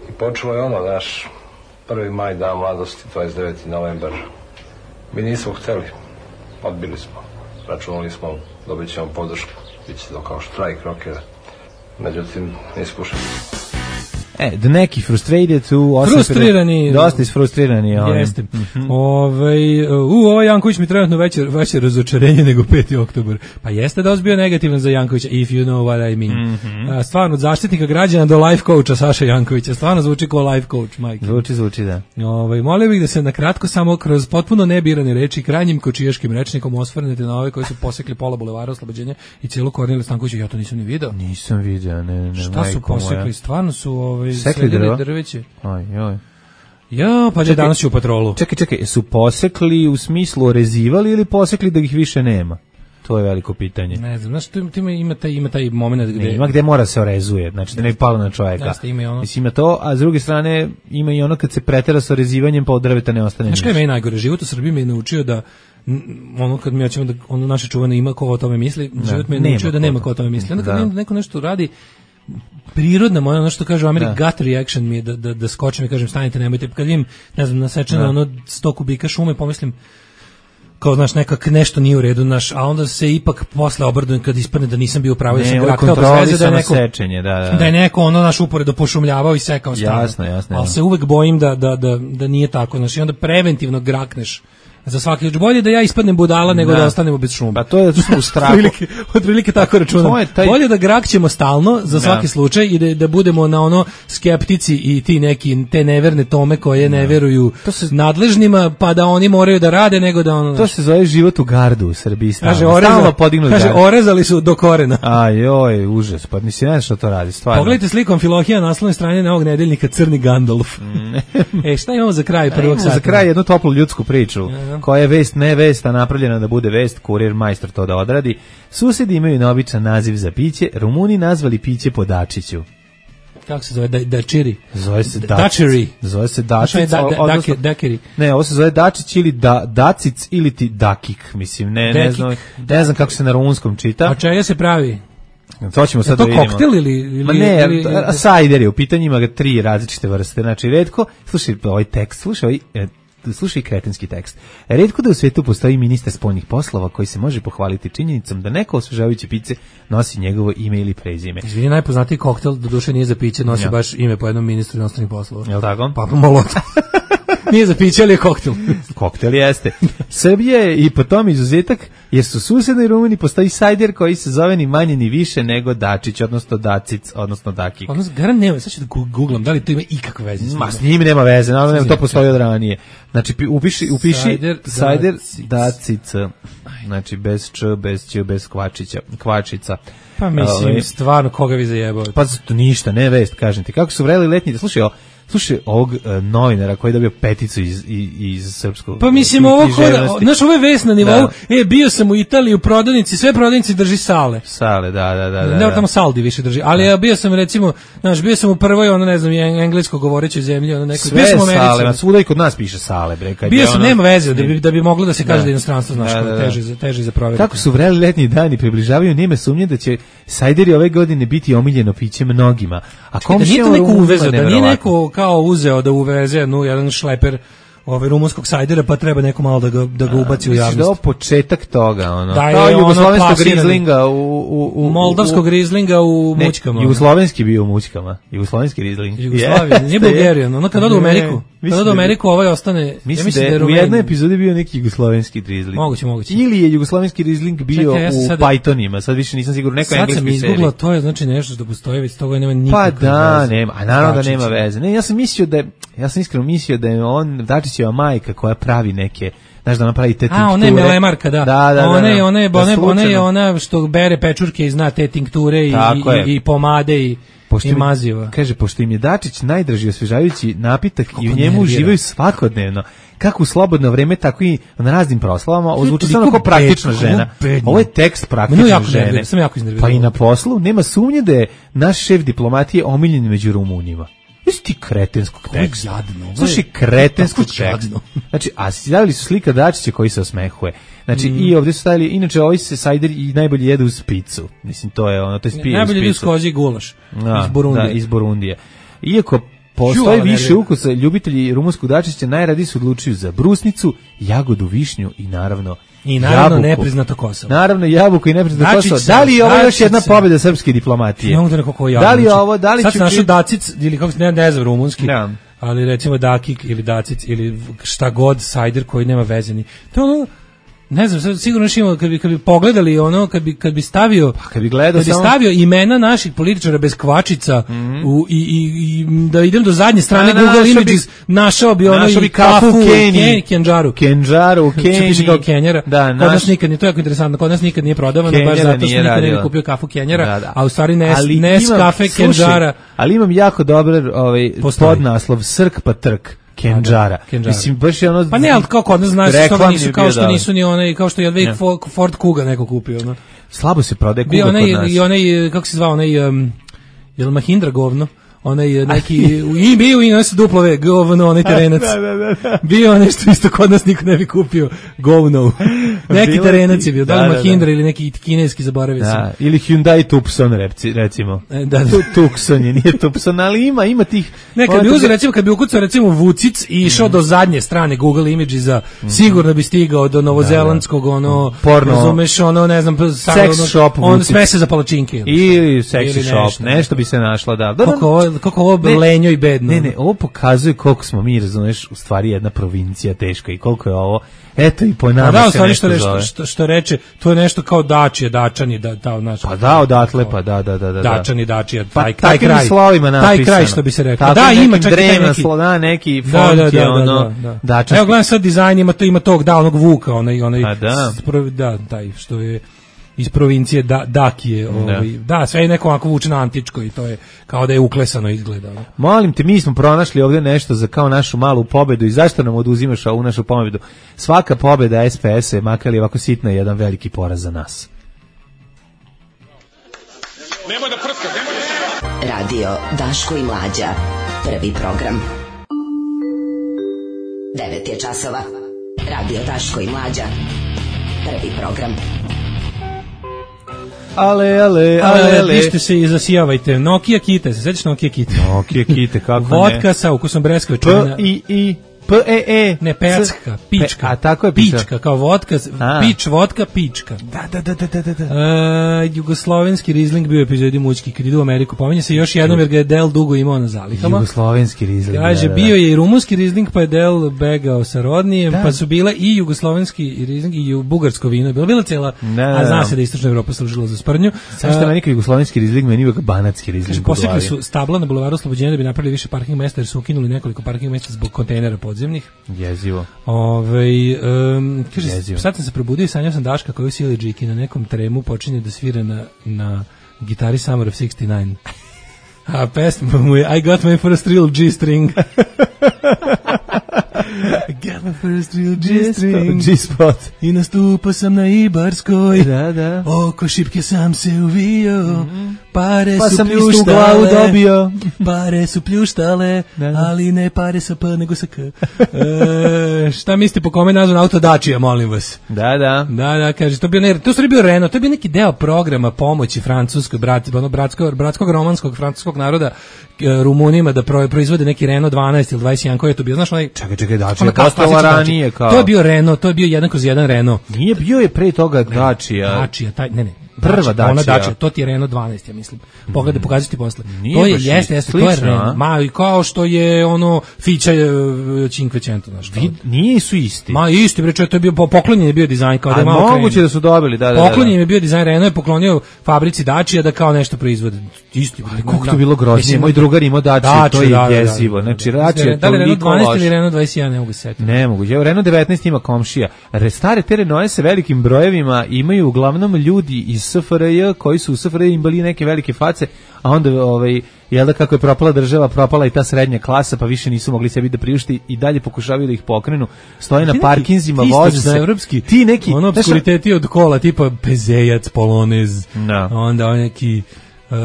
I počelo je ono, znaš, prvi maj, dan mladosti, dvadeset deveti novembar. Mi nismo hteli, odbili smo, računali smo, dobit ćemo podršku, bit će to kao štrajk rokera. Međutim, nispušen. E, da neki frustrated u frustrirani. Dosta isfrustrirani. Ali. Jeste. Mm-hmm. Ove, u, ovaj Janković mi trenutno veće, veće razočarenje nego peti oktobar. Pa jeste da bio negativan za Jankovića, if you know what I mean. Mm-hmm. A, stvarno, od zaštitnika građana do life coacha Saša Jankovića. Stvarno zvuči kao life coach, majke. Zvuči, zvuči, da. Ove, molio bih da se nakratko samo kroz potpuno nebirane reči krajnjim kočijaškim rečnikom osvrnete na ove koji su posekli pola bulevara Oslobođenja i cijelu Korneliju Stankovića. Ja to nisam ni video. Nisam video, ne, ne. Šta su posekli? Moja. Stvarno su ove, sekli drva? Drveće. Oj, oj. Ja, pa je danas u patrolu. Čekaj, čekaj, su posekli u smislu orezivali ili posekli da ih više nema? To je veliko pitanje. Ne znam, znaš, tu ima taj, ima taj moment gde... Ne, ima gde mora se orezuje, znači da ne bi palo na čovjeka. Jeste, ima i ono. Mislim, ima to, a s druge strane ima i ono kad se pretera sa orezivanjem pa od drveta ne ostane ništa. Znaš kaj je najgore? Život u Srbiji me je naučio da ono kad mi hoćemo da ono naše čuvane ima ko o tome misli, život me je naučio da nema ko o tome misli. Onda kad da. neko nešto radi prirodna moja, ono što kaže u Americi, gut reaction mi je da, da, da skočim i kažem stanite, nemojte, kad vidim, ne znam, nasečeno ono sto kubika šume, pomislim kao, znaš, nekak nešto nije u redu, naš, a onda se ipak posle obradujem kad ispadne da nisam bio pravo, da sam graktao bez veze, da je neko, sečenje, da, da. da je neko ono naš uporedo pošumljavao i sekao stranu. Jasno, jasno. Ali se uvek bojim da, da, da, da nije tako, znaš, i onda preventivno grakneš za svaki još bolje da ja ispadnem budala nego da, da ostanemo bez šuma. Pa to je u strahu. Otprilike, otprilike tako računam. Taj... Bolje da grakćemo stalno za svaki da. slučaj i da, da budemo na ono skeptici i ti neki te neverne tome koje da. ne veruju se... nadležnima pa da oni moraju da rade nego da ono... To se zove život u gardu u Srbiji. Stalno, kaže, oreza, stalno podignu kaže, orezali su do korena. Aj, joj, užas. Pa nisi ne što to radi, stvarno. Pogledajte slikom Filohija na naslovnoj strani novog nedeljnika Crni Gandalf. e, šta imamo za kraj prvog sata? Za kraj jednu toplu ljudsku priču koja je vest ne vesta napravljena da bude vest, kurir majstor to da odradi. Susedi imaju neobičan naziv za piće, Rumuni nazvali piće po Dačiću. Kako se zove? Da, dačiri? Zove se Dačiri. Zove se Dačić. Da, da, odnosno, dakeri. Ne, ovo se zove Dačić ili da, Dacic ili ti Dakik, mislim, ne, ne, znam, ne znam kako se na rumunskom čita. A čega se pravi? To ćemo sad da vidimo. Je to koktel ili... ili Ma ne, ili, ili, sajder je, u pitanju ima ga tri različite vrste. Znači, retko, slušaj ovaj tekst, slušaj ovaj... Slušaj kretenski tekst. Retko da u svijetu postoji ministar spoljnih poslova koji se može pohvaliti činjenicom da neko osvežavajuće piće nosi njegovo ime ili prezime. Izvini, najpoznatiji koktel, doduše nije za piće, nosi ja. baš ime po jednom ministru inostranih poslova. Jel' tako? Papa Molotov. Nije za piće, ali je koktel. Koktel jeste. Srbija je i po tom izuzetak, jer su u susednoj Rumuniji postoji sajder koji se zove ni manje ni više nego Dačić, odnosno Dacic, odnosno Dakik. Odnosno, garan nema, sad ću da googlam, da li to ima ikakve veze s njima? Ma, s njim nema veze, naravno nema, to postoji od ranije. Znači, upiši, upiši sajder, sajder Dacic. Znači, bez č, bez ć, bez kvačića, kvačica. Pa mislim, Ove, stvarno, koga vi zajebao? Pa to ništa, ne vest, kažem ti. Kako su vreli letnji, slušaj, o, slušaj ovog uh, novinara koji je dobio peticu iz, iz, iz srpskog. Pa mislim, ovo koda, znaš, ovo je vest na nivou, da. E, bio sam u Italiji u prodavnici, sve prodavnici drži sale. Sale, da, da, da. da ne, tamo Saldi više drži, ali ja bio sam, recimo, znaš, bio sam u prvoj, ono, ne znam, englesko govorećoj zemlji, ono, nekoj, bio sam u Americi. Sale, svuda i kod nas piše sale, bre. Kad bio sam, ono, nema veze, da bi, da bi moglo da se kaže da, da inostranstvo, znaš, da, da, da. teže, teže za provjeriti. Kako su vreli letnji dani približavaju, nema sumnje da će sajderi ove godine biti omiljeno piće mnogima. A da nije to neko uvezao, da nije neko kao uzeo da uveze no, jedan šleper ovaj rumunskog sajdera, pa treba neko malo da ga, da ga ubaci u javnost. Da je početak toga, ono. Da, kao je jugoslovenskog grizlinga u, u, u, moldavskog grizlinga u ne, mućkama. Jugoslovenski bio u mućkama. Jugoslovenski grizling. Jugoslavija, nije Bulgarijan. Ono kad ode u Ameriku, kad ode u Ameriku, ovaj ostane... Mislim, ja mislim da, da je u jednoj epizodi bio neki jugoslovenski grizling. Moguće, moguće. Ili je jugoslovenski grizling bio Čekaj, ja u sad, Pythonima, sad više nisam siguran, neka engleska serija. Sad sam izgooglao, to je znači nešto što postoji, već toga nema nikakve veze. Pa da, veze. nema, a naravno da nema veze. Ne, ja sam mislio da je, ja sam iskreno mislio da je on, Dačićeva majka koja pravi neke, znaš da ona pravi te tinkture. A, ona je melemarka, da. Da, da, da. Ona je, ona je, ona je ona što bere pečurke i zna te tinkture i, i, i pomade i Pošto i maziva. Kaže, pošto im je Dačić najdraži osvežavajući napitak Kako i u njemu uživaju svakodnevno, kako u slobodno vreme, tako i na raznim proslavama, ozvuči se kao praktična žena. Ovo je tekst praktične jako žene. Nervira, sam jako pa i na poslu nema sumnje da je naš šef diplomatije omiljen među Rumunima. Jesi ti kretenskog teksta? Jadno. Slušaj, kretenskog teksta. Znači, a stavili su slika Dačića koji se osmehuje. Znači, mm. i ovdje su stavili, inače, ovaj se sajder i najbolje jede uz picu. Mislim, to je ono, to je spije najbolje jede uz kozi gulaš. Da, iz Burundije. Da, iz Burundije. Iako postoji Žu, više ukusa, ljubitelji rumunskog Dačića najradije se odlučuju za brusnicu, jagodu, višnju i naravno I naravno jabuku. Nepriznato Kosovo. Naravno jabuku i nepriznato Kosovo. Da li je ovo još jedna pobjeda srpske diplomatije? Ne da kako da li je ovo, da li sad ću našao Dacic ili kako se ne, ne znam rumunski. Da. Ali recimo Dakik ili Dacic ili šta god sajder koji nema veze ni. To je ono, ne znam, sad sigurno još imamo, kad bi, kad bi pogledali ono, kad bi, kad bi stavio, pa kad bi, gledao kad bi samo... stavio imena naših političara bez kvačica mm-hmm. u, i, i, i da idem do zadnje strane na, Google na, Images, bi, našao bi ono i kafu u Keniji, Kenđaru. Kenđaru, u Keniji. Piše kao Kenjara. Da, kod nas nikad nije, to je jako interesantno, kod nas nikad nije prodavano, baš zato što nikad nije kupio kafu Kenjara, da, da. A u stvari Nes, Nes kafe Kenđara. Ali imam jako dobar ovaj, podnaslov, Srk pa trk. Kenđara. Mislim baš je ono. Pa ne, al kao kod nas znaš što nisu kao što nisu ni one kao što je Jedvik Ford Kuga neko kupio, no. Slabo se prodaje Kuga kod nas. I onaj kako se zvao onaj um, jel Mahindra govno. Onaj neki i bio i nas duplove govno onaj terenac. Da, da, da. Bio nešto isto kod nas niko ne bi kupio govno. Neki terenac je bio, da li Mahindra ili neki kineski zaboravio sam. Ili Hyundai Tucson recimo. E, da, da. Tucson je, nije Tucson, ali ima, ima tih. Ne, kad bi uzeo recimo, kad bi ukucao recimo Vucic i išao mm. do zadnje strane Google Imagesa, mm. sigurno bi stigao do novozelandskog, ono, porno, razumeš, ono, ne znam, sex ono, shop, on smese za palačinke. Ili sex shop, nešto, nešto bi se našlo, da. da kako ovo, kako ovo ne, lenjo i bedno. Ne, ne, ovo pokazuje koliko smo mi, razumeš, u stvari jedna provincija teška i koliko je ovo, eto i po nama da, se nešto što zove. Što, što reče, to je nešto kao Dačije, Dačani, da, da, naš, pa da, odatle, pa da, da, da. da. Dačani, Dačije, taj, pa, taj kraj. Slovima napisano. Taj kraj, što bi se reklo. Tako da, ima čak i neki. Slova, neki font da, da, da, je ono, da, da, da. Dačanski. Evo, gledam sad dizajn, ima, to, ima tog, da, onog Vuka, onaj, onaj, a da. Spro, da, taj, što je iz provincije da, Dakije, ovaj, da. da, sve je neko ovako vuče na antičko i to je kao da je uklesano izgleda. Ne? Molim te, mi smo pronašli ovdje nešto za kao našu malu pobedu i zašto nam oduzimaš ovu našu pobedu? Svaka pobeda S P S-a je makar je ovako sitna i jedan veliki poraz za nas. Nemoj da prska, nemoj da... Radio Daško i Mlađa, prvi program. devet je časova. Radio Daško i Mlađa, prvi program. Ale, ale, ale, ale. Pište se i zasijavajte. Nokia Kite, se sećaš Nokia Kite? Nokia Kite, kako ne? Vodka sa ukusom breskve. P, I, I, P E E. Ne, pecka, pička. Pe, a tako je pička. Pička, kao vodka, a. pič, vodka, pička. Da, da, da, da, da, da. Uh, jugoslovenski rizling bio u epizodi Mućki, kad ide u Ameriku. Pominje se još jednom jer ga je Del dugo imao na zalihama. Jugoslovenski rizling. Kaže, da, da, da. bio je i rumunski rizling, pa je Del begao sa rodnijem, da. Pa su bile i jugoslovenski rizling i bugarsko vino. Bila, bila cela, da, da, a zna se da istočna Evropa služila za sprnju. Sad što meni kao jugoslovenski rizling, meni uvijek banatski rizling. Kaže, posekli su stabla na bulevaru Oslobođenja da bi napravili više parking mesta, jer su ukinuli nekoliko parking mesta zbog kontejnera podzemnih. Jezivo. Ove, um, kaže, Jezivo. Sad sam se probudio i sanjao sam Daška koji u Sili Džiki na nekom tremu počinje da svira na, na gitari Summer of sixty-nine. A pesma mu je I got my first real G-string. I got my first real G-string. G-spot. I nastupao sam na Ibarskoj. Da, da. Oko šipke sam se uvio. Mm-hmm. Pare pa su sam pljuštale. istu glavu dobio. Pare su pljuštale, da, da. Ali ne pare sa P, nego sa K. E, šta mislite po kome nazvan auto Dacia, molim vas? Da, da. Da, da, kaže, to, bio ne, to je bio Renault, to je bio neki deo programa pomoći francuskoj, brat, ono, bratskog, bratskog romanskog, francuskog naroda, Rumunima da proizvode neki Renault dvanaest ili dvadeset jedan, koji je to bio, znaš onaj... Čekaj, čekaj, Dacia je postala ranije kao... To je bio Renault, to je bio jedan kroz jedan Renault. Nije bio je pre toga Dacia. Dacia, taj, ne, ne. Prva Dacia. Ona Dacia, to ti je Renault dvanaest, ja mislim. Pogledaj, pokazati ti posle. Nije to je, jeste, jeste, to je Renault. Ma, i kao što je ono Fića Cinquecento, znaš. Nije su isti. Ma, isti, bre, to je bio, poklonjen je bio dizajn, kao da je malo krenu. A moguće da su dobili, da, da, da. Poklonjen je bio dizajn, Renault je poklonio fabrici Dacia da kao nešto proizvode. Isti. Ali koliko to bilo grozno. Moj drugar imao Dacia, to je jezivo. Znači, Dacia je toliko loš. Da li Renault dvanaest ili Renault dvadeset jedan, ne mogu setiti. Ne mogu. Evo, Renault devetnaest ima komšija. Stare te Renault se velikim brojevima imaju uglavnom ljudi iz S F R J koji su u S F R J imali neke velike face, a onda ovaj jel da kako je propala država, propala i ta srednja klasa, pa više nisu mogli sebi da priušti i dalje pokušavaju da ih pokrenu. Stoje na parkinzima, voze se. Evropski, ti neki ono obskuriteti od kola, tipa Pezejac, Polonez, no. Onda on neki Uh,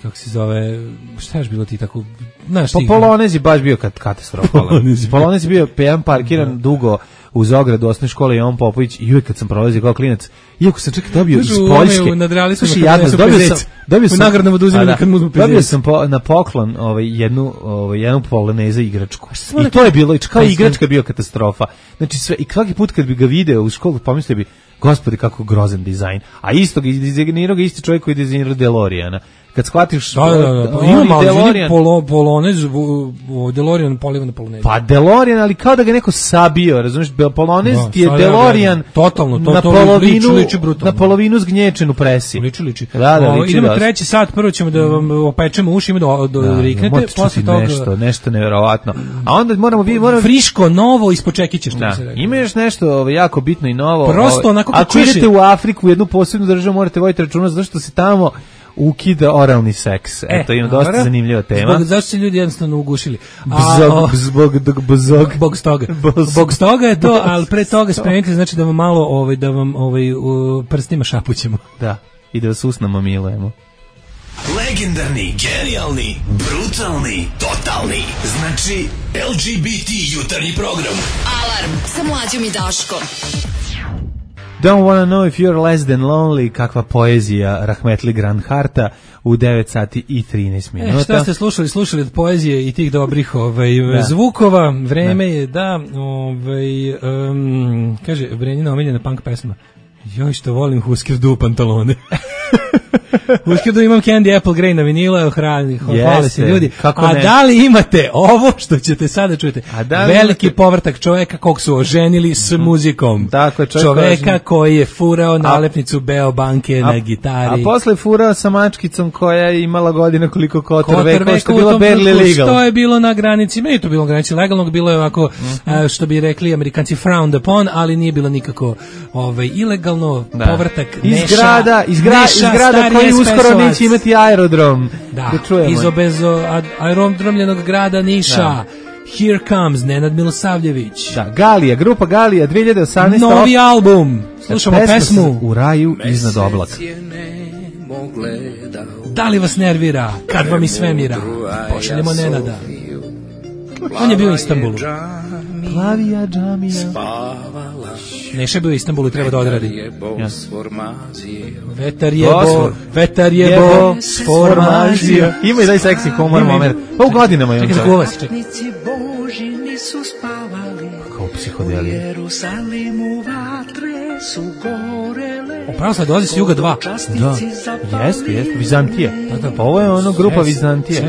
kako se zove, šta je bilo ti tako, znaš po ti... Polonez je baš bio katastrofalan. Polonez je bio pejan parkiran da. Dugo uz ogradu osnovne škole Jovan Popović i uvijek kad sam prolazio kao klinac, iako sam čak dobio iz Poljske, slušaj, ja dobio sam, dobio sam, nagradnom oduzimali kad mu dobio sam po, na poklon ovaj, jednu, ovaj, jednu Poloneza igračku. I to je bilo, i kao igračka bio katastrofa. Znači, sve, i svaki put kad bi ga video u školu, pomislio bi, gospodi kako grozan dizajn. A isto ga dizajnirao ga isti čovjek koji je dizajnirao DeLoreana. Kad shvatiš da, da, da, pa ima malo DeLorean, polo, Polonez, DeLorean poliva na Polonez. Pa DeLorean, ali kao da ga neko sabio, razumiješ, Polonez da, ti je DeLorean totalno, to, na to polovinu, liči, liči brutalno. Na polovinu zgnječen u presi. Liči, liči. Da, da, o, liči idemo dosta. treći sat, prvo ćemo da vam opečemo uši, ima do, do da, riknete, posle toga... Nešto, nešto nevjerovatno. A onda moramo... Vi, moramo... Friško, novo, ispod čekića, što da. bi se rekao. Ima još nešto jako bitno i novo. Prosto, onako ako čuješ... idete u Afriku, u jednu posebnu državu, morate voditi računa, zato što se tamo ukida oralni seks. Eto, ima dosta dobra. Zanimljiva tema. Zbog, zašto se ljudi jednostavno ugušili? Bzog, zbog, dog, bzog. Bog stoga. Bog stoga je to, ali pre toga spremite, znači da vam malo, ovaj, da vam ovaj, u prstima šapućemo. Da, i da vas usnamo milujemo. Legendarni, genijalni, brutalni, totalni. Znači, L G B T jutarnji program. Alarm sa Mlađom i Daškom. Don't wanna know if you're less than lonely, kakva poezija Rahmetli Granharta u devet sati i trinaest minuta. E, šta ste slušali? Slušali od poezije i tih dobrih ovaj, da. Zvukova. Vreme da. Je da, ovaj, um, kaže, Brenjina omiljena punk pesma. Joj, što volim Husker Du pantalone. Husker Du imam Candy Apple Grey na vinila, hrani, hvale se ljudi. A ne? Da li imate ovo što ćete sada čujete? Veliki imate... povrtak čoveka kog su oženili s muzikom. Tako, čoveka ožen... koji je furao nalepnicu Beo banke a, na gitari. A posle furao sa mačkicom koja je imala godina koliko Kotor Vekova, što je bilo barely legal. Što je bilo na granici, meni je to bilo na granici legalnog, bilo je ovako, uh-huh. što bi rekli Amerikanci frowned upon, ali nije bilo nikako ovaj, ilegalno, da. Povrtak Neša. Iz grada, iz gra, iz grada koji uskoro neće imati aerodrom. Da, da iz obezo aerodromljenog grada Niša. Da. Here Comes, Nenad Milosavljević. Da, Galija, grupa Galija, dve hiljade osamnaeste. Novi album. Slušamo pesmu U raju iznad oblaka. Da li vas nervira kad vam iz svemira pošaljemo Nenada? On je bio u Istanbulu. Plavija džamija spavala Neša je bio u Istanbulu i treba da odradi. Ja. Vetar je bo, vetar je bo, sformazija. Ima i daj seksi humor moment. Pa u godinama je on. Čekaj, zakuva se, čekaj. Kao psihodelija. Upravo sad dolazi s Juga dva. Da, jeste, jeste, Vizantija. Da, da, pa ovo je ono grupa Vizantija.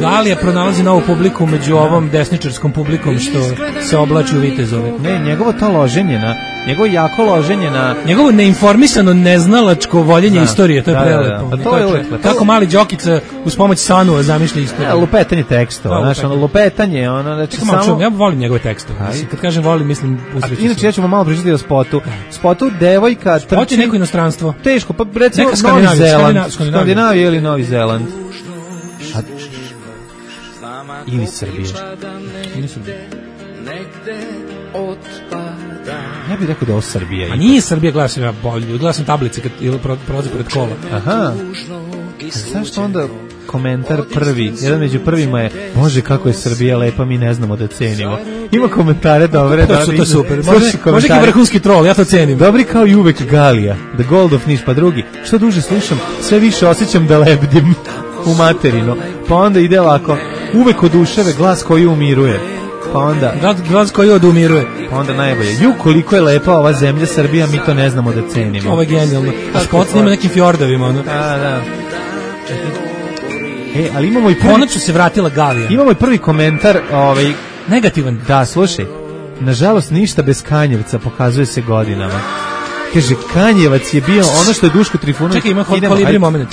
Galija pronalazi novu publiku među ovom desničarskom publikom što se oblači u vitezove. Ne, njegovo to loženje na, njegovo jako loženje na... Njegovo neinformisano, neznalačko voljenje da, istorije, to je da, prelepo. Da, da. Pa to je uvek. Kako mali Đokica uz pomoć Sanua zamišlja istoriju. Ja, lupetanje tekstova, znaš, ono, lupetanje, ono, znači samo... samo... Ja volim njegove tekstove. Kad kažem volim, mislim usreću. Inače, ja ćemo malo pričati o spotu. Spotu devojka trči... Spot je neko inostranstvo. Teško, pa recimo Novi Zeland. Skandinavija ili Novi Zeland. A... Ili Srbije. Ili Srbije. Ja bih rekao da je ovo Srbija. A nije Srbija, gledao sam ja bolje. Gledao sam tablice kad prolazi pored kola. Aha. Zašto onda komentar prvi, jedan među prvima je, Bože kako je Srbija lepa, mi ne znamo da cenimo. Ima komentare dobre. To su to super. Može neki vrhunski trol, ja to cenim. Dobri kao i uvek Galija, The Gold of Niš, pa drugi. Što duže slušam, sve više osjećam da lebdim u materinu. Pa onda ide ovako, uvek oduševe glas koji umiruje. Pa onda glas koji odumiruje. Pa onda najbolje. Ju koliko je lepa ova zemlja Srbija, mi to ne znamo da cenimo. Ovo je genijalno. A spot snima nekim fjordovima, ono. Da, da. E, ali imamo i prvi... Konačno se vratila Galija. Imamo i prvi komentar, ovaj... negativan. Da, slušaj. Nažalost, ništa bez Kanjevca pokazuje se godinama. Kaže, Kanjevac je bio ono što je Duško Trifunović... Čekaj, ima kolibri moment.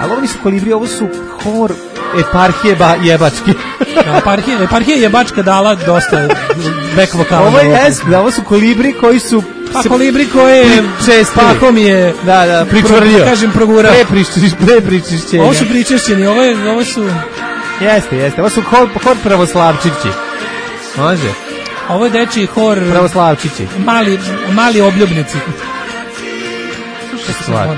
Ali ovo nisu kolibri, ovo su hor eparhije ba, jebački. Da, eparhije, eparhije jebačka dala dosta back vokala. Ovo je es, da, ovo su kolibri koji su... Pa kolibri koje pakom je da, da, pričvrljio. Pro, kažem, progurao. Pre pričišćenja. Ovo su pričešćeni, ovo, je, ovo su... Jeste, jeste, ovo su hor, hor pravoslavčići. Može? Ovo je dečiji hor... Pravoslavčići. Mali, mali obljubnici. Slušaj se stvar.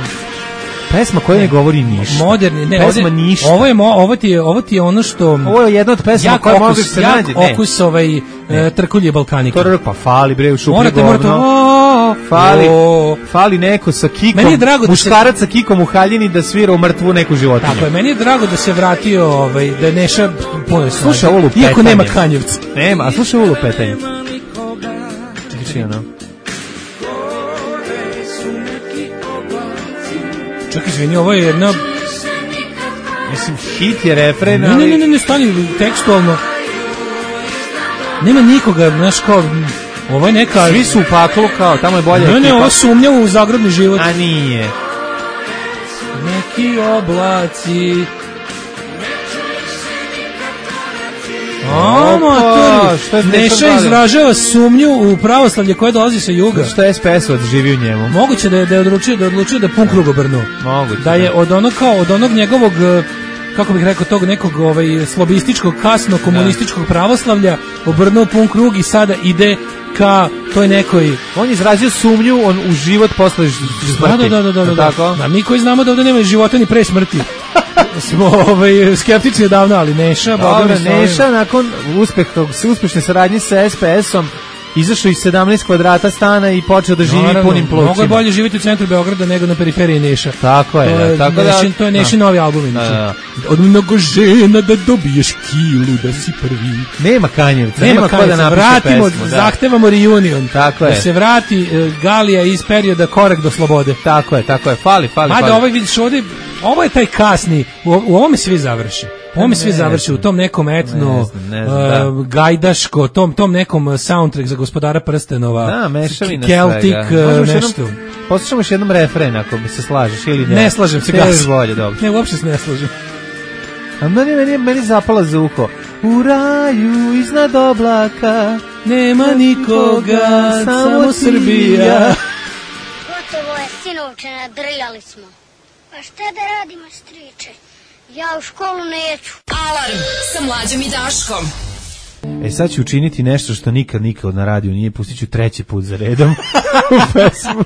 Pesma koja ne govori ništa. Moderni, ne, pesma ovdje, ništa. Ovo je mo, ovo ti je, ovo ti je ono što ovo je jedna od pesama koja može se nađe, ne. Okus ovaj e, trkulje balkanika. To pa fali bre u šuplje morate, govno. Morate, fali, o, fali neko sa kikom. Meni je drago muškarac da se, sa kikom u haljini da svira u mrtvu neku životinju. Tako je, meni je drago da se vratio ovaj da je Neša puno snage. Slušaj ovo lupetanje. Iako nema Kanjevca. Nema, a slušaj ovo lupetanje. Čekaj, ono. Čekaj, izvini, ovo je jedna... Mislim, hit je refren, ne, ali... Ne, ne, ne, ne, stani tekstualno. Nema nikoga, znaš, kao... Ovo je neka... Svi su u paklu, kao, tamo je bolja ekipa. Ne, ne, ovo sumnja u zagradni život. A nije. Neki oblaci... O, matori, Neša izražava sumnju u pravoslavlje koje dolazi sa juga. Što je S P S odživi u njemu? Moguće da je, da je odlučio da je odlučio da je pun krug obrnuo. Moguće. Da je od onog kao od onog njegovog, kako bih rekao, tog nekog ovaj slobističkog kasno komunističkog pravoslavlja obrnuo pun krug i sada ide ka toj nekoj... On je izrazio sumnju on u život posle smrti. Da, da, da, da, da, da. da mi koji znamo da ovdje nema života ni pre smrti. Smo ovaj, skeptični davno, ali Neša... Dobre, Neša nakon uspehog, uspešne saradnje sa S P S-om izašao iz sedamnaest kvadrata stana i počeo da živi Naravno, punim plućima. Mnogo je bolje živjeti u centru Beograda nego na periferiji Neša. Tako je. To je, tako nešin, da, to je Nešin novi album. Da, da. Od mnogo žena da dobiješ kilu, da si prvi. Nema Kanjevca, nema, nema ko da napiše vratimo, pesmu. Da. Zahtevamo reunion. Tako da je. se vrati uh, Galija iz perioda Korak do slobode. Tako je, tako je. Fali, fali, Mada fali. ovaj vidiš ovdje, ovo je taj kasni, u, u ovome svi završi. U ovome svi završi, u tom nekom etno, ne znam, ne znam, uh, gajdaško, tom, tom nekom soundtrack za Gospodara prstenova. Da, mešavina Celtic, uh, nešto. Poslušamo još jednom refren, ako bi se slažeš ili ne. Ne slažem se, gas. Bolje, dobro. Ne, uopšte se ne slažem. A meni, meni, meni zapala za uho. U raju iznad oblaka nema nikoga, samo Srbija. Gotovo je, sinovče, nadrljali smo. A šta da radimo, striče? Ja u školu neću. Alarm sa Mlađom i Daškom. E sad ću učiniti nešto što nikad nikad na radiju nije, pustit ću treći put za redom u pesmu.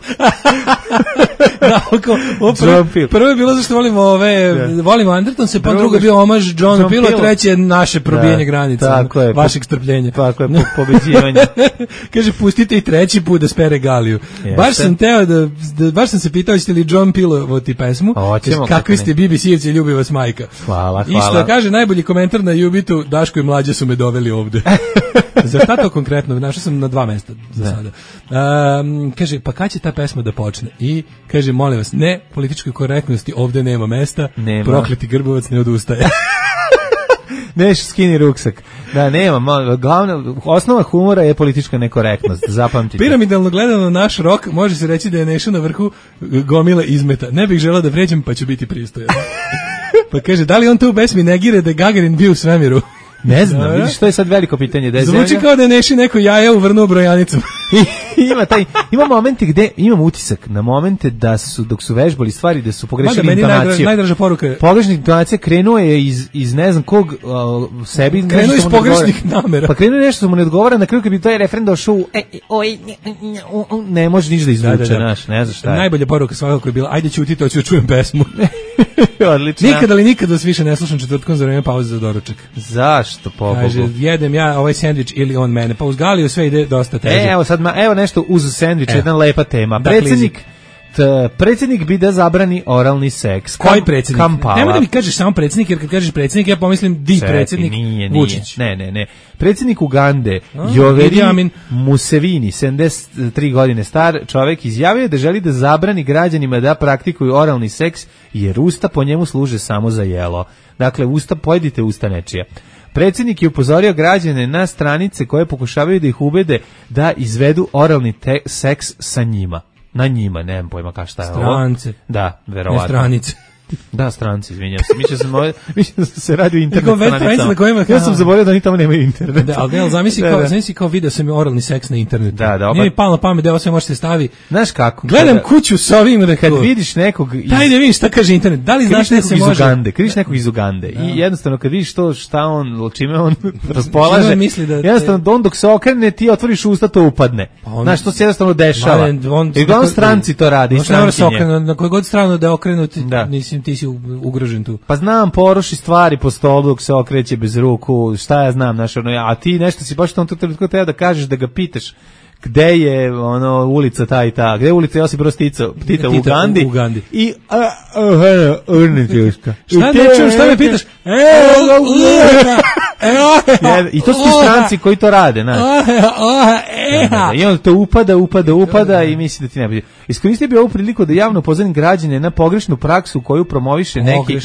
Da, oko, o, prvo, prvo je bilo zašto volimo ove, da. volimo Andertonse, pa drugo je bio omaž John, John Pilo, treće je naše probijanje da, granica, je, vašeg strpljenja. Tako je, po, pobeđivanje. Kaže, pustite i treći put da spere Galiju. Jeste. Baš sam teo da, da, baš sam se pitao, hoćete li John Pilovoti pesmu? Kaže, kakvi ste B B C-evci, ljubi vas majka. Hvala, hvala. I što kaže, najbolji komentar na Jubitu, Daško i Mlađa su me doveli ovde. Za šta to konkretno? Našao sam na dva mesta za da. sada. Um, kaže, pa kad će ta pesma da počne? I kaže, molim vas, ne, političkoj korektnosti ovde nema mesta, nema. Prokleti Grbovac ne odustaje. Neš skini ruksak. Da, nema, glavna, osnova humora je politička nekorektnost, zapamtite. Piramidalno gledano naš rok, može se reći da je Neša na vrhu gomila izmeta. Ne bih želeo da vređem, pa ću biti pristojan. Pa kaže, da li on to u pesmi negire da je Gagarin bio u svemiru? Ne znam, vidiš, to je sad veliko pitanje. Da je zvuči zemlja... kao da je Neši neko jaja uvrnuo brojanicom. ima taj, ima momente gde imam utisak na momente da su, dok su vežbali stvari, da su pogrešili intonaciju. Najdraža, najdraža poruka je. Pogrešna intonacija krenuo je iz, iz ne znam kog uh, sebi. Krenuo iz pogrešnih namera. Pa krenuo je nešto što mu ne odgovara, na kraju kad bi taj refren došao u e, oj, ne, ne može ništa da izvuče, da, da, da. Naš, ne znaš šta je. Najbolja poruka svakako je bila, ajde ćuti, to ću čujem pesmu. Odlično. Nikada ali nikada vas više ne slušam četvrtkom za vreme pauze za doručak. Zašto, pobogu? Kaže, jedem ja ovaj sendvič ili on mene. Pa uz Galiju sve ide dosta teže. E, evo sad, ma, evo nešto uz sendvič, jedna lepa tema. Predsjednik T, predsjednik bi da zabrani oralni seks. Koji predsjednik? Nemoj da mi kažeš samo predsjednik, jer kad kažeš predsjednik, ja pomislim di predsjednik nije, Vučić. Ne, ne, ne. Predsjednik Ugande, Yoweri Museveni, sedamdeset tri godine star čovjek, izjavio da želi da zabrani građanima da praktikuju oralni seks, jer usta po njemu služe samo za jelo. Dakle, usta, pojedite usta nečija. Predsjednik je upozorio građane na stranice koje pokušavaju da ih ubede da izvedu oralni te- seks sa njima. Na njima, nemam pojma kao šta je ovo. Strance. Da, verovatno. Ne stranice. Da, stranci, izvinjam se. Mislio sam, ovaj, mislio da se radi o internet stranicama. Kojima, ja sam zaboravio da oni tamo nemaju internet. Da, ali gledal, zamisli kao, zamisli kao video sam je oralni seks na internetu. Da, da. Nije mi palo na pamet da ovo sve možete stavi. Znaš kako? Gledam kada, kuću s ovim rekao. Kad vidiš nekog iz... Daj da vidiš šta kaže internet. Da li znaš da se može? Ugande, kad vidiš nekog iz Ugande da. I jednostavno kad vidiš to šta on, čime on raspolaže, misli da te... jednostavno on dok se okrene ti otvoriš usta to upadne. Pa on... Znaš, to se jednostavno dešava. I uglavnom stranci to rade. I stranci na kojoj god stranu da okrenu, mislim ti si ugrožen tu. Pa znam, poroši stvari po stolu dok se okreće bez ruku, šta ja znam, znaš, ono, a ti nešto si baš u tom trenutku treba da kažeš, da ga pitaš gde je ono ulica ta i ta, gde je ulica Josip Broz Tito, Tita u Ugandi, u Ugandi. I a, a, a, a, šta ne čujem, šta me pitaš? I to su ti stranci koji to rade, znaš. I on to upada, upada, upada i misli da ti ne bude. Iskoristio bi ovu priliku da javno upozorim građane na pogrešnu praksu koju promoviše neki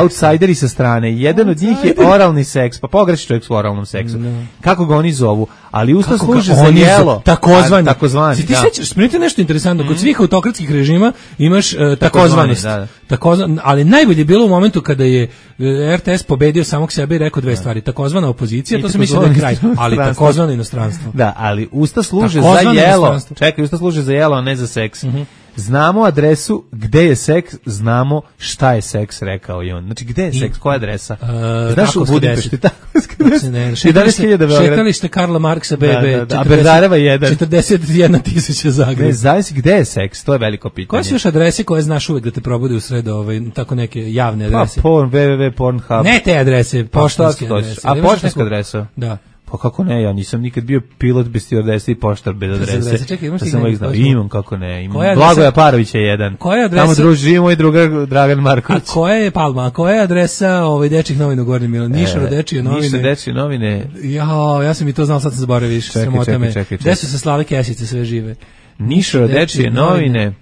outsideri sa strane. Jedan od njih je oralni seks, pa pogrešni čovjek s oralnom seksu. Kako ga oni zovu? Ali usta služe za jelo. Takozvani. Takozvani. Si ti sećaš, spremite nešto interesantno, kod svih autokratskih režima imaš takozvanost. Takozvan, ali najbolje je bilo u momentu kada je R T S pobedio samog sebe i rekao dve stvari. Takozvana opozicija, to se misli da je kraj, ali takozvano inostranstvo. Da, ali usta služe za jelo. Čekaj, usta služe za jelo, a ne za seks. Znamo adresu gde je seks, znamo šta je seks, rekao i on. Znači, gde je seks, koja je adresa? Uh, Znaš u Budimpešti, Takovska deset. Šetalište Karla Marksa B B, da, da, a Berdareva jedan. četrdeset jedna tisuća Zagreb. Ne, zavisi gde je seks, to je veliko pitanje. Koje su još adrese koje znaš uvek da te probude u sredo, ovaj, tako neke javne adrese? Pa, porn, www, Pornhub. Ne te adrese, poštanske adrese. A poštanska adresa? Da. Pa kako ne, ja nisam nikad bio pilot bez stewardese i poštar bez adrese. Čekaj, imaš ti znao. Imam, kako ne, imam. Blagoja Parović je jedan. Koja adresa? Tamo druži moj drugar Dragan Marković. A koja je Palma? A koja je adresa ovaj dečjih novina u Gornjem Milanu? Nišaro dečije novine. Nišaro dečije novine. Ja, ja sam i to znao, sad sam zaboravio više. Čekaj, čekaj, čekaj. Gde su se Slave Kesice sve žive? Nišaro dečije novine.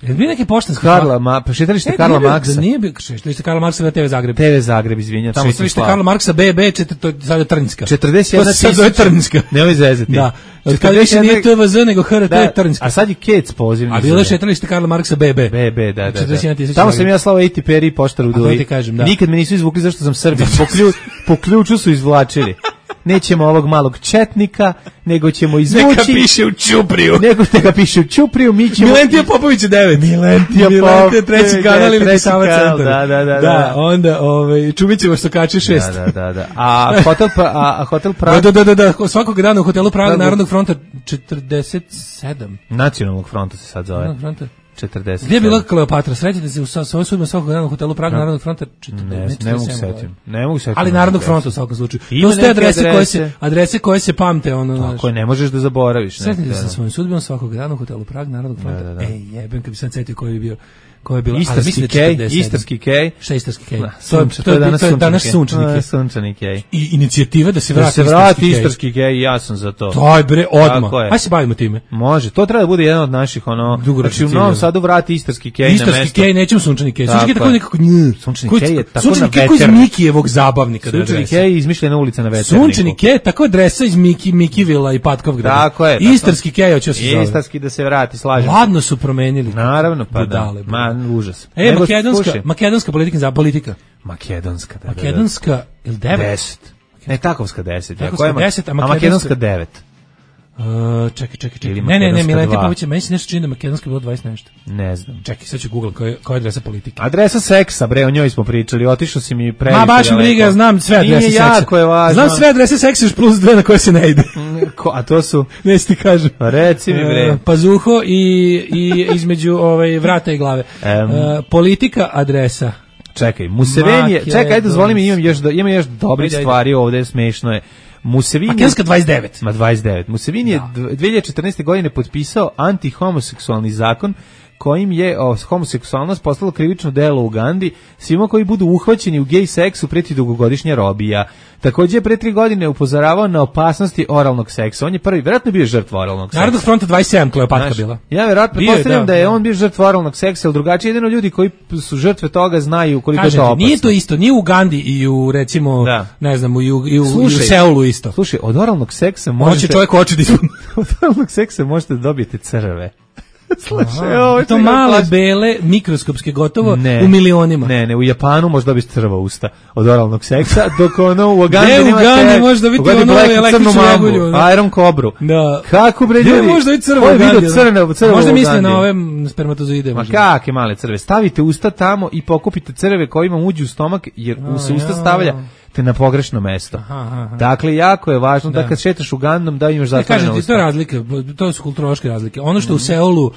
Jel bi neki poštanski Karla, ma, pa šetalište Karla Marksa. Da nije bi, šetalište Karla Marksa na T V Zagreb. T V Zagreb, izvinjam. Tamo šetalište Karla Marksa B B, to je sada Trnjska. četrdeset jedna tisuća. To se zove Trnjska. Nemoj zezati. Da. Kada više nije T V Z nego H R, to je Trnjska. A sad je Kec pozivni. A bilo je šetalište Karla Marksa B B. B B, da, da. Tamo sam ja slao A T P R i poštar u Duji. Nikad me nisu izvukli zašto sam Srbin. Po ključu su izvlačili. nećemo ovog malog četnika, nego ćemo izvući... Neka piše u Ćupriju. Nego neka piše u Ćupriju, mi ćemo... Milentija Popović je devet. Milentija Popović. treći kanal ili Sava centar. Da, da, da. Da, onda ovaj, Čumićevo što kače šest. Da, da, da. A hotel, a, a hotel Praga... Da, da, da, da, svakog dana u hotelu Praga Narodnog fronta četrdeset sedam. Nacionalnog fronta se sad zove. Narodnog fronta. četrdeset. Gdje je bila Kleopatra? Srećete se u svojoj sudbima svakog dana u hotelu Praga Narodnog fronta četrdeset sedam. Ne, ne mogu setim. Ne mogu setim. Ali Narodnog fronta u svakom slučaju. To su te adrese koje se adrese koje se pamte ono. Tako je, ne možeš da zaboraviš. Sretite se sa svojim sudbima svakog dana u hotelu Praga Narodnog fronta. Da, da, da. Ej, jebem kad bi sad setio koji je bio koja je bila Istarski kej, Istarski kej. Šta je Istarski kej? To je to je danas danas sunčani kej. Sunčani kej. I inicijativa da se vrati da se vrati Istarski kej, ja sam za to. Taj bre, odmah. Aj se bavimo time. Može, to treba da bude jedan od naših ono, znači u Novom Sadu vrati Istarski kej na mesto. Istarski kej, nećemo sunčani kej. Sunčani kej tako nekako nj. Sunčani kej je tako sunčani kej iz Mikijevog zabavnika. Sunčani kej je izmišljena ulica na Veterniku. Sunčani kej tako adresa iz Miki Mikivila i Patkovgrada. Tako je. Istarski kej hoće se zove. Istarski da se vrati, slažem. Ladno su promenili. Naravno, pa da. Ma užas. E, makedonska, makedonska politika za politika. Makedonska, da. Makedonska ili devet? deset. Ne, takovska deset. Takovska deset, a makedonska devet. Uh, čekaj, čekaj, čekaj. Ne, ne, ne, Milentija Popović, meni se nešto čini da makedonska bilo dvadeset nešto. Ne znam. Čekaj, sad ću googlam koja je, koja je adresa politike. Adresa seksa, bre, o njoj smo pričali, otišao si mi previše. Ma baš mi briga, znam sve adrese Nije seksa. Jako je važno. Znam sve adrese seksa još plus dve na koje se ne ide. Ko, a to su? Ne si ti kažem. Reci mi, bre. Uh, pazuho i, i između ovaj, vrata i glave. Um, uh, politika adresa. Čekaj, Museveni je, čekaj, ajde dozvoli mi, imam još, ima još dobrih stvari ovde, smešno je. Museveni Makedonska dvadeset devet. Ma dvadeset devet. Museveni je dve hiljade četrnaeste. godine potpisao antihomoseksualni zakon kojim je o, homoseksualnost postalo krivično delo u Ugandi. Svima koji budu uhvaćeni u gej seksu preti dugogodišnja robija. Takođe je pre tri godine upozoravao na opasnosti oralnog seksa. On je prvi, vjerojatno bio žrtva oralnog seksa. Narodnog fronta dvadeset sedam Kleopatra bila. Ja vjerojatno postavljam da, da je on bio žrtva oralnog seksa, ali drugačije jedino ljudi koji su žrtve toga znaju koliko je to opasno. Nije to isto, nije u Ugandi i u recimo, da. ne znam, u, i u, slušaj, i u Seulu isto. Slušaj, od oralnog seksa možete... Hoće čovjek oči da ispuni. Od oralnog seksa možete da dobijete crve. Slušaj, ovo to male, plaći. Bele, mikroskopske, gotovo ne, u milionima. Ne, ne, u Japanu može dobiti crva usta od oralnog seksa, dok ono u Ugandi nema te... Ne, u Ugandi može dobiti ono električnu jagulju. Iron Cobru. Da. Kako bre ljudi? Ne može dobiti crva u Ugandi. Crne, crva možda misle na ove spermatozoide. Ma kakve male crve. Stavite usta tamo i pokupite crve kojima uđu u stomak, jer u se usta stavlja te na pogrešno mesto. Aha, aha. Dakle, jako je važno da, da kad šetaš Ugandom da imaš zatvorena usta. To je razlika, to su kulturološke razlike. Ono što mm. u Seulu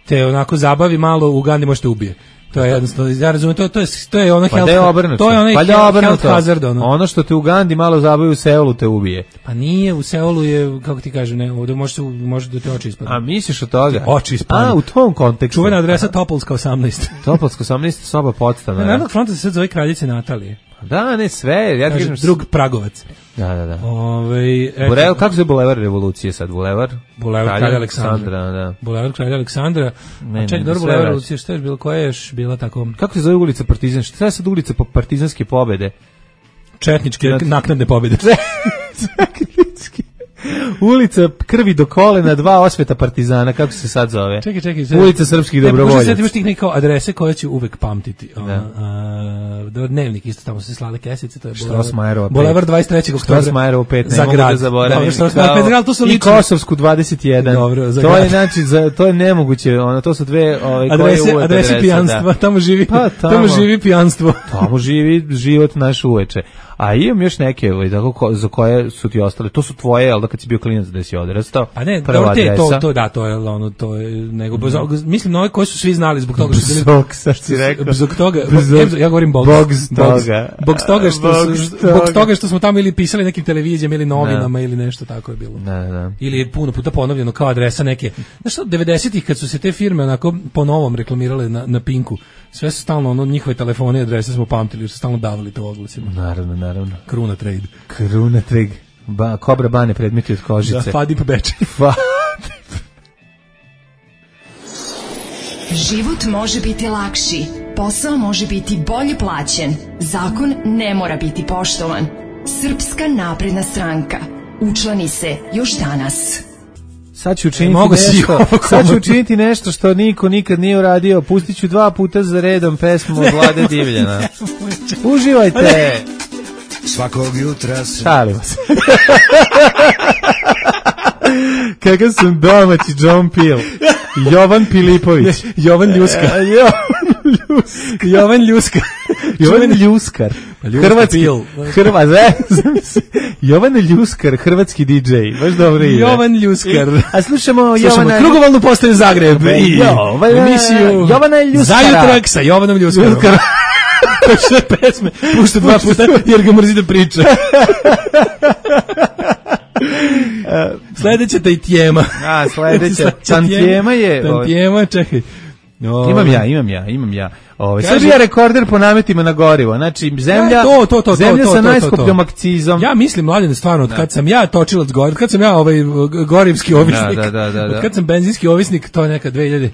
te onako zabavi malo, u Ugandi možete ubije. To je jednostavno, ja razumijem, to, to je to je ono pa health, je to je onaj pa health, health hazard ono. Ono što te u Ugandi malo zabavi, u Seulu te ubije. Pa nije, u Seulu je, kako ti kažem, ne, ovde može se može da te oči ispadnu. A misliš od toga? Oči ispadnu. A u tom kontekstu. Čuvena adresa Topolska osamnaest. Topolska osamnaest, soba podstana. Narodnog fronta se sad zove Kraljice Natalije. Da, ne sve, ja ti kažem drug Pragovac. Da, da, da. Ovaj Bulevar, kako se Bulevar revolucije sad, Bulevar? Bulevar Kralja Aleksandra, da. Bulevar Kralja Aleksandra. Ne, ček, dobro, Bulevar revolucije, šta je bilo, koja je još bila tako? Kako se zove ulica Partizan? Šta je sad ulica po partizanske pobede? Četničke naknadne pobede. Četničke. Ulica krvi do kolena, dva osveta partizana, kako se sad zove? Čekaj, čekaj. Ulica srpskih dobrovoljaca. Možda se imaš tih neke adrese koje ću uvek pamtiti. Da. Uh, dnevnik, isto tamo se slale kesice, to je Bulevar dvadeset trećeg oktobra. Štrosmajerova pet, ne mogu da zaboravim. I Kosovsku dvadeset jedan. Dobro, za to je, znači, za, to je nemoguće, ono, to su dve ove, adrese, koje adrese adrese pijanstva, da. tamo živi, pa, tamo, tamo živi pijanstvo. Tamo živi život naš uveče. A imam još neke, ovaj, tako, za koje su ti ostale. To su tvoje, ali da kad si bio klinac da si odrastao. A ne, dobro, te, to, to, da, to je ono, to je, nego, mm. mislim, na ove koje su svi znali zbog toga što su bili... Bog, sad si rekao. Zbog toga, ja govorim Bog. Bog z toga. Bog z toga što, zbog toga što smo tamo ili pisali nekim televizijama ili novinama da. Ili nešto tako je bilo. Da, da. Ili je puno puta ponovljeno kao adresa neke. Znaš što, devedesetih kad su se te firme onako po novom reklamirale na, na Pinku, sve su stalno, ono, njihove telefone i adrese smo pamtili, jer su stalno davali to oglasima. Naravno, naravno. Kruna Trade. Kruna Trade. Ba, Kobra Bane predmeti od kožice. Da, Fadip Beče. Fadip. Život može biti lakši, posao može biti bolje plaćen, zakon ne mora biti poštovan. Srpska napredna stranka. Učlani se još danas. Sad ću učiniti e, nešto, sad ću učiniti nešto što niko nikad nije uradio. Pustit ću dva puta za redom pesmu od Vlade Divljana. Uživajte! svakog jutra se... Šalimo se. Kakav sam domaći John Peel. Jovan Pilipović. Ne, Jovan Ljuska. E, Jovan Ljuska. Jovan Ljuska. Jovan Ljuskar. Hrvatski. Hrva, Jovan Ljuskar, hrvatski di džej. Baš dobro ide. Jovan Ljuskar. A slušamo Jovana... Krugovalnu postaju Zagreb. I Jovana, emisiju Jovana Ljuskara. Zajutrak sa Jovanom Ljuskarom. Sve pesme. Pušta dva puta jer ga mrzi da priča. Sledeća tantijema. A, sledeća tantijema je... Tantijema, čekaj. O, imam ja, imam ja, imam ja. Ovaj Srbija rekorder po nametima na gorivo. Znači zemlja, ja, to, to, to, zemlja to, to, sa to, najskupljom akcizom. Ja mislim, mladine, stvarno, od kad sam ja točilac goriva, od kad sam ja ovaj gorivski ovisnik, da, da, da, da. od kad sam benzinski ovisnik, to je neka dve hiljade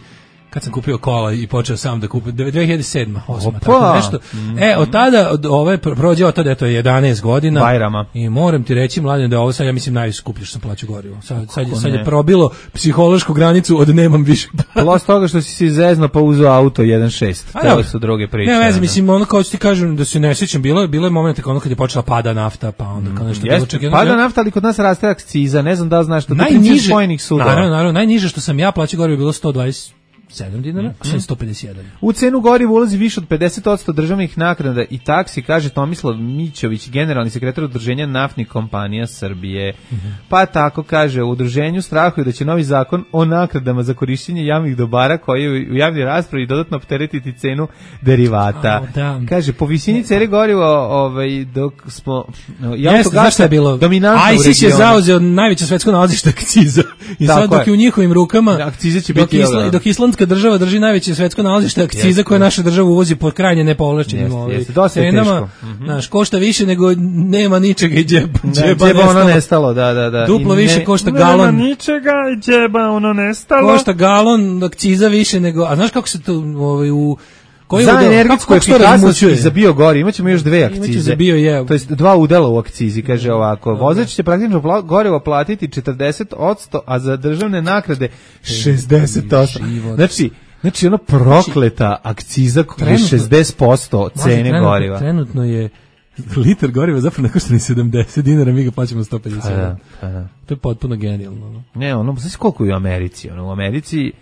kad sam kupio kola i počeo sam da kupim dve hiljade sedma, osma, tako nešto. Mm-hmm. E, od tada, od ove, prođe od tada, eto, jedanaest godina. Bajrama. I moram ti reći, mladen, da je ovo sad, ja mislim, najskuplje što sam plaćao gorivo. Sad, sad, sad je probilo psihološku granicu od nemam više. Plus toga što si se zezno pa uzeo auto jedan šest. To su druge priče. Ne, vezi, mislim, ono kao ti kažem da se ne sjećam, bilo je, bilo je moment ono kad je počela pada nafta, pa onda kao nešto. Yes, čak, pada jedno, nafta, ali kod nas raste akciza, ne znam da li znaš što. Najniže, naravno, naravno, najniže što sam ja plaćao gorivo bilo sto dvadeset sedam dinara, a sad sto pedeset jedan. U cenu goriva ulazi više od pedeset posto državnih naknada i taksi, kaže Tomislav Mićović, generalni sekretar Udruženja naftnih kompanija Srbije. Mm-hmm. Pa tako kaže, u udruženju strahuju da će novi zakon o naknadama za korišćenje javnih dobara koji u javnoj raspravi dodatno opteretiti cenu derivata. Oh, da. Kaže, po visini cene goriva, ovaj, dok smo... Jeste, znaš šta je bilo? ISIS je zauzeo najveće svetsko nalazište akciza. I sad dok je u njihovim rukama, akcize će biti Isla, dok Islandska država drži najveće svetsko nalazište akciza koje naša država uvozi po krajnje nepovlašćenim cenama. Znaš, košta više nego nema ničega i džeba, džeba, džeba ono nestalo. Da, da, da. Duplo ne, više košta galon. Nema ničega i džeba ono nestalo. Košta galon akciza više nego, a znaš kako se to ovaj, u Koji za energetsku efikasnost i za biogorivo imaćemo još dve akcize. Za bio je. To jest dva udela u akcizi, kaže ovako. Vozač će praktično gorivo platiti četrdeset posto, a za državne nagrade šezdeset posto. Znači, znači ono prokleta akciza koja je šezdeset posto cene goriva. Trenutno je liter goriva zapravo ne košta ni sedamdeset dinara, mi ga plaćamo sto pedeset. Pa da, pa da. To je potpuno genijalno. Ne, ono, znaš koliko je u Americi? Ono, u Americi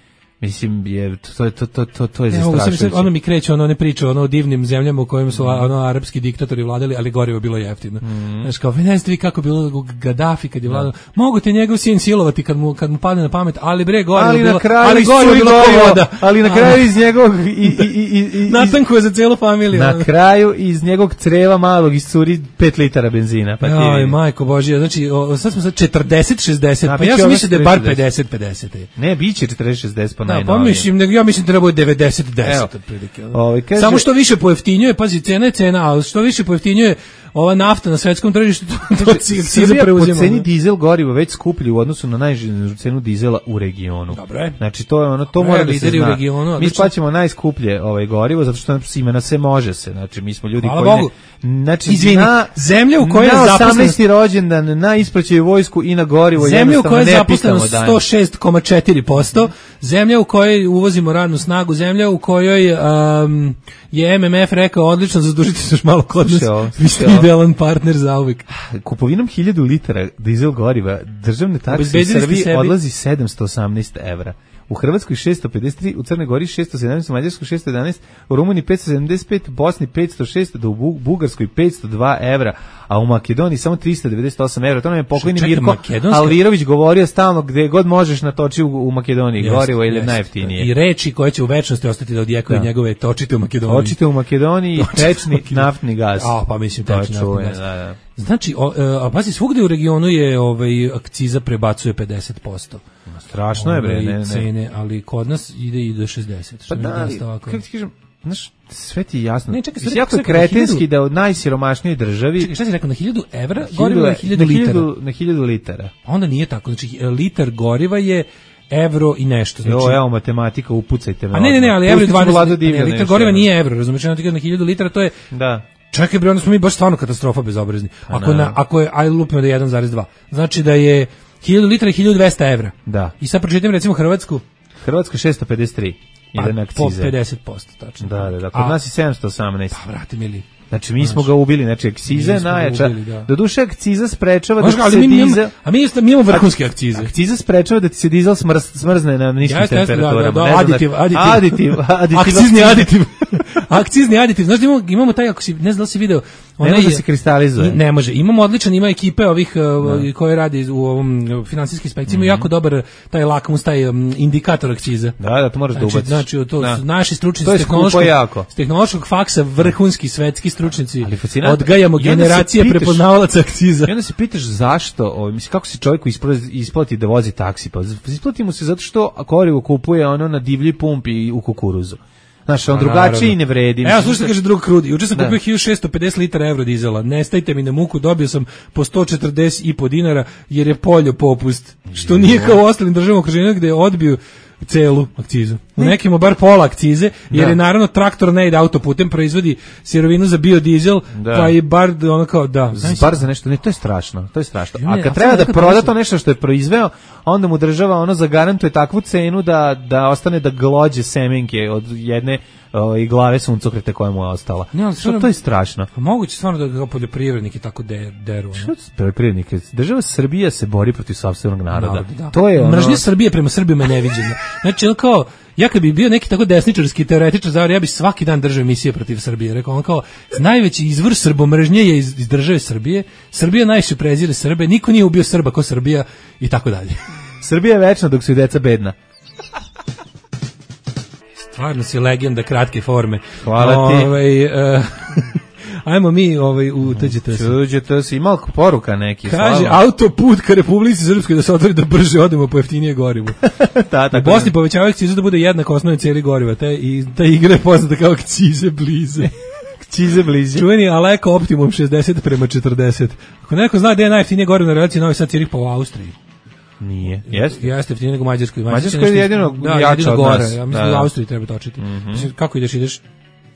mislim je to to to to to je zastrašujuće. Ono mi kreće ono ne priča ono o divnim zemljama u kojima su ono arapski diktatori vladali, ali gorivo bilo jeftino. Mm. Znaš kao, ne znate vi kako bilo Gaddafi kad je vladao. Da. Mogu te njegov sin silovati kad mu kad mu padne na pamet, ali bre gorivo ali bilo, ali gorivo bilo voda. Ali na kraju iz njegovog i i i i natanko je za celu familiju. Na kraju iz njegovog creva malog iscuri pet litara benzina, pa ti. Aj, majko božja, znači o, sad smo sad četrdeset šezdeset, pa ja sam mislio da je bar pedeset pedeset. Ne, biće četrdeset šezdeset pa da, pa mislim, ja mislim da treba biti devedeset deset otprilike. Ovaj kaže samo što više pojeftinjuje, pazi, cena je cena, a što više pojeftinjuje ova nafta na svetskom tržištu, to akciza preuzima. Po ceni dizel goriva već skuplji u odnosu na najnižu cenu dizela u regionu. Dobro je. Znači to je ono, to mora da se zna. U regionu, mi plaćamo najskuplje ovaj gorivo zato što nam ima na sve može se. Znači mi smo ljudi hvala koji Bogu. Ne, znači izvini, na, zemlja u kojoj je zaposleno osamnaesti rođendan, na ispraćaju vojsku i na gorivo, zemlja u kojoj je zaposleno sto šest zarez četiri posto, zemlja u kojoj uvozimo radnu snagu, zemlja u kojoj um, je M M F rekao odlično, zadužite se još malo kod nas, vi ste idealan partner za uvijek. Kupovinom hiljadu litara dizel goriva državne takse u Srbiji odlazi sedamsto osamnaest evra. U Hrvatskoj šessto pedeset tri, u Crnoj Gori šessto sedamnaest, u Mađarskoj šessto jedanaest, u Rumuniji petsto sedamdeset pet, u Bosni petsto šest, da u Bugarskoj petsto dva evra, a u Makedoniji samo tristo devedeset osam evra. To nam je pokojni Mirko Makedonska... Alvirović govorio stalno gde god možeš natoči u, u Makedoniji, jest, gorivo ili najjeftinije. I reči koje će u večnosti ostati da odjekaju da. njegove točite u Makedoniji. Točite u Makedoniji, tečni naftni gaz. A, pa mislim tečni naftni gaz. Da, da. Znači, o, a pazi, svugde u regionu je ovaj, akciza prebacuje pedeset posto. Strašno je, bre, ne, ne. Cene, ali kod nas ide i do šezdeset. Pa da, ali, kako ti kažem, znaš, sve ti je jasno. Ne, čekaj, sve jako je kretenski da od najsiromašnijoj državi... Čekaj, šta si rekao, na hiljadu evra goriva je hiljadu litara? Na hiljadu litara. Onda nije tako, znači, litar goriva je evro i nešto. Znači, jo, evo, matematika, upucajte me. A ne, ne, ne, ali evro je dvanaest, ne, litar goriva nije evro, razumiješ, na hiljadu litara, to je... Da. Čekaj, bre, onda smo mi baš stvarno katastrofa bezobrazni. Ako, na, ako je, aj lupimo da je jedan zarez dva, znači da je hiljadu litara i hiljadu dvesta evra. Da. I sad pročitam recimo Hrvatsku. Hrvatska šesto pedeset tri. Pa, po pedeset posto, tačno. Da, da, da. Kod A, nas je sedamsto osamnaest. Pa, vrati mili. Znači mi smo ga ubili, znači akciza je najjača. Da. Doduše akciza sprečava Možda, da se mi dizel... A mi mi imamo vrhunske akcize. Akciza sprečava da ti se dizel smrz, smrzne na niskim jeste, temperaturama. Da, da, da, aditiv, aditiv. Aditiv, aditiv. Akcizni aditiv. Akcizni aditiv. Znaš, imamo, imamo taj, ako si, ne znam da li si video... Ne može da se kristalizuje. Ne može. Imamo odličan, ima ekipe ovih uh, koje radi u ovom finansijskim inspekcijama, mm-hmm. jako dobar taj lakmus, taj um, indikator akciza. Da, da, to moraš znači, da ubaciš. Znači, to da. su naši stručnjaci to s tehnološkog, jako. tehnološkog faksa, vrhunski svetski stručnjaci. Ali odgajamo generacije pitaš, prepoznavalaca akciza. I onda se pitaš zašto, o, mislim, kako se čovjeku isplati da vozi taksi? Pa isplati mu se zato što gorivo kupuje ono na divlji pumpi u kukuruzu. Znaš, on drugačije i ne vredi. Evo, slušajte, kaže drug Krudi. Juče sam kupio hiljadu šesto pedeset litara eurodizela. Ne stajte mi na muku, dobio sam po sto četrdeset i po dinara, jer je poljo popust. Što nije kao u ostalim državama okruženja gde je odbio celu akcizu. U nekima bar pola akcize, jer da. je naravno traktor ne ide autoputem, proizvodi sirovinu za biodizel, da. pa i bar ono kao da. Znači, bar za nešto, ne, to je strašno, to je strašno. A kad treba da proda to nešto što je proizveo, onda mu država ono zagarantuje takvu cenu da da ostane da glođe semenke od jedne o, i glave suncokreta koja mu je ostala. Ne, ali što to je strašno. Pa moguće stvarno da ga poljoprivredniki tako de, deru. Što poljoprivrednike? Država Srbija se bori protiv sopstvenog naroda. Narod, da. To je ono... Mržnja Srbije prema Srbima je neviđena. Znači, ono kao, ja kad bi bio neki tako desničarski teoretičar zavor, ja bi svaki dan držao emisije protiv Srbije. Rekao, on kao, najveći izvor srbomržnje je iz, iz države Srbije. Srbija najviše prezire Srbe, niko nije ubio Srba ko Srbija i tako dalje. Srbija je večna dok su i deca bedna. Stvarno si legenda kratke forme. Hvala ti. Ovaj, uh, ajmo mi ovaj, u T Đ T S. T Đ T S, ima poruka neki. Kaže, autoput ka Republici Srpskoj da se otvori da brže odemo po jeftinije gorivo. da, u Bosni povećavaju akcizu da bude jednako osnovne cijeli goriva. Te, i, ta igra je poznata kao akcize blize. Akcize blize. Čuveni Aleko Optimum šezdeset prema četrdeset. Ako neko zna gde je najjeftinije gorivo na relaciji Novi Sad Cirih, pa u Austriji. Nije. Jeste? Jeste jeftinije nego u Mađarskoj. Mađarska je jedino da, jača od gore. nas. Ja mislim da, da u Austriji treba točiti. Mm-hmm. Mislim, kako ideš, ideš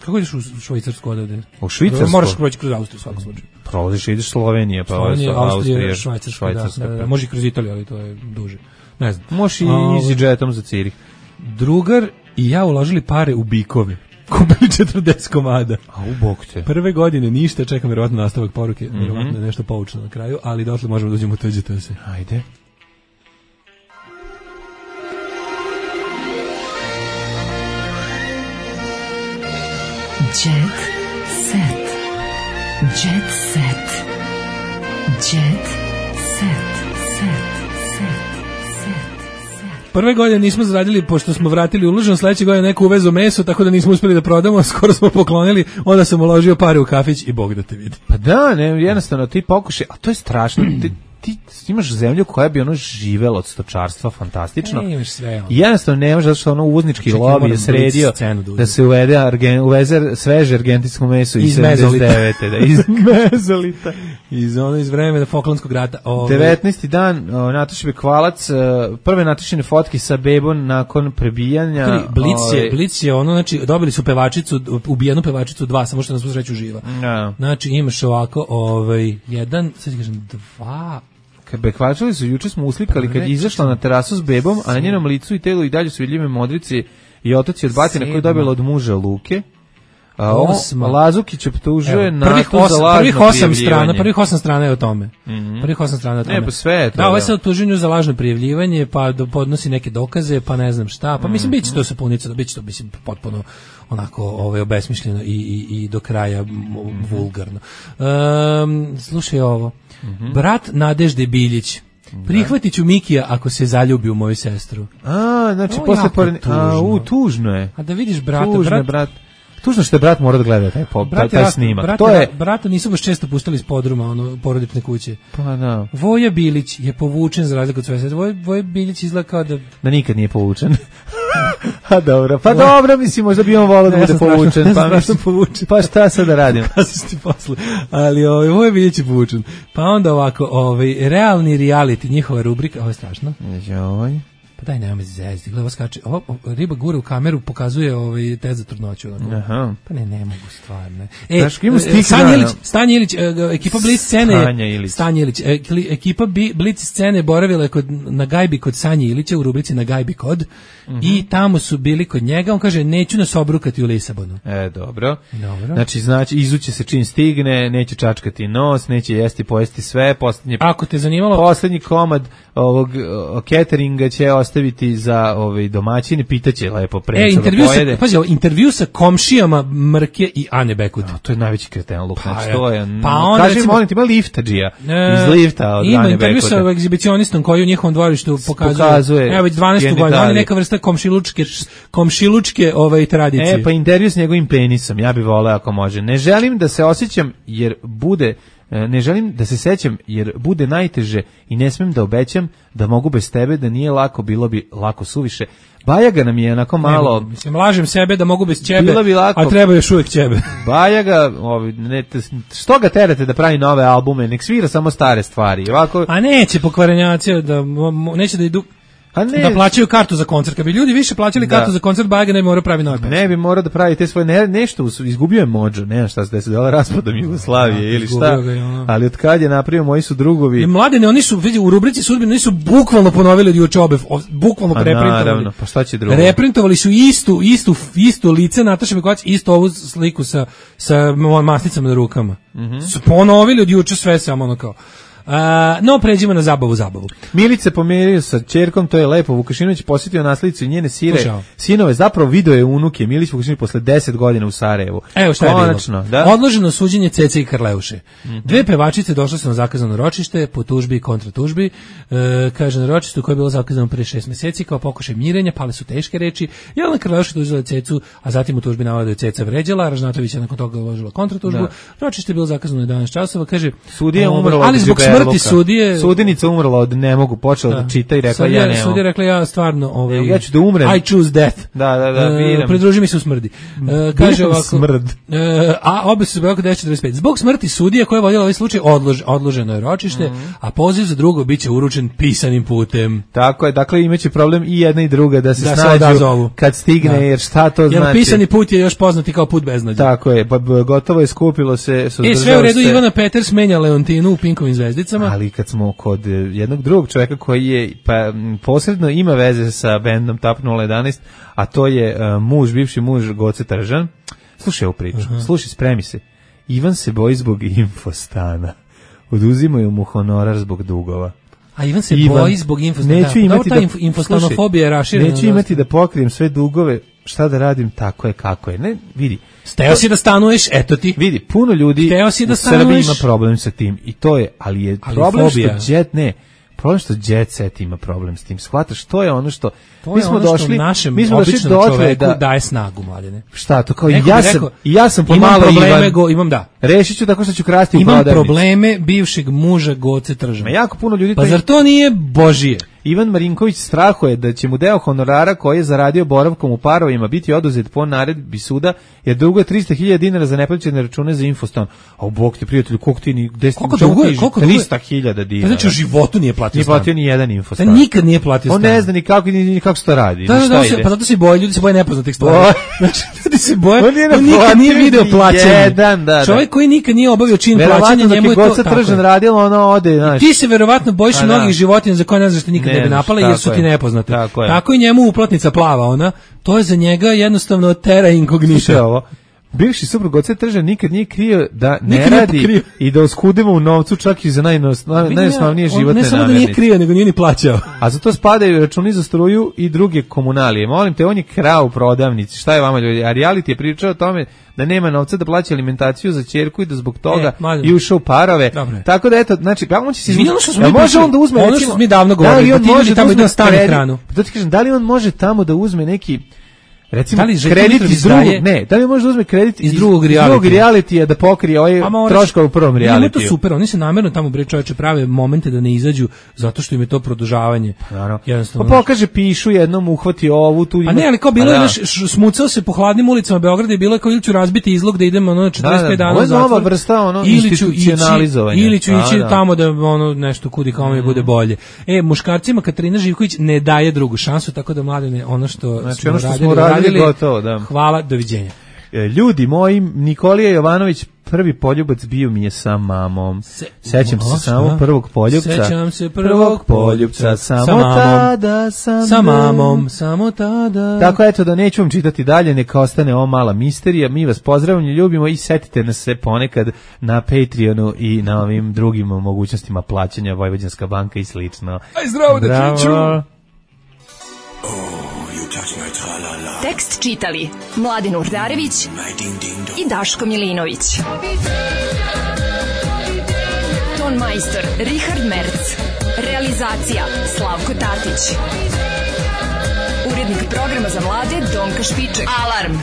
kako ideš u Švajcarsku odavde? U Švicarsku? Moraš proći kroz Austriju svakom slučaju. Prolaziš, ideš Slovenija, pa Slovenija, Austrija, Švajcarska, Švajcarska. Da, da, da. Može i kroz Italiju, ali to je duže. Ne znam. Možeš i EasyJetom za Cirih. Drugar i ja uložili pare u bikove. Kupili četrdeset komada. A u bok te. Prve godine ništa, čekam vjerovatno nastavak poruke, mm-hmm. vjerovatno nešto poučno na kraju, ali dotle možemo da uđemo u T Đ T S. Ajde. Jet set. Jet set. Jet set. Set. Prve godine nismo zaradili, pošto smo vratili uloženo, sledeće godine neko uvezo meso, tako da nismo uspeli da prodamo, skoro smo poklonili, onda sam uložio pare u kafić i Bog da te vidi. Pa da, ne, jednostavno ti pokušaj, a to je strašno, ti, ti imaš zemlju koja bi ono živela od stočarstva, fantastično. Ne, imaš sve. Ono. I jednostavno nemaš, zato što ono uvoznički lobby je sredio da se uvede argen, uveze sveže argentinsko meso iz sedamdeset devete. Da, iz mezolita. Iz ono iz vremena Falklandskog rata. Ove... devetnaesti dan, o, Nataša Bekvalac, prve Natašine fotke sa bebom nakon prebijanja. Kali, Blic, ove... je, Blic je ono, znači, dobili su pevačicu, ubijenu pevačicu dva, samo što nas svu sreću živa. No. Znači, imaš ovako, ovaj, jedan, sad ti kažem, dva... Kad Bekvačali su, juče smo uslikali kad je izašla na terasu s bebom, a na njenom licu i telu i dalje su vidljive modrice i otoci od batina koje je dobila od muža Luke. A Osma. Lazukić optužuje na to za lažno prvih osam strana, prvih osam strana je o tome. Mm-hmm. Prvih osam strana je o tome. Ne, pa sve je to. Da, ovo je sad optuženju za lažno prijavljivanje, pa podnosi neke dokaze, pa ne znam šta. Pa mislim, mm-hmm. biće to sapunica, biće to, mislim, potpuno onako ovaj, obesmišljeno i, i, i do kraja mm-hmm. vulgarno. Um, slušaj ovo. Mm-hmm. Brat Nadežde Biljić. Prihvatit ću Mikija ako se zaljubi u moju sestru. A, znači, o, posle pored... A, u, tužno je. A da vidiš brata, tužno brat... brat... Tužno što je brat mora da gleda taj, po, taj, taj snimak. Brata, to je... brata nisu baš često pustili iz podruma, ono, porodične kuće. Pa da. Voja Bilić je povučen za razliku od svoje sestre. Voja, Voja Bilić izgleda kao da... Da nikad nije povučen. A dobro, pa dobro, mislim, možda bi on volao da bude povučen. Ne pa, mislim, povučen. Pa šta sad da radim? Kazaš ti posle. Ali ovaj, Voja Bilić je povučen. Pa onda ovako, ovaj, realni reality, njihova rubrika, ovo je strašno. Joj. Pa daj, nema me zezdi, gledaj, ovo skače, ovo, ovo, riba gura u kameru, pokazuje ovaj test za trudnoću. Aha. Pa ne, ne mogu stvarno. E, Znaš, ima stik Stanje na- Ilić, Stanje Ilić, e, ekipa Blitz scene, Stanja Ilić. Stanje Ilić, e, kli- ekipa Bi- Blitz scene boravila je kod, na gajbi kod Sanje Ilića, u rubrici na gajbi kod, i tamo su bili kod njega, on kaže, neću nas obrukati u Lisabonu. E, dobro. Dobro. Znači, znači, izuće se čim stigne, neće čačkati nos, neće jesti, pojesti sve, poslednje, Ako te zanimalo, poslednji komad ovog o, cateringa će ostaviti za ovaj domaćine, pitaće lepo e, prenca da intervju pojede. sa, pazi, ovo, intervju sa komšijama Mrke i Ane Bekud. A, to je najveći kretenluk, Pa, znači je. to je. Pa onda, kaži, recimo- molim te, ima liftađija E, iz lifta od ima Ane intervju Bekuta. sa egzibicionistom koji u njihovom dvorištu pokazuje, pokazuje evo već dvanaestu godinu, genitalije. on je neka vrsta komšilučke, komšilučke ovaj, tradicije. E, pa intervju s njegovim penisom, ja bih voleo ako može. Ne želim da se osjećam jer bude, e, ne želim da se sećam jer bude najteže i ne smem da obećam da mogu bez tebe, da nije lako, bilo bi lako suviše. Bajaga nam je onako malo... Ne, mislim, lažem sebe da mogu bez ćebe, Bilo bi lako. a treba još uvijek ćebe. Bajaga, ovi, ne, te- što ga terate da pravi nove albume, nek svira samo stare stvari. Ovako, A neće pokvarenjaci da, mo- mo- neće da idu, a ne, da plaćaju kartu za koncert. Kad bi ljudi više plaćali Da. kartu za koncert, Bajaga ne bi morao pravi nove pesme. ne bi morao da pravi te svoje, ne, nešto, us- izgubio je Mođo, ne znam šta se desilo, raspadom Jugoslavije Da, ili šta, izgubio ga je, ono. ali od kad je napravio, moji su drugovi, I mladene, oni su, vidi, u rubrici sudbine, oni su bukvalno ponovili od juče obe, o- bukvalno pa reprintovali. naravno, pa šta će drugo? Reprintovali su istu, istu, istu lice Nataše Mikovac, istu ovu sliku sa, sa mo- masnicama na rukama. Mhm. Su ponovili od juče sve samo ono kao. A, no, pređimo na zabavu, zabavu. Milice pomirio sa ćerkom, to je lepo. Vukašinović posjetio naslicu i njene sire, Slušao. sinove, zapravo video je unuke. Milić Vukašinović posle deset godina u Sarajevu. Evo šta je Konačno, bilo. da? Odloženo suđenje Cece i Karleuše. Dve pevačice došle su na zakazano ročište po tužbi i kontratužbi. E, kaže na ročištu koje je bilo zakazano pre šest meseci kao pokušaj mirenja, pale su teške reči. Jelena Karleuša tužila Cecu, a zatim u tužbi navode da je Ceca vređala, Ražnatović je nakon toga uložila kontratužbu. Da. Ročište je bilo zakazano jedanaest časova, kaže Sudija je ovaj, umrla ali od zbog džuberluka. smrti sudije Sudinica umrla od ne mogu, počela da, čita i rekla Sad ja je- ne Sudija mogu. rekla ja stvarno ovaj, Ja ću da umrem. I choose death. Da, da, da, E, biram. pridruži mi se u smrdi. E, kaže Biram ovako, smrd. e, a obe su zbog devet četrdeset pet. Zbog smrti sudije koja je vodila ovaj slučaj odlož, odloženo je ročište, Mhm. a poziv za drugo biće uručen pisanim putem. Tako je, dakle imaće problem i jedna i druga da se Da se snađu odazovu. kad stigne, Da. jer šta to Jer znači? pisani put je još poznati kao put beznađa. Tako je, pa b- gotovo je skupilo se, E, suzdržao sve u redu, se. Ivana Peters menja Leontinu u Pinkovim zvezdicama. Ali kad smo kod e, jednog drugog čovjeka koji je pa m, posredno ima veze sa bendom Tap nula jedanaest, a to je e, muž, bivši muž Goce Tržan. Slušaj ovu priču, slušaj, spremi se. Ivan se boji zbog infostana. Oduzimaju mu honorar zbog dugova. A Ivan se Ivan, boji zbog infostana. Neću Da, imati ta da, inf- infostanofobija je slušaj, raširena. Neću imati da pokrijem sve dugove, šta da radim, tako je kako je. Ne, vidi. Steo si da stanuješ, eto ti. Vidi, puno ljudi Hteo si da u Srbiji stanuješ? ima problem sa tim i to je, ali je Ali problem fobija. što jet ne, problem što jet set ima problem s tim. Shvataš, to je ono što To mi je smo ono što došli, našem mi smo došli običnom dotle čoveku da daje snagu, mladene. šta to kao Neko ja bi sam rekao, i ja sam imam pomalo probleme, Ivan. go, imam da. Rešit ću tako što ću krasti u Imam prodavnici. probleme bivšeg muža Goce Tržana. Ma jako puno ljudi Pa to zar to nije Božije? Ivan Marinković strahuje da će mu deo honorara koji je zaradio boravkom u parovima biti oduzet po naredbi suda, jer dugo je trista hiljada dinara za neplaćene račune za infostan. A u bog ti prijatelju, koliko ti ni gde Koliko duguje? Koliko duguje? trista hiljada Pa dinara. znači u životu nije platio Nije stan. platio ni jedan Da infostan. nikad nije platio On stan. ne zna ni kako, ni, ni kako se to radi. Da, ni da, šta da, on se- ide. pa zato se boje, ljudi se boje nepoznatih stvari. Boje. Znači, ljudi se boje, On nije on nikad naplatio nije video ni plaćanje. jedan, da, da. Čovjek koji nikad nije obavio čin plaćanja, Verovatno dok njemu je je to Goca tako. Tržan radila, ona ode, znaš. Ti se verovatno bojiš A, da. mnogih životinja za koje ne znaš što nikad Ne ne bi znaš, napale jer su tako ti je. nepoznate. Tako je. Tako i njemu uplatnica plava, ona, to je za njega jednostavno terra Slušaj incognita. ovo. Bivši suprug Goce Tržan nikad nije krio da ne Nikad nije radi pokrio. i da oskudimo u novcu čak i za najnos, naj, Vidim najosnovnije ja, on životne Ne samo da nije namirnice. krio, nego nije ni plaćao. A za to spadaju računi za struju i druge komunalije. Molim te, on je krao u prodavnici. Šta je vama ljudi? A reality je pričao o tome da nema novca da plaća alimentaciju za ćerku i da zbog toga E, mladen. i ušao u parove. Dobro je. Tako da eto, znači, pa on će se Izvini, ono što smo Jel mi može pričali, on da uzme ono što recimo, smo mi davno da li govorili, on da ti može ljudi tamo uzme idu na stanu kredit? hranu. Pa to ti kažem, da li on može tamo da uzme neki Recimo, da li Željko kredit Mitrović iz drugog, daje- ne, da li može da uzme kredit iz iz drugog iz drugog realitija? realitija da pokrije ovaj troškove u prvom Ima to realitiju? super, oni se namerno tamo bre čoveče prave momente da ne izađu zato što im je to produžavanje. Naravno. Jednostavno. Pa pokaže, pišu jednom, uhvati ovu, tu ima... A ne, ali kao bilo A je, da. znaš, š- smucao se po hladnim ulicama Beograda i bilo je kao ili ću razbiti izlog da idemo ono četrdeset pet Da, da, dana ovo u je zatvor. nova vrsta, ono, ili ću institucionalizovanja. ići, ili ću Da, ići da. tamo da ono nešto kudi kao mi bude bolje. E, muškarcima Katarina Živković ne daje drugu šansu, tako da Mladene, ono što Znači, smo ono što radili, smo radili, uradili, gotovo, da. hvala, doviđenja. E, Ljudi moji, Nikolija Jovanović, prvi poljubac bio mi je sa mamom. Sećam se A, samo šta? prvog poljubca. Sećam se prvog poljubca, samo sa mamom. tada sam Sa bio. mamom, samo tada. Tako eto, da neću vam čitati dalje, neka ostane ova mala misterija. Mi vas pozdravljamo, ljubimo i setite nas se ponekad na Patreonu i na ovim drugim mogućnostima plaćanja, Vojvođanska banka i slično. Aj zdravo, dečiću. Tekst čitali Mladin Urdarević i Daško Milinović. Ton majstor Richard Merc. Realizacija Slavko Tatić. Urednik programa za mlade Donka Špiček. Alarm!